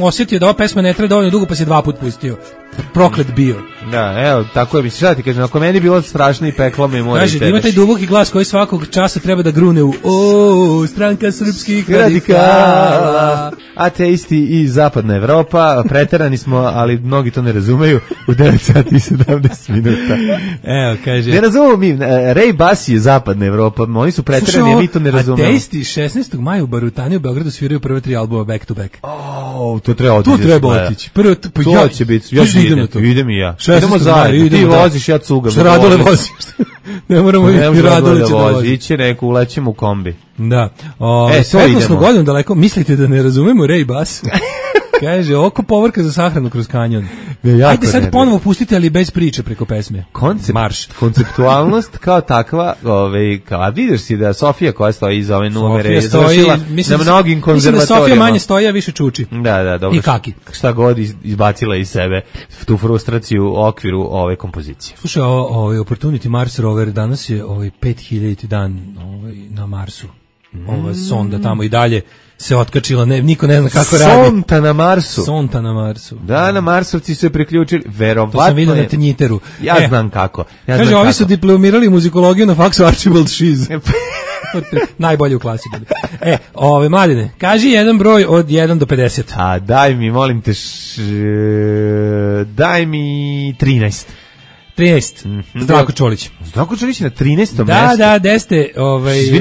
F: osjetio da ova pesma ne treba dovoljno dugo, pa si 2 puta pustio. Proklet bio.
E: Da, evo, tako je, mislim, šta ti kažem, ako meni je bilo strašno i peklo me mora i
F: tebe. Ima taj duboki glas koji svakog časa treba da grune u stranka srpskih radikala.
E: Ateisti i zapadna Evropa, preterani smo, ali mnogi to ne razumeju, u 9 sati i 17 minuta.
F: Evo, kaže.
E: Ne razumemo mi, Ray Bass je zapadna Evropa, oni su preterani, a mi to ne razumemo.
F: Ateisti 16. maja u Barutani u Beogradu sviraju prve 3 albuma back to back.
E: To treba otići.
F: To treba otići.
E: To će biti, idem i ja. Idemo zajedno, ti voziš, ja cugam.
F: Što Radole voziš? Ne moramo i Radole će da vozi.
E: Iće neko, ulećemo u kombi.
F: Da. Svetlosnu godinu daleko, mislite da ne razumemo Ray Bass? Kaže, oko povorka za sahranu kroz kanjon. Ajde sad ponovo pustite, ali bez priče preko pesme. Marš.
E: Konceptualnost kao takva, a vidiš si da Sofija koja stoji iza ove numere je završila na mnogim konzervatorijama.
F: Mislim da Sofija manje stoji, a više čuči.
E: Da, dobro.
F: I kaki.
E: Šta god izbacila iz sebe tu frustraciju u okviru ove kompozicije.
F: Slušaj, Opportunity Mars Rover danas je 5000 dan na Marsu. Ova sonda tamo i dalje se otkačila, niko ne zna kako radi.
E: Sonta na Marsu. Da, na Marsovci se priključili, verovatno.
F: To sam vidio na Tenjiteru.
E: Ja znam kako.
F: Kaže, ovi su diplomirali muzikologiju na faksu Archibald Schiz. Najbolje u klasi bili. Mladine, kaži jedan broj od 1 do 50.
E: A daj mi, molim te, daj mi 13.
F: 13. Zdravko Čolić.
E: Zdravko Čolić na 13. mestu.
F: Da, deste,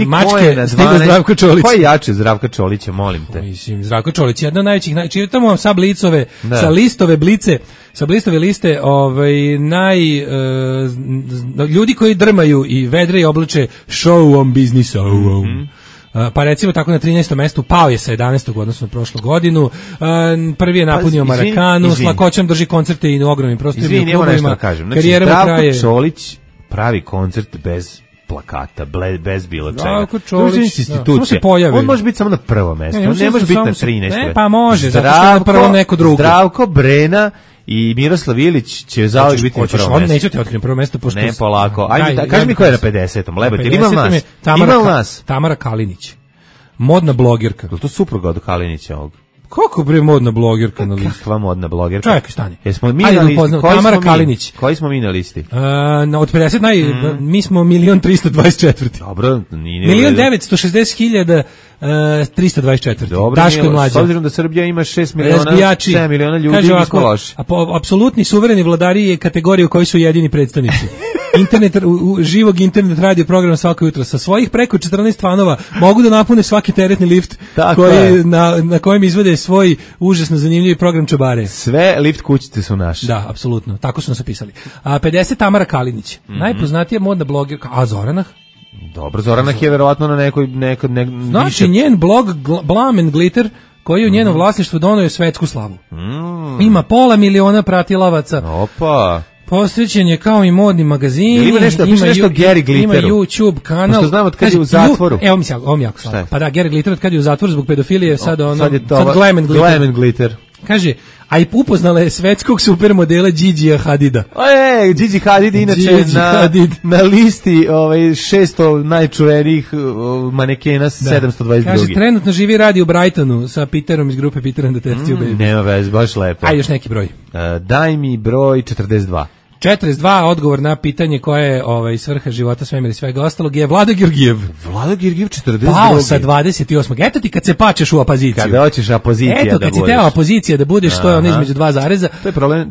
F: mačke stigo Zdravko Čolić.
E: Ko je jače Zdravka Čolića, molim te?
F: Mislim, Zdravko Čolić je jedna od najvećih, čitamo vam sa blicove, sa listove blice, sa blistove liste, ljudi koji drmaju i vedre i oblače show on business. Pa recimo tako na 13. mestu pao je sa 11. odnosno na prošlu godinu. Prvi je napunio Marakanu, s lakoćom drži koncerte i na ogromnim prostorima klubovima.
E: Karijera Zdravko Čolić pravi koncert bez plakata, bez bilo čega.
F: Zdravko Čolić,
E: institucija. On može biti samo na prvom mestu, on ne može biti na 13.
F: Ne, pa može, zato što je na prvom neko drugo.
E: Zdravko, Brena i Miroslav Ilić će zauvijek biti na prvom mestu.
F: On neće te otkrijem prvo mesto, pošto...
E: Ne, polako. Ajde, kaži mi ko je na 50. Lebati, ima nas?
F: Tamara Kalinić. Modna blogerka.
E: Je to supruga od Kalinića ovog?
F: Kako bre modna blogerka na listi?
E: Kakva modna blogerka?
F: Čekaj, stani.
E: Jesmo mi na listi?
F: Tamara Kalinić.
E: Koji smo mi na listi?
F: Od 50 mi smo 1.324.
E: Dobro, nije...
F: 1.966.324.
E: Dobro,
F: Daško je mlađa.
E: S obzirom da Srbija ima 7 miliona ljudi, mi smo loši.
F: Apsolutni suvereni vladari je kategorija u kojoj su jedini predstavnici. Živog internet radio program svako jutro. Sa svojih preko 14 fanova mogu da napune svaki teretni lift na kojem izvode svoj užasno zanimljivi program čabare.
E: Sve lift kućice su naše.
F: Da, apsolutno. Tako su nas opisali. 50 Tamara Kalinić. Najpoznatija modna blogerka. A Zoranah?
E: Dobro, Zoranah je verovatno na nekoj
F: znači, njen blog Blam and Glitter koji je u njenom vlasništvu donio svetsku slavu. Ima 500.000 pratilaca.
E: Opa.
F: Posvećen je kao i modni magazini.
E: Ima nešto Gary Glitteru.
F: Ima YouTube kanal.
E: Pošto znam od kad je u zatvoru.
F: Evo mi jako slatko. Pa da, Gary Glitter od kad je u zatvoru zbog pedofilije, sad
E: Glam and Glitter.
F: Kaže, a i upoznala je svetskog supermodela Gigija Hadida.
E: Gigi Hadid inače na listi 600 najčuvenijih manekena 722.
F: Kaže, trenutno živi radi u Brightonu sa Peterom iz grupe Peter and the Test Tube Baby.
E: Nema vez, baš lepo.
F: Ajde još neki broj.
E: Daj mi broj 42.
F: 42, odgovor na pitanje koje je svrha života, svemir i svega ostalog je Vlado Georgijev.
E: Vlado Georgijev 42.
F: Pao sa 28. Eto ti kad se pačeš u opoziciju.
E: Kada hoćeš opozicija da budeš.
F: Eto kad si teo opozicija da budeš, to je ono između dva zareza.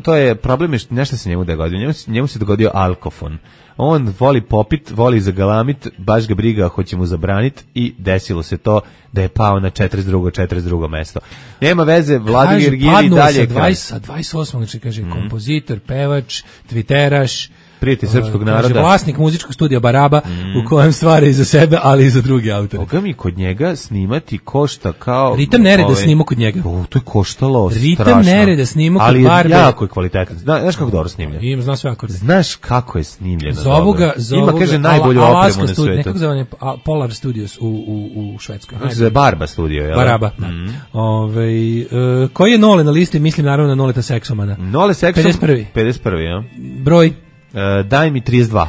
E: To je problem, nešto se njemu dogodio. Njemu se dogodio alkofon. on voli popit, voli zagalamit, baš ga briga, hoće mu zabranit i desilo se to da je pao na 42. mesto. Nema veze, Vladimir Giri dalje kraj.
F: Sa 28. znači kaže kompozitor, pevač, tviteraš,
E: prijatelj srpskog naroda.
F: Kaže, vlasnik muzičkog studija Baraba, u kojem stvara i za sebe, ali i za druge autore.
E: Boga mi kod njega snimati košta kao...
F: Ritam nereda snimao kod njega.
E: To je koštalo
F: Ritam
E: strašno.
F: nereda snimao kod Barbe.
E: Ali jako je kvalitetan. Znaš kako dobro snimljen?
F: Zna sve akorde.
E: Znaš kako je snimljeno.
F: Zovu ga,
E: ima, kaže, najbolju opremu na svetu.
F: Nekako zove Polar Studios u Švedskoj.
E: Kako se zove Barba studio, jel?
F: Baraba, da. Koji je Nole na listi? Mislim naravno na Noleta Seksomana.
E: Nole Seksom? 51. Ja.
F: Broj?
E: Daj mi 32.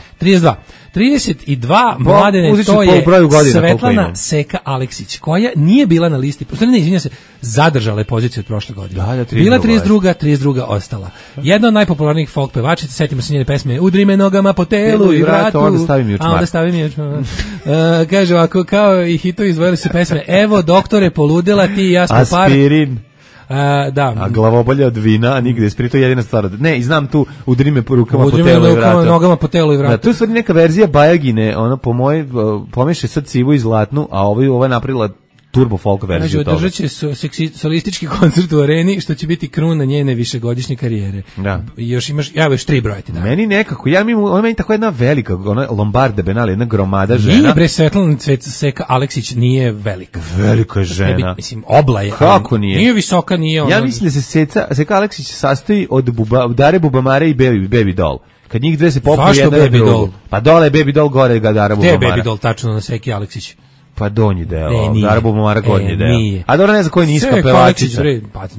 F: 32, mladene, to je Svetlana Seka Aleksić, koja nije bila na listi, izvinjam se, zadržala je poziciju od prošle godine. Bila 32, ostala. Jedna od najpopularnijih folk pevačica, setimo se njene pesme Udri me nogama po telu i vratu,
E: onda stavi mi
F: učmar. Kaže ovako, kao i hitovi izvojili su pesme Evo, doktore, poludela, ti i ja smo par.
E: Aspirin.
F: Da.
E: A glavobolja od vina, a nigde je to jedina stvar. Ne, i znam tu udri me po rukama, po telu i vratu.
F: Nogama po telu i vratu.
E: Da, tu je stvari neka verzija Bajagine, ona po mojoj pomeše sad sivu i zlatnu, a ovo je napravila turbo folk verziju toga.
F: Održat će solistički koncert u areni, što će biti kruna njene višegodišnje karijere.
E: Da.
F: I još imaš 3 broja ti da.
E: Meni nekako, ona meni tako jedna velika, ona Lombarde Benali, jedna gromada žena.
F: Nije bre, Svetlana Seka Aleksić nije velika.
E: Velika žena.
F: Mislim, obla je.
E: Kako nije?
F: Nije visoka, nije ona.
E: Ja mislim da se Seka Aleksić sastoji od Dare Bubamare i Baby Doll. Kad njih dve se popiju jedna na drugu. Pa dole je Baby Doll, gore ga Dara Bubamara.
F: Gde je Baby Doll tačno na Seki Aleksić?
E: Pa donji deo, Dara Bubamara gornji deo.
F: Nije.
E: A dobro, ne znam koja je niska pevačica.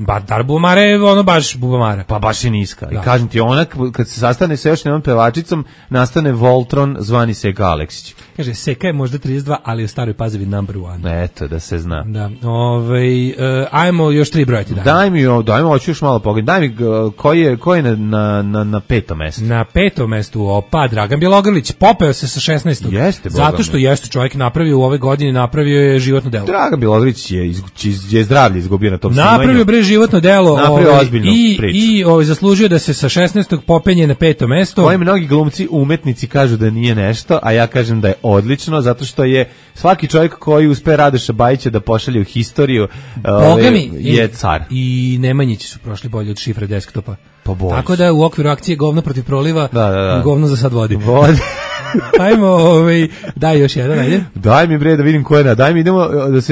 F: Pa Dara Bubamara je ono baš Bubamara.
E: Pa baš je niska. Da. I kažem ti, ona kad se sastane sa još jednom pevačicom, nastane Voltron zvani Seka Aleksić.
F: Kaže, Seka je možda 32, ali u staroj Pazovi number 1.
E: Eto, da se zna.
F: Da. Ajmo još 3 brojati.
E: Dajmo, hoću još malo pogledati. Daj mi, ko je na 5. mestu?
F: Na 5. mestu, Dragan Bjelogrlić, popeo se sa 16.
E: Jeste,
F: zato što jeste čovjek napravio u ove godine, napravio je životno delo.
E: Dragan Bjelogrlić je zdravlje izgubio na tom snimanju.
F: Napravio bre životno delo.
E: Napravio ozbiljnu priču.
F: I zaslužio da se sa 16. popenje na 5. mesto.
E: Koji mnogi glumci, umetnici kažu da nije nešto, a ja kažem da je odlično, zato što je svaki čovjek koji uspe Radoša Bajića da pošalje u historiju je car.
F: I Nemanjići su prošli bolje od Šifre desktopa.
E: Tako
F: da u okviru akcije Govno protiv proliva, govno za sad vodi. Ajmo, daj još jedan, ajde.
E: Daj mi bre da vidim ko je daj mi idemo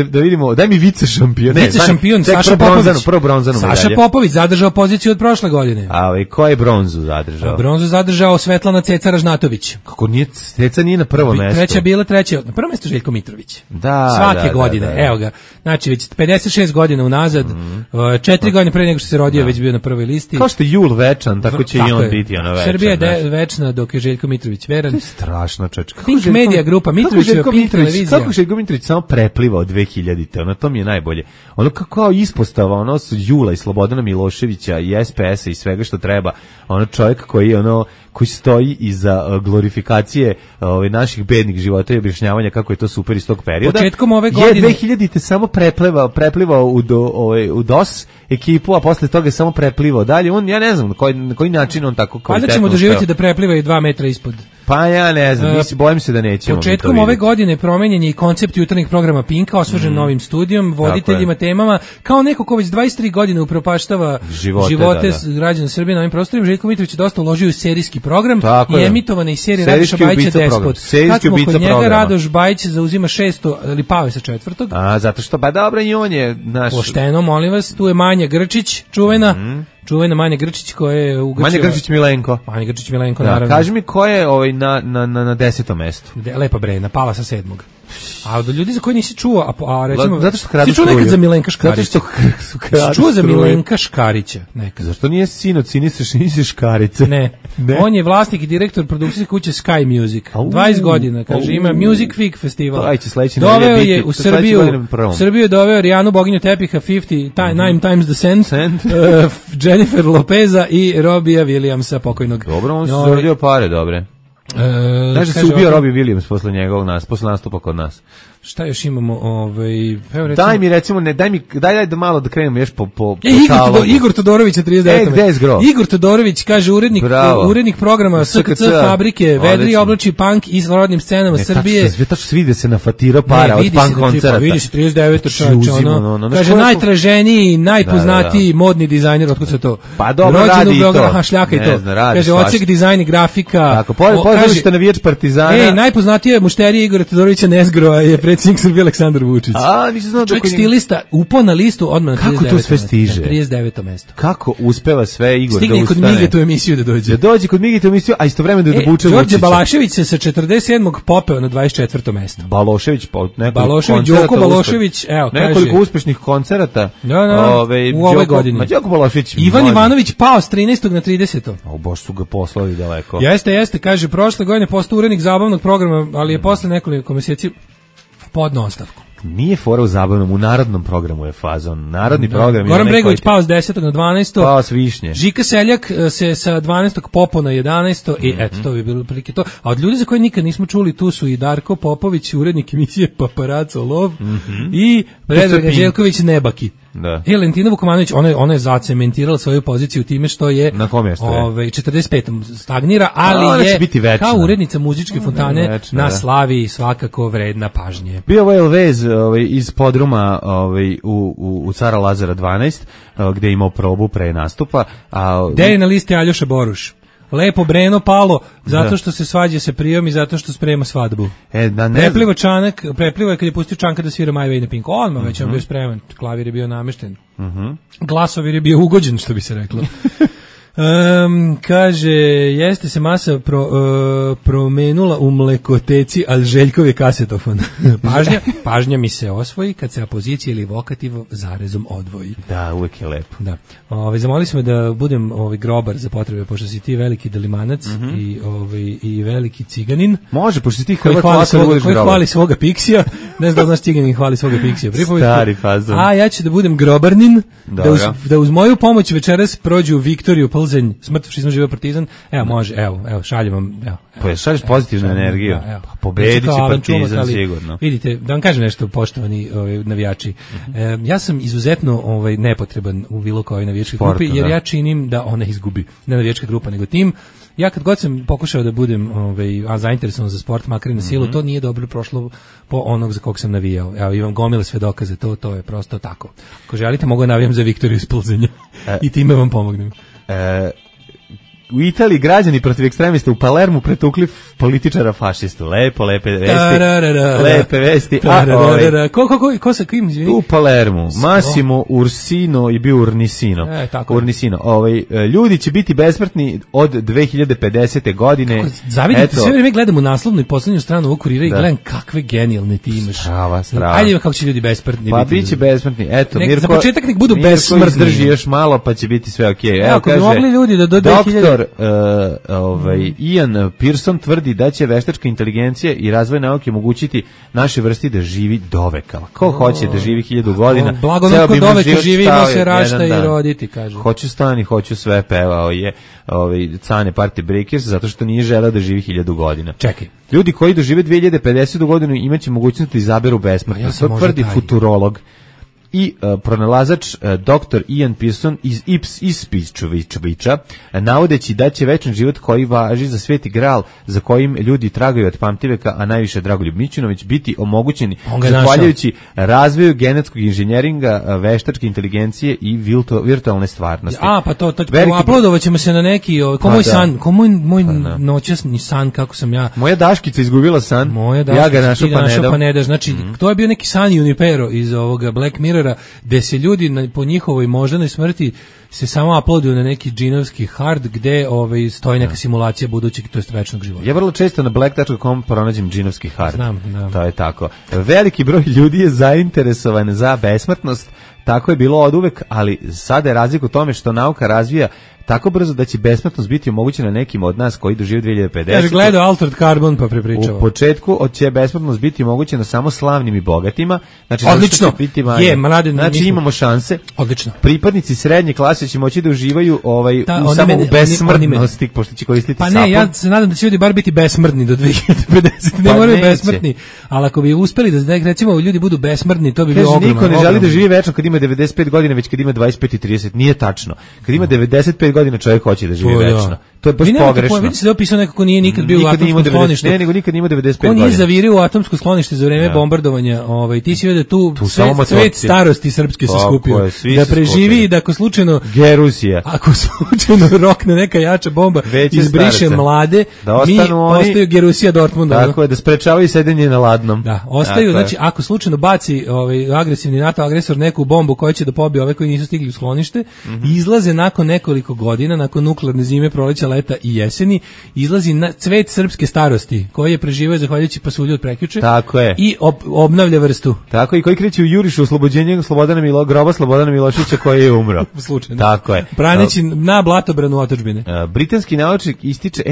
E: da vidimo, daj mi vice šampion.
F: Vice šampion Saša Popović.
E: Prvo bronzanu medalju.
F: Saša Popović zadržao poziciju od prošle godine.
E: A ko je bronzu zadržao?
F: Bronzu zadržao Svetlana Ceca Ražnatović.
E: Kako nije Ceca nije na prvom mestu?
F: Treća, na prvom mestu Željko Mitrović.
E: Da.
F: Svake godine, evo ga. Znači već 56 godina unazad, 4 godine pre nego što se rodio već bio na prvoj listi.
E: Kao što je Jul večan, tako će i on biti ona večan.
F: Srbija je večna dok je Željko Mitrović veran.
E: Strašno čečka.
F: Pink Media grupa, Mitrovićeva Pink televizija.
E: Kako Željko Mitrović samo prepliva od 2000-te, ono to mi je najbolje. Ono kao ispostava, ono su Jula i Slobodana Miloševića i SPS-a i svega što treba. Ono čovjek koji stoji iza glorifikacije naših bednih života i objašnjavanja kako je to super iz tog perioda.
F: Početkom ove godine
E: je 2000-te samo preplivao u DOS ekipu, a posle toga je samo preplivao dalje. Ja ne znam na koji način on tako kvalitetno.
F: Valjda ćemo doživjeti da prepliva i 2 metra ispod.
E: Pa ja ne znam, bojim se da nećemo.
F: Početkom ove godine promenjen je i koncept jutarnjih programa Pinka, osvežen novim studijom, voditeljima, temama, kao neko ko već 23 godine upropaštava živote građana Srbije na ovim prostorima. Željko Mitrović je dosta uložio u serijski program i emitovane iz serije Radoša Bajića Despot. Kad smo kod njega, Radoš Bajić zauzima 6. ali pao je sa 4.
E: A, zato što, ba dobro, i on je naš...
F: Pošteno, molim vas, tu je Manja Grčić, čuvena Manja Grčić koja je ugrčila...
E: Manja Grčić Milenko,
F: naravno.
E: Kaži mi ko je na 10. mestu?
F: Lepa Brena, pala sa 7. A od ljudi za koje nisi čuo, a recimo...
E: Zato što kradu
F: si čuo nekad za Milenka Škarića?
E: Zato što
F: si čuo za Milenka Škarića nekad?
E: Zašto nije sinoć, nisi Škarice?
F: Ne. On je vlasnik i direktor produkcijske kuće Sky Music. 20 godina, kaže, ima Music Fig festival. Doveo je u Srbiju je doveo Rijanu boginju tepiha 9 times the cent, Jennifer Lopeza i Robija Williamsa, pokojnog.
E: Dobro, on se zaradio pare, dobre. Znaš da se ubio Robbie Williams posle nastupa kod nas.
F: Šta još imamo? Evo recimo,
E: daj mi recimo, daj da malo da krenemo još po
F: Igor Todorović 39.
E: Gde je zgro?
F: Igor Todorović kaže urednik programa SKC fabrike, vedri oblači punk i s rodnim scenama Srbije.
E: Tačno svide se na fatira para od punk koncerta.
F: Vidi se 39. Kaže najtraženiji, najpoznatiji modni dizajner, otkud se to?
E: Pa dobro, radi i to.
F: Šljaka i to. Kaže odsek dizajn i grafika.
E: Tako, pozdravište navijač Partizana.
F: Najpoznatija mušterija Igora Todorovića Nezgro je predsjednik Srbije Aleksandar Vučić.
E: Nisam znao
F: čovjek stilista, upao na listu odmah na 39.
E: Kako to sve stiže?
F: 39. mesto.
E: Kako uspeva sve Igor
F: stigne
E: da ustane?
F: Stigne kod Mige tu emisiju da dođe.
E: Da dođe kod Mige tu emisiju, a istovremeno da buče Vučića.
F: Đorđe Balašević se sa 47. popeo na 24. mesto.
E: Balošević,
F: Đoko Balošević, evo, kaže.
E: Nekoliko uspešnih koncerata.
F: U ovoj godini.
E: Đoko Balošević.
F: Ivan Ivanović pao s 13. na 30.
E: Bož su ga poslali daleko.
F: Jeste, kaže, prošle godine postao urednik zabavnog programa, ali je posle nekoliko mjeseci podno ostavku.
E: Nije fora u zabavnom, u narodnom programu je fazon. Narodni program je...
F: Goran Bregović pao s 10. na 12.
E: Pao s Višnje.
F: Žika Seljak se sa 12. popao na 11. I eto, to bi bilo prilike to. A od ljudi za koje nikad nismo čuli, tu su i Darko Popović, urednik emisije Paparaco Lov, i Predrag Anđelković Nebaki.
E: Da.
F: Lentina Vukomanović, ona je zacementirala svoju poziciju time što je
E: na kom mjestu je?
F: 45. stagnira, ali je kao urednica muzičke fontane večna, na slavi svakako vredna pažnje.
E: Bio je Elvez iz podruma u Cara Lazara 12, gde je imao probu pre nastupa.
F: Gde je na listi Aljoša Boruš? Lepo Breno palo, zato što se svađa sa Prijom i zato što sprema svadbu. Preplivo je kad je pustio Čanka da svira My Way na Pink. Odmah već on bio spreman, klavir je bio namešten. Glasovir je bio ugođen, što bi se reklo. Kaže, jeste se masa promenula u mlekoteci, ali Željkov je kasetofon. Pažnja mi se osvoji kad se apozicija ili vokativ zarezom odvoji.
E: Da, uvek je lepo.
F: Da. Zamolili smo da budem grobar za potrebe, pošto si ti veliki delimanac i veliki ciganin.
E: Može, pošto si ti
F: koji hvali svoga piksija. Ne znam da znaš ciganin hvali svoga piksija.
E: Stari fazon.
F: A ja ću da budem grobarnin, da uz moju pomoć večeras prođu Viktoriju Plzenj, smrt fašizma, živeo Partizan. Evo, može, evo, šaljem vam.
E: Pa šalješ pozitivnu energiju. Pobedit će Partizan sigurno.
F: Vidite, da vam kažem nešto, poštovani navijači. Ja sam izuzetno nepotreban u bilo kojoj navijačkoj grupi, jer ja činim da ona izgubi. Ne navijačka grupa, nego tim. Ja kad god sam pokušao da budem zainteresovan za sport, makar i na silu, to nije dobro prošlo po onog za kog sam navijao. Evo, imam gomile sve dokaze, to je prosto tako. Ako želite, mogu navijam za Viktoriju iz Plzenja i time vam pomognem.
E: U Italiji građani protiv ekstremista u Palermu pretukli političara fašistu. Lepe vesti.
F: Ko sa kim, izvini?
E: U Palermu. Massimo Ursino je bio Urnisino. Ljudi će biti besmrtni od 2050. godine.
F: Zavidite, sve vrijeme gledam u naslovnu i poslednju stranu ovog Kurira i gledam kakve genijalne ti imaš.
E: Strava.
F: Ajde, kako će ljudi besmrtni
E: pa
F: biti.
E: Pa bit će besmrtni. Eto,
F: za početak nek budu besmrtni.
E: Mirko izdrži još malo, pa će biti sve okej.
F: Evo, ako bi mogli ljudi da do 2000...
E: Ian Pearson tvrdi da će veštačka inteligencija i razvoj nauke omogućiti naše vrsti da živi doveka. Ko hoće da živi 1000 godina?
F: Blagonatko doveka živimo se rašta i roditi, kaže.
E: Hoću stan i hoću sve, pevao je Cane Party Breakers, zato što nije želeo da živi 1000 godina.
F: Čekaj.
E: Ljudi koji dožive 2050. godinu imaće mogućnost da izaberu besmrtnost. To tvrdi futurolog i pronalazač dr. Ian Pearson iz Ipswicha, navodeći da će večan život koji važi za sveti gral za kojim ljudi tragaju od pamtiveka, a najviše Dragoljub Mićunović, biti omogućeni zahvaljujući razvoju genetskog inženjeringa, veštačke inteligencije i virtualne stvarnosti.
F: Pa to uploadovat ćemo se na neki, ko moj noćasni san, kako sam ja...
E: Moja Daškica izgubila san, ja ga našao pa ne daš.
F: Znači, to je bio neki san Junipero iz ovoga Black Mirror, gde se ljudi po njihovoj moždanoj smrti se samo uploaduju na neki džinovski hard gde stoji neka simulacija budućeg, to jest večnog života.
E: Ja vrlo često na black.com pronađem džinovski hard.
F: Znam.
E: To je tako. Veliki broj ljudi je zainteresovan za besmrtnost, tako je bilo oduvek, ali sada je razlika u tome što nauka razvija tako brzo da će besmrtnost biti omogućena nekim od nas koji dožive 2050.
F: Kaže, gledao Altered Carbon pa prepričava.
E: U početku će besmrtnost biti omogućena samo slavnim i bogatima. Znači,
F: odlično.
E: Znači imamo šanse.
F: Odlično.
E: Pripadnici srednje klase će moći da uživaju u besmrtnosti, pošto će koristiti sapun.
F: Pa ne, ja se nadam da će ljudi bar biti besmrtni do 2050. Ne moraju besmrtni, ali ako bi uspeli da recimo ljudi budu besmrtni, to bi bilo ogromno.
E: Niko ne želi da živi večno kad ima 95 godina, već kad ima 25 i 30. Nije tačno. Kad ima 95 godina čovjek hoće da živi večno. To je baš pogrešno.
F: Vidite se da opisao nekako nije nikad bio u atomskom skloništu.
E: Ne, nego nikad nije imao 95 godina.
F: On nije zavirio u atomsko sklonište za vreme bombardovanja. Ti si vidio da tu svet starosti srpske se skupio. Da preživi i da ako slučajno
E: Gerusija.
F: Ako slučajno rokne neka jača bomba izbriše mlade, mi ostaju Gerusija Dortmunda.
E: Tako je, da sprečavaju sedenje na ladnom.
F: Da, ostaju, znači ako slučajno baci agresivni NATO agresor neku bombu koja će da pobije ove koji nisu stigli u sklonište, izlaze nakon nekoliko godina, nakon nuklearne zime, proleća, leta i jeseni, izlazi na cvet srpske starosti koji je preživio zahvaljujući pasulju od prekjuče.
E: Tako je.
F: I obnavlja vrstu.
E: Tako, i koji kreće u jurišu oslobođenje groba Slobodana Miloševića koji je umro.
F: Slučajno.
E: Tako je.
F: Braneći na blatobranu otadžbine.
E: Britanski naučnik ističe,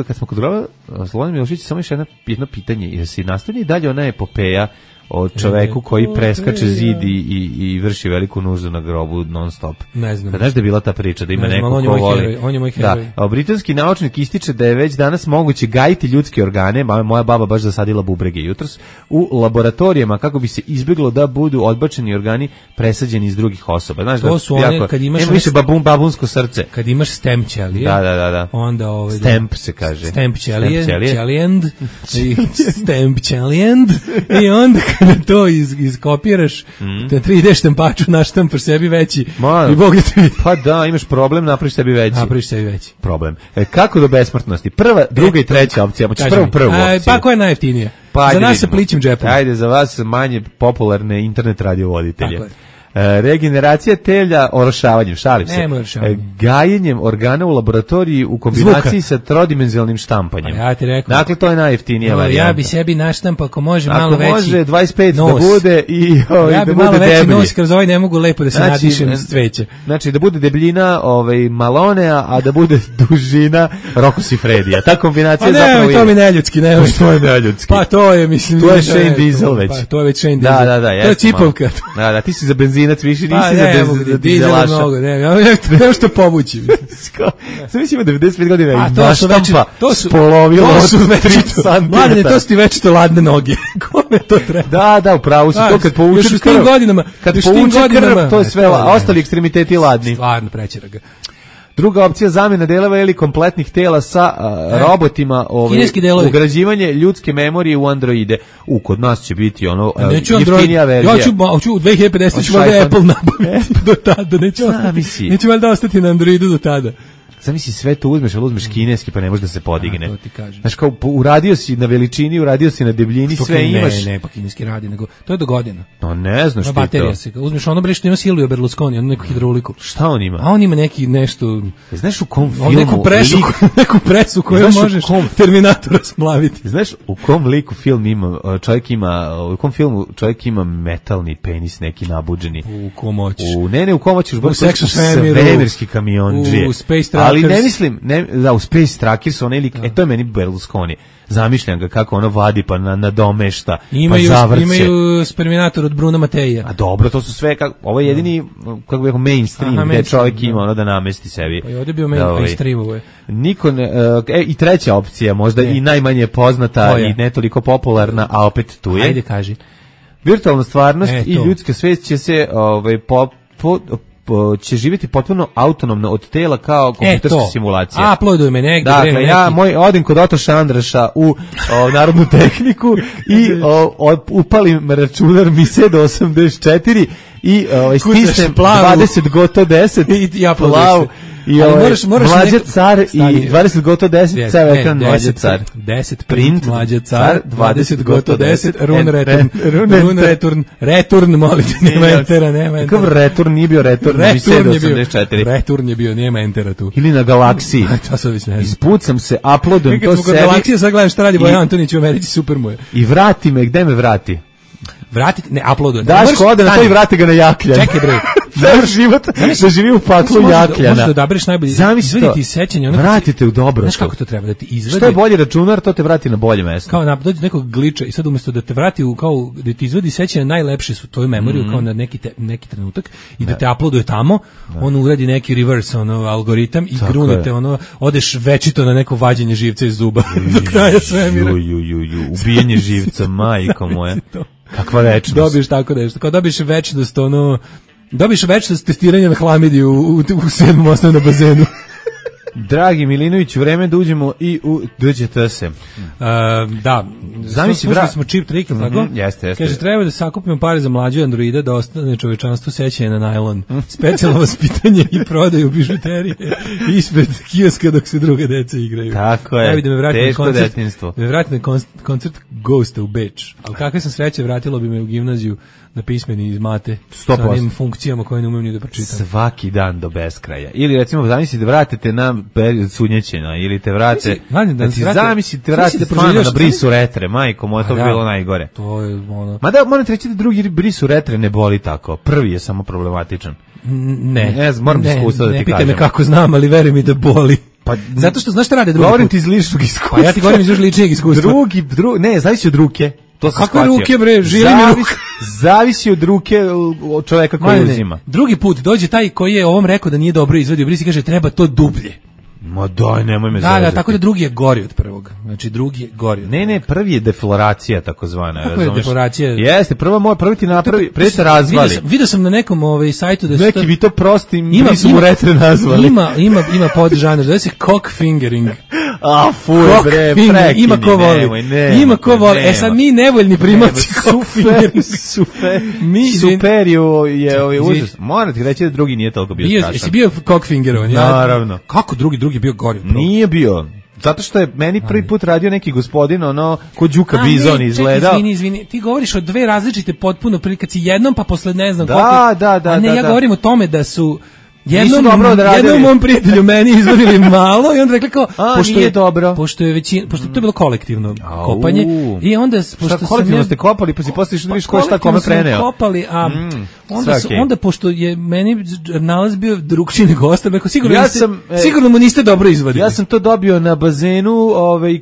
E: kad smo kod groba Slobodana Miloševića, samo još jedno pitanje, jer se nastavlja i dalje ona epopeja o čoveku koji preskače zid i vrši veliku nuždu na grobu non stop.
F: Ne znam.
E: Znaš da je bila ta priča, da ima neko ko voli.
F: On je moj heroj.
E: Da. Britanski naučnik ističe da je već danas moguće gajiti ljudske organe, moja baba baš zasadila bubrege jutros, u laboratorijama kako bi se izbjeglo da budu odbačeni organi presađeni iz drugih osoba. Znaš,
F: to su one kad imaš
E: više babunsko srce.
F: Kad imaš stem ćelije.
E: Da.
F: Onda
E: stemp se kaže.
F: Stemp ćelijend. Stemp ćelijend. I onda kada to iskopiraš, da 3D štampaču naštampaš sebi veći i Bog da te vidi.
E: Pa da, imaš problem, napraviš sebi veći. Problem. Kako do besmrtnosti? Prva, druga i treća opcija. Moćeš prvu opciju.
F: Pa koja je najjeftinija? Za nas sa plićim džepom.
E: Ajde, za vas manje popularne internet radiovoditelje. Regeneracija telja orošavanjem, šalim se. Gajenjem organa u laboratoriji u kombinaciji sa trodimenzionalnim štampanjem.
F: Ja ti rekao.
E: Dakle, to je najjeftinija varijanta.
F: Ja bi sebi naštampao, ako može malo veći nos.
E: Ako može 25 da bude i da bude deblji.
F: Ja bi malo veći nos, kroz ovaj ne mogu lepo da se nadišem s cveća.
E: Znači, da bude debljina Malonea, a da bude dužina Rocco Siffredija. Ta kombinacija je zapravo...
F: Pa ne, to mi neljudski.
E: To je neljudski.
F: Pa to je, mislim...
E: To je Shane Diesel već.
F: To je već Shane Diesel.
E: Da.
F: To je cipovka.
E: Da, ti si za benzinac, više nisi za dizelaša.
F: Ja što povući.
E: Sam mislim 95 godina i
F: naštampa
E: spolovilo od 3 cm.
F: Mladine, to su ti večito ladne noge. Kome to treba?
E: Da, upravo si to kad povučeš krv. Kad povučeš krv, to je sve, a ostali ekstremiteti ladni.
F: Stvarno, prećera ga.
E: Druga opcija, zamjena delova ili kompletnih tela sa robotima, ugrađivanje ljudske memorije u androide. Kod nas će biti jeftinija verzija.
F: Ja ću u 2050 ću valjda Apple nabaviti do tada. Neću valjda ostati na androidu do tada.
E: Zamisli sve to uzmeš, ali uzmeš kineski pa ne može da se podigne.
F: To ti kažem.
E: Znaš, kao uradio si na veličini, uradio si na debljini, sve imaš.
F: Ne, pa kineski radi, nego to je do godina.
E: No ne znaš ti to.
F: Baterija se, uzmeš ono bre što ima Silvio Berlusconi, ono neku hidrauliku.
E: Šta on ima?
F: A on ima neki nešto...
E: Znaš u kom filmu?
F: Neku presu koju možeš Terminatora splaviti.
E: Znaš u kom liku film ima, u kom filmu čovjek ima metalni penis neki nabuđeni?
F: U komoć.
E: Ne, u komoć još
F: svemirski
E: kamiondžije.
F: U Space Trackers.
E: Ali ne mislim, u Space Trackers, to je meni Berlusconi. Zamišljam ga kako ono vadi pa nadomešta, pa zavrće.
F: Imaju Sperminator od Bruna Mateja.
E: A dobro, to su sve, ovo je jedini, kako bih rekao, mainstream, gde čovjek ima ono da namesti sebi.
F: Pa je ovdje bio mainstream ovo je.
E: I treća opcija, možda i najmanje poznata i ne toliko popularna, a opet tu je.
F: Ajde, kaži.
E: Virtualna stvarnost i ljudska svest će se će živjeti potpuno autonomno od tela kao kompjuterska simulacija.
F: Uploaduj me negdje.
E: Dakle, ja odim kod Otoša Andraša u Narodnu tehniku i upalim računar Mise do 84 i stisnem 20 goto 10
F: i ja plav.
E: I Mlađa car i 20 goto 10 cav ekran Mlađa car.
F: 10 print Mlađa car, 20 goto 10 run return, molite, nema entera.
E: Kakav return, nije bio return,
F: return je bio, nema entera tu.
E: Ili na Galaksiji. Ispucam se, uploadujem to sebi.
F: Kad smo Galaksije, sad gledam šta radi Bojan Antonić u Americi, super mu je.
E: I vrati me, gde me vrati?
F: vratite, ne uploaduje.
E: Daško ode na to i vrati ga na Jakljan.
F: Čekaj bre.
E: Ceo život da živi u paklu Jakljana.
F: Možeš da odabereš najbolje.
E: Zamisli
F: sećanje.
E: Vratite u dobro.
F: Znaš kako to treba da ti izvadi?
E: Što je bolji računar, to te vrati na bolje mesto.
F: Kao dođe nekog gliča i sad umesto da te vrati u kao da ti izvadi sećanje najlepše su tvoju memoriju kao na neki trenutak i da te uploaduje tamo, on uradi neki reverse algoritam i grunete odeš večito na neko vađenje živca iz zuba do kraja svemira.
E: Ubijenje živca, majko moja. Kakva večnost.
F: Dobiješ tako nešto. Kao dobiješ večnost Dobiš večnost testiranja na hlamidiju u 7. osnovnom bazenu.
E: Dragi Milinović, vreme da uđemo i u DGTS.
F: Da, slušali smo Cheap Trick, tako?
E: Jeste.
F: Kaže, treba da sakupimo pare za mlađu androida, da ostane čovečanstvo sećanje na najlon. Specijalno vaspitanje i prodaju bižuterije ispred kioska dok se druge deca igraju.
E: Tako je, teško detinjstvo.
F: Da me vratim na koncert Ghosta u Beč. Ali kakve sam sreće, vratilo bi me u gimnaziju na pismeni iz mate
E: 100%.
F: sa onim funkcijama koje ne umem ni da pročitam.
E: Svaki dan do beskraja. Ili recimo zamislite vratite na period sunjećena ili te vrate zamislite vratite fana na brisu retre, majko moja, to bi bilo najgore.
F: To je
E: Mada moram reći da drugi brisu retre ne boli tako. Prvi je samo problematičan.
F: Ne
E: moram iskustva da ti kažem.
F: Ne pitaj me kako znam, ali veruj mi da boli. Pa, zato što znaš šta rade drugi
E: Govorim ti iz ličnog iskustva.
F: Pa ja ti govorim iz ličnog iskustva.
E: Ne, zavisi od ruke.
F: Kako ruke bre, žili mi ruke.
E: Zavisi od ruke od čoveka koji uzima.
F: Drugi put dođe taj koji je ovom rekao da nije dobro izvadio bris i kaže treba to dublje.
E: Ma daj, nemoj me zezati.
F: Da, tako da drugi je gori od prvog. Znači drugi je gori.
E: Ne, prvi je defloracija takozvana,
F: razumeš? Kako je defloracija?
E: Jeste, prvi ti napravi, pre se razvali.
F: Vidio sam na nekom sajtu da
E: neki vi to prostim brisu mu retre nazvali.
F: Ima podžanr, zove se cock fingering.
E: A fuj bre, prekini.
F: Ima ko voli. Sad mi nevoljni primaci cock fingering.
E: Superiju je užas. Moram ti reći da drugi nije toliko bio strašan.
F: Jesi bio cock fingerovan?
E: Naravno.
F: Kako drugi je bio gori?
E: Nije bio. Zato što je meni prvi put radio neki gospodin, ko Đuka Bizon izgledao.
F: Izvini, ti govoriš o dve različite potpuno prilike, kad si jednom pa posle ne znam
E: koliko.
F: A ne, ja govorim o tome da su jednom mom prijatelju meni izvodili malo i onda rekli kao
E: nije dobro.
F: Pošto to je bilo kolektivno kopanje i onda pošto
E: kolektivno ste kopali pa si posle išli da vidiš ko šta kome preneo.
F: Kopali, a onda pošto je meni nalaz bio drugčiji nego ostalo, rekao sigurno mu niste dobro izvadili.
E: Ja sam to dobio na bazenu,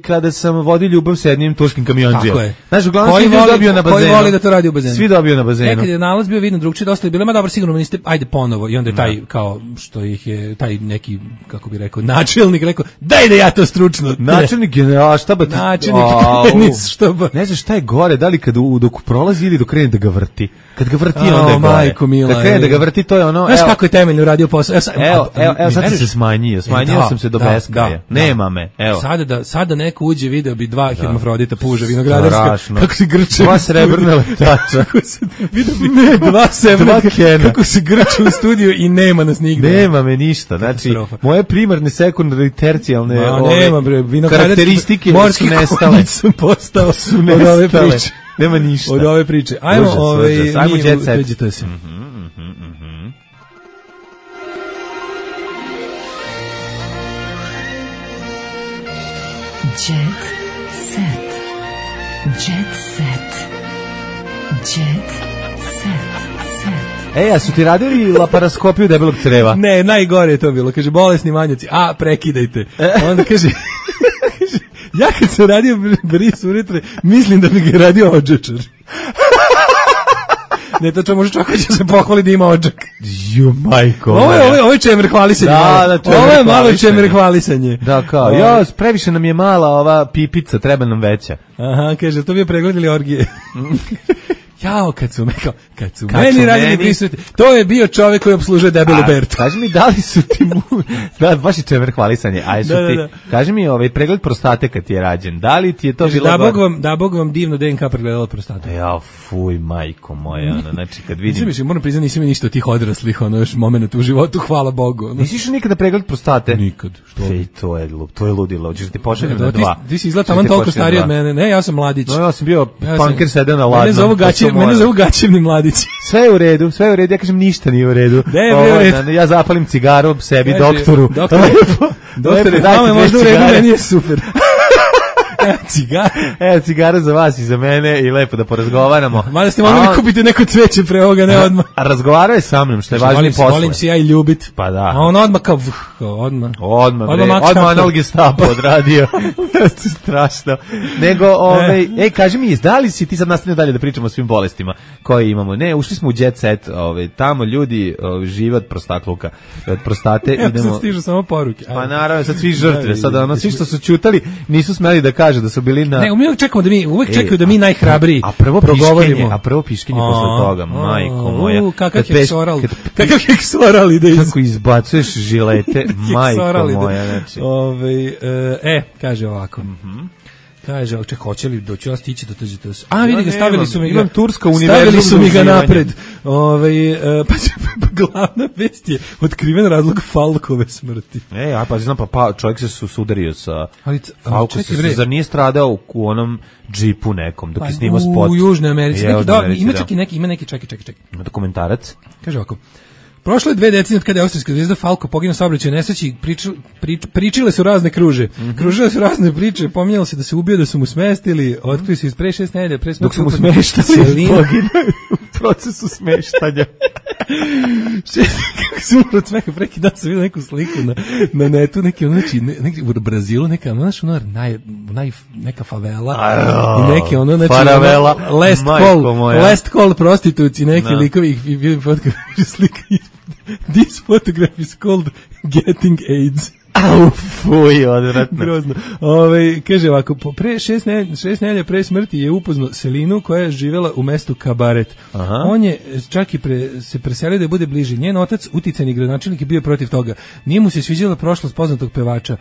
E: kada sam vodio ljubav sa jednim turskim kamionđijom.
F: Tako je.
E: Znaš, uglavnom svi dobio na bazenu.
F: Koji voli da to radi u bazenu?
E: Svi dobio na bazenu.
F: Nekad je nalaz bio vidno drugčiji, dosta je bilo, ma dobro, sigurno mu niste, ajde ponovo, i onda je taj kao što ih je taj neki, kako bi rekao, načelnik rekao, daj da ja to stručno.
E: Načelnik generala štaba.
F: Načelnik tenis štaba.
E: Ne znaš šta je gore, da li dok prolazi ili dok krene da ga vrti. Kad ga vrti, onda je gore.
F: Majko mila.
E: Kad krene da ga vrti, to je ono.
F: Znaš kako je temeljno radio posao?
E: Evo, sad se smanjio sam se do beskraja. Nema me, evo.
F: Sada neko uđe, video bi dva hermafrodita puža vinogradarska. Kako se grče.
E: Dva srebrna letača.
F: Dva srebrna kako se grče u studiju i nema nas nigde.
E: Nema me ništa. Znači, moje primarne, sekundarne i tercijalne karakteristike su nestale.
F: Sam postao od ove priče.
E: Nema ništa.
F: Od ove priče. Ajmo
E: Jet Set.
F: Jet Set.
E: A su ti radili laparaskopiju debelog creva?
F: Ne, najgore je to bilo. Kaže, bolesni manjaci, prekidajte. Onda kaže, ja kad sam radio bris uretre, mislim da bi ga radio odžačar. Ne, to može čovjek će se pohvali da ima odžak.
E: Ju, majko.
F: Ovo je čemer hvalisanje. Ovo je malo čemer hvalisanje.
E: Da, kao, previše nam je mala ova pipica, treba nam veća.
F: Aha, kaže, to bi je pregled ili orgije? Jao, kad su meni radili prisutni, to je bio čovjek koji obslužuje debelu Bertu.
E: Kaži mi, da li su ti baš je čemer hvalisanje, kaži mi pregled prostate kad ti je rađen, da li ti je to bilo...
F: Da Bog vam divno DNK pregledala prostate.
E: Jao, fuj, majko moja, znači kad vidim...
F: Moram priznati, nisam mi ništa od tih odraslih, još moment u životu, hvala Bogu.
E: Nisi išao nikada pregled prostate?
F: Nikad.
E: To je ludilo, hoćeš da ti pošaljem na 2.
F: Ti si izgleda taman toliko stariji od mene, ne, ja sam mladić.
E: No, ja sam bio punker sedeo na ladnom.
F: Mene zovu gaćevni mladići.
E: Sve je u redu, ja kažem ništa nije u redu. Ja zapalim cigaru sebi, doktoru.
F: Doktore, vama je možda u redu, meni je super. Cigara?
E: Evo, cigara za vas i za mene i lepo da porazgovaramo.
F: Mada ste mogli kupiti neko cveće pre ovoga, ne odmah.
E: A razgovarao je sa mnom, što je važnije posle.
F: Volim se ja i ljubit.
E: Pa da.
F: A on odmah kao, odmah
E: Anal Gestapo odradio. Strašno. Nego, kaži mi, da li si ti sad nastavio dalje da pričamo o svim bolestima koje imamo? Ne, ušli smo u jet set, tamo ljudi žive od prostakluka, od prostate.
F: Idemo. Sad stižu samo poruke.
E: Pa naravno, sad svi žrtve, sad svi što su ćutali nisu smeli da kažu da su bili na...
F: Ne, uvijek čekaju da mi najhrabriji progovorimo.
E: A prvo piškinje posle toga, majko moja.
F: Kakav heksoral ide iz...
E: Kako izbacuješ žilete, majko moja. Znači.
F: Kaže ovako. Kaže, hoće li doći vas stići do tuđite? A, vidi ga, stavili su mi ga napred. Pa glavna vest je otkriven razlog Falkove smrti.
E: Pa znam, pa čovjek se sudario sa Falkom, zar nije stradao u onom džipu nekom, dok je snimao spot?
F: U Južnoj Americi. Ima neki, čekaj.
E: Dokumentarac.
F: Kaže ovako. Prošle 2 decenije od kada je austrijska zvezda Falko poginuo u saobraćajnoj nesreći, pričile su razne kruže. Kružile su razne priče, pominjalo se da se ubio, da su mu smestili, otkrili su iz pre 6 nedelja, pre smrti.
E: Dok su mu smeštali, u procesu smeštanja.
F: Kako se umro od smeha, preki dan sam vidio neku sliku na netu, neki u Brazilu, neka neka favela, i neke last call prostituci, neki likovi, i vidim fotografiju slika. This photograph is called Getting AIDS.
E: Fuj, odvratno.
F: Grozno. Kaže ovako, pre 6 nedelja pre smrti je upoznao Selinu koja je živjela u mestu Kabaret. On je čak i se preselio da bude bliži. Njen otac, uticajni gradonačelnik, je bio protiv toga. Nije mu se sviđala prošlost poznatog pevača.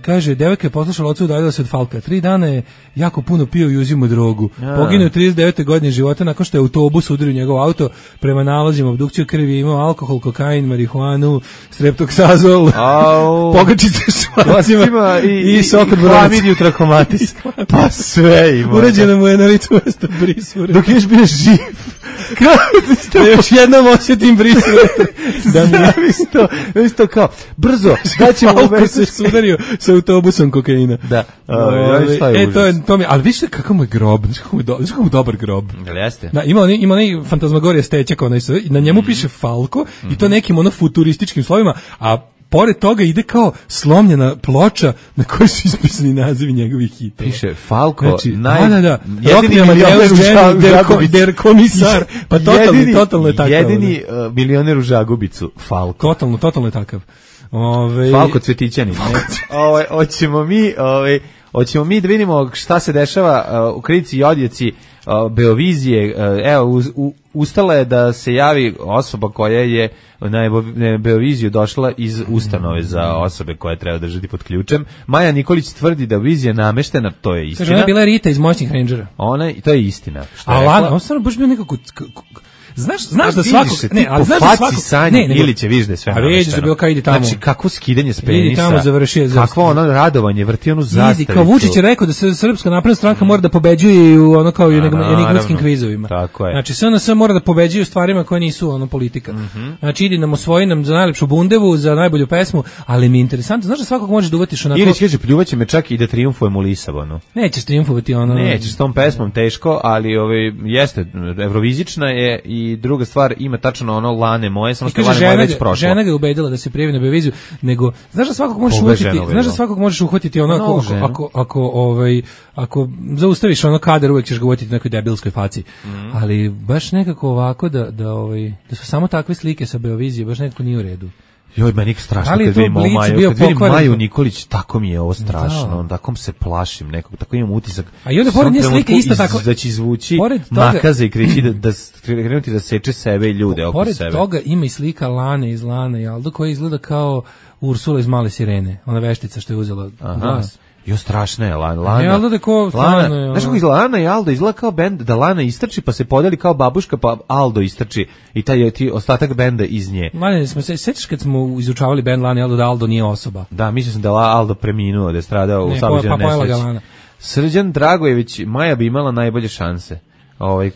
F: Kaže, devojka je poslušala oca, udaljila se od Falka. 3 dana je jako puno pio i uzimao drogu. Poginuo 39. godine života nakon što je autobus udario njegov auto. Prema nalazima obdukciju krvi je imao alkohol, kokain, marihuanu, streptoksazol, pogačice švacima i sok od
E: hlamidiju trakomatis. Pa sve ima.
F: Uređeno mu je na licu mesta brisure.
E: Dok još bio živ.
F: Da još jednom osjetim brisure.
E: Da mi isto kao, brzo, da ćemo
F: Falko se sudario sa autobusom kokaina.
E: Da.
F: To mi, ali vidite kakav mu je grob, znaš kako mu dobar grob.
E: Jeste.
F: Da, ima onaj fantazmagorija stečak, na njemu piše Falko i to nekim futurističkim slovima, a pored toga ide kao slomljena ploča na kojoj su ispisani nazivi njegovih hitova.
E: Piše Falko,
F: jedini milioner der komisar, pa totalno je takav.
E: Jedini milioner u Žagubicu, Falko.
F: Totalno je takav.
E: Falko Cvetićanin. Hoćemo mi da vidimo šta se dešava u Kritici i odjeci Beovizije. Evo, ustala je da se javi osoba koja je na Beoviziju došla iz ustanove za osobe koje treba držati pod ključem. Maja Nikolić tvrdi da vizija nameštena, to je istina.
F: Kaže, ona je bila Rita iz Moćnih Rangera.
E: To je istina.
F: A Lana, on stvarno baš bio nekako... Znaš da svakog,
E: ne, ali znaš da svakog Sanje ili će vidiš da je sve namešteno.
F: A vidiš da bilo kao ide tamo.
E: Znači kakvo skidanje s penisa.
F: Ide tamo završio.
E: Kakvo ono radovanje, vrti onu zastavicu.
F: Vidi, kao Vučić je rekao da se Srpska napredna stranka mora da pobeđuje u ono kao enigmatskim kvizovima.
E: Tako je.
F: Znači SNS mora da pobeđuje u stvarima koje nisu ono politika. Znači idi nam osvoji nam za najlepšu bundevu, za najbolju pesmu, ali mi je interesantno, znaš da svakog možeš da uvatiš onako.
E: Ili kaže pljuvaće me čak i da trijumfujem u Lisabonu.
F: Nećeš trijumfovati ono.
E: Nećeš s tom pesmom teško, ali jeste evrovizična je i druga stvar ima tačno ono Lane moje, samo što Lane moje već prošlo.
F: Žena ga je ubedila da se prijavi na Beoviziju, nego znaš da svakog možeš uhvatiti ono ako zaustaviš ono kadar, uvek ćeš ga uhvatiti u nekoj debilskoj faci. Ali baš nekako ovako da su samo takve slike sa Beovizije, baš nekako nije u redu.
E: Joj, meni je strašno kad vidim Maju Nikolić, tako mi je ovo strašno, tako se plašim nekog, tako imam utisak.
F: A i onda pored nje slike isto tako.
E: Da će izvući makaze i krenuti da seče sebe i ljude oko sebe.
F: Pored toga ima i slika Lane iz Lane i Aldo koja izgleda kao Ursula iz Male sirene, ona veštica što je uzela glas.
E: Jo, strašna je Lana. Znaš kako izgleda Lana i Aldo? Izgleda kao bend da Lana istrči pa se podeli kao babuška pa Aldo istrči i taj ostatak benda iz nje.
F: Manje, sećaš kad smo izučavali bend Lana i Aldo da Aldo nije osoba?
E: Da, mislio sam da Aldo preminuo, da je stradao u saobraćajnoj nesreći. Srđan Dragojević, Maja bi imala najbolje šanse.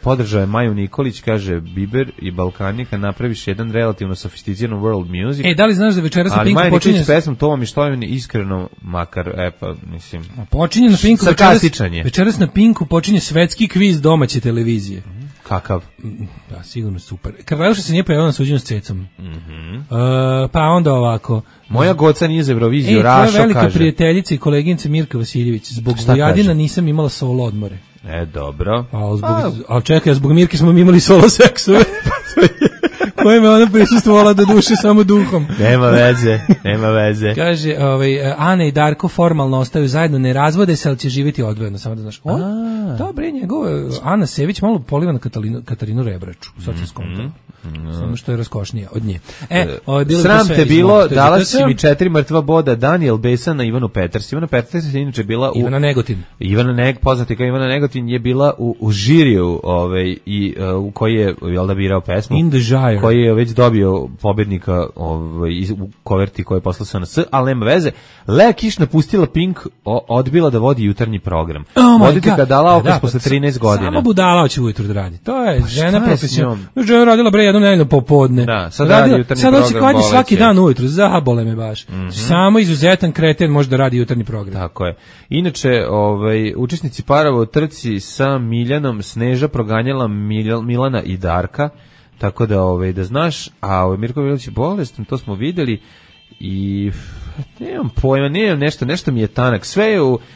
E: Podržao je Maju Nikolić, kaže Biber i Balkanika, napraviš jedan relativno sofisticiran world music.
F: Da li znaš da večeras na Pinku počinje...
E: Ali Maja Nikolić s pesmom To vam je što je iskreno, makar, mislim...
F: Počinje na Pinku
E: večeras
F: na Pinku počinje svetski kviz domaće televizije.
E: Kakav?
F: Da, sigurno super. Karleuša se nije pojavila na suđenju s Cecom. Pa onda ovako.
E: Moja goca nije za Euroviziju, Rašo kaže.
F: Tvoja velika prijateljica i koleginica Mirka Vasiljević. Zbog Vojadina nisam imala solo odmore.
E: Dobro.
F: Ali čekaj, zbog Mirke smo imali solo seksove. Koje me ona prisustvovala do duše samo duhom.
E: Nema veze.
F: Kaže, Ana i Darko formalno ostaju zajedno, ne razvode se, ali će živjeti odvojeno, samo da znaš. Dobre, njegove, Ana Sević malo poliva na Katarinu Rebraču, sad se skontala. Samo što je raskošnija od nje.
E: Sram te bilo, dala si mi 4 mrtva boda, Daniel Besan na Ivanu Peters. Ivana Peters je inače bila u...
F: Ivana Negotin.
E: Poznati kao Ivana Negotin je bila u žiriju u koji je birao pesmu.
F: In the Gyre.
E: Koji je već dobio pobednika u koverti koji je poslao SNS, ali nema veze. Lea Kiš napustila Pink, odbila da vodi jutarnji program. Vodite ga dala posle 13 godina.
F: Samo budala hoće ujutru da radi. To je žena profesionalna. Žena radila jednu nedeljno popodne.
E: Da, sad radi jutarnji program.
F: Sad hoće kvađi svaki dan ujutru, zabole me baš. Samo izuzetan kreten može da radi jutarnji program.
E: Tako je. Inače, učesnici parova u trci sa Miljanom, Sneža proganjala Milana i Darka, tako da da znaš, a Mirko Vilić je bolestan, to smo videli i nemam pojma, nešto mi je tanak,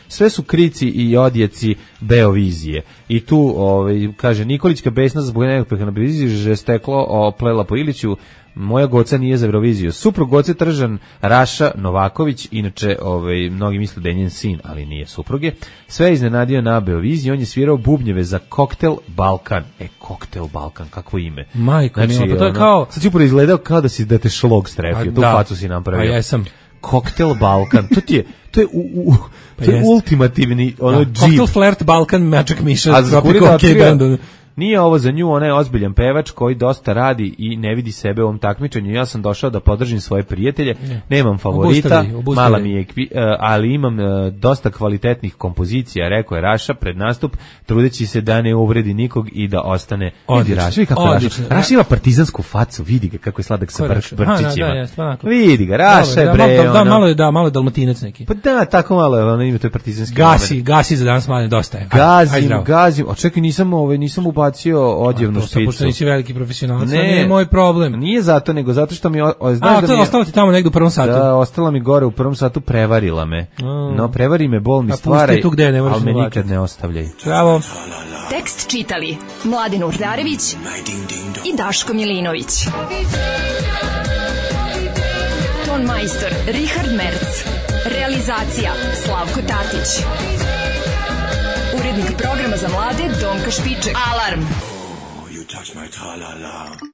E: sve su krici i odjeci Beovizije i tu kaže Nikolićka besna zbog nekog na Beoviziji že steklo oplela po Iliću. Moja goca nije za Euroviziju. Suprug goce Tržan Raša Novaković, inače mnogi misle da je njen sin, ali nije supruge. Sve je iznenadio na Beoviziji, on je svirao bubnjeve za Koktel Balkan. Koktel Balkan, kakvo ime.
F: Majko, pa to je kao...
E: Sad ću izgledao kao da te šlog strefio, tu facu si napravio.
F: Pa jesam.
E: Koktel Balkan, to je ultimativni džip.
F: Koktel Flirt Balkan, Magic Miša,
E: nije ovo za nju, ona je ozbiljan pevač koji dosta radi i ne vidi sebe u ovom takmičenju. Ja sam došao da podržim svoje prijatelje, nemam favorita, mala mi je, ali imam dosta kvalitetnih kompozicija, rekao je Raša pred nastup, trudeći se da ne uvredi nikog i da ostane. Raša ima partizansku facu, vidi ga kako je sladak sa brčićima. Vidi ga, Raša je bre.
F: Malo je dalmatinac neki.
E: Pa da, tako malo je, ona ima to je partizanski.
F: Gasi za danas manje, dosta je.
E: Gazim, očekaj, nisam ubacio odjevnu špicu.
F: Pošto nisi veliki profesionalac, nije moj problem.
E: Nije zato, nego zato što mi...
F: ostalo ti tamo negdje u prvom satu.
E: Da, ostala mi gore u prvom satu, prevarila me. No, prevari me, bol mi stvaraj, ali me nikad ne ostavljaj.
F: Bravo.
B: Tekst čitali Mladen Urdarević i Daško Milinović. Ton majstor Richard Merc. Realizacija Slavko Tatić. Urednik programa za mlade Donka Špiček. Alarm! Oh, you touch my tra-la-la.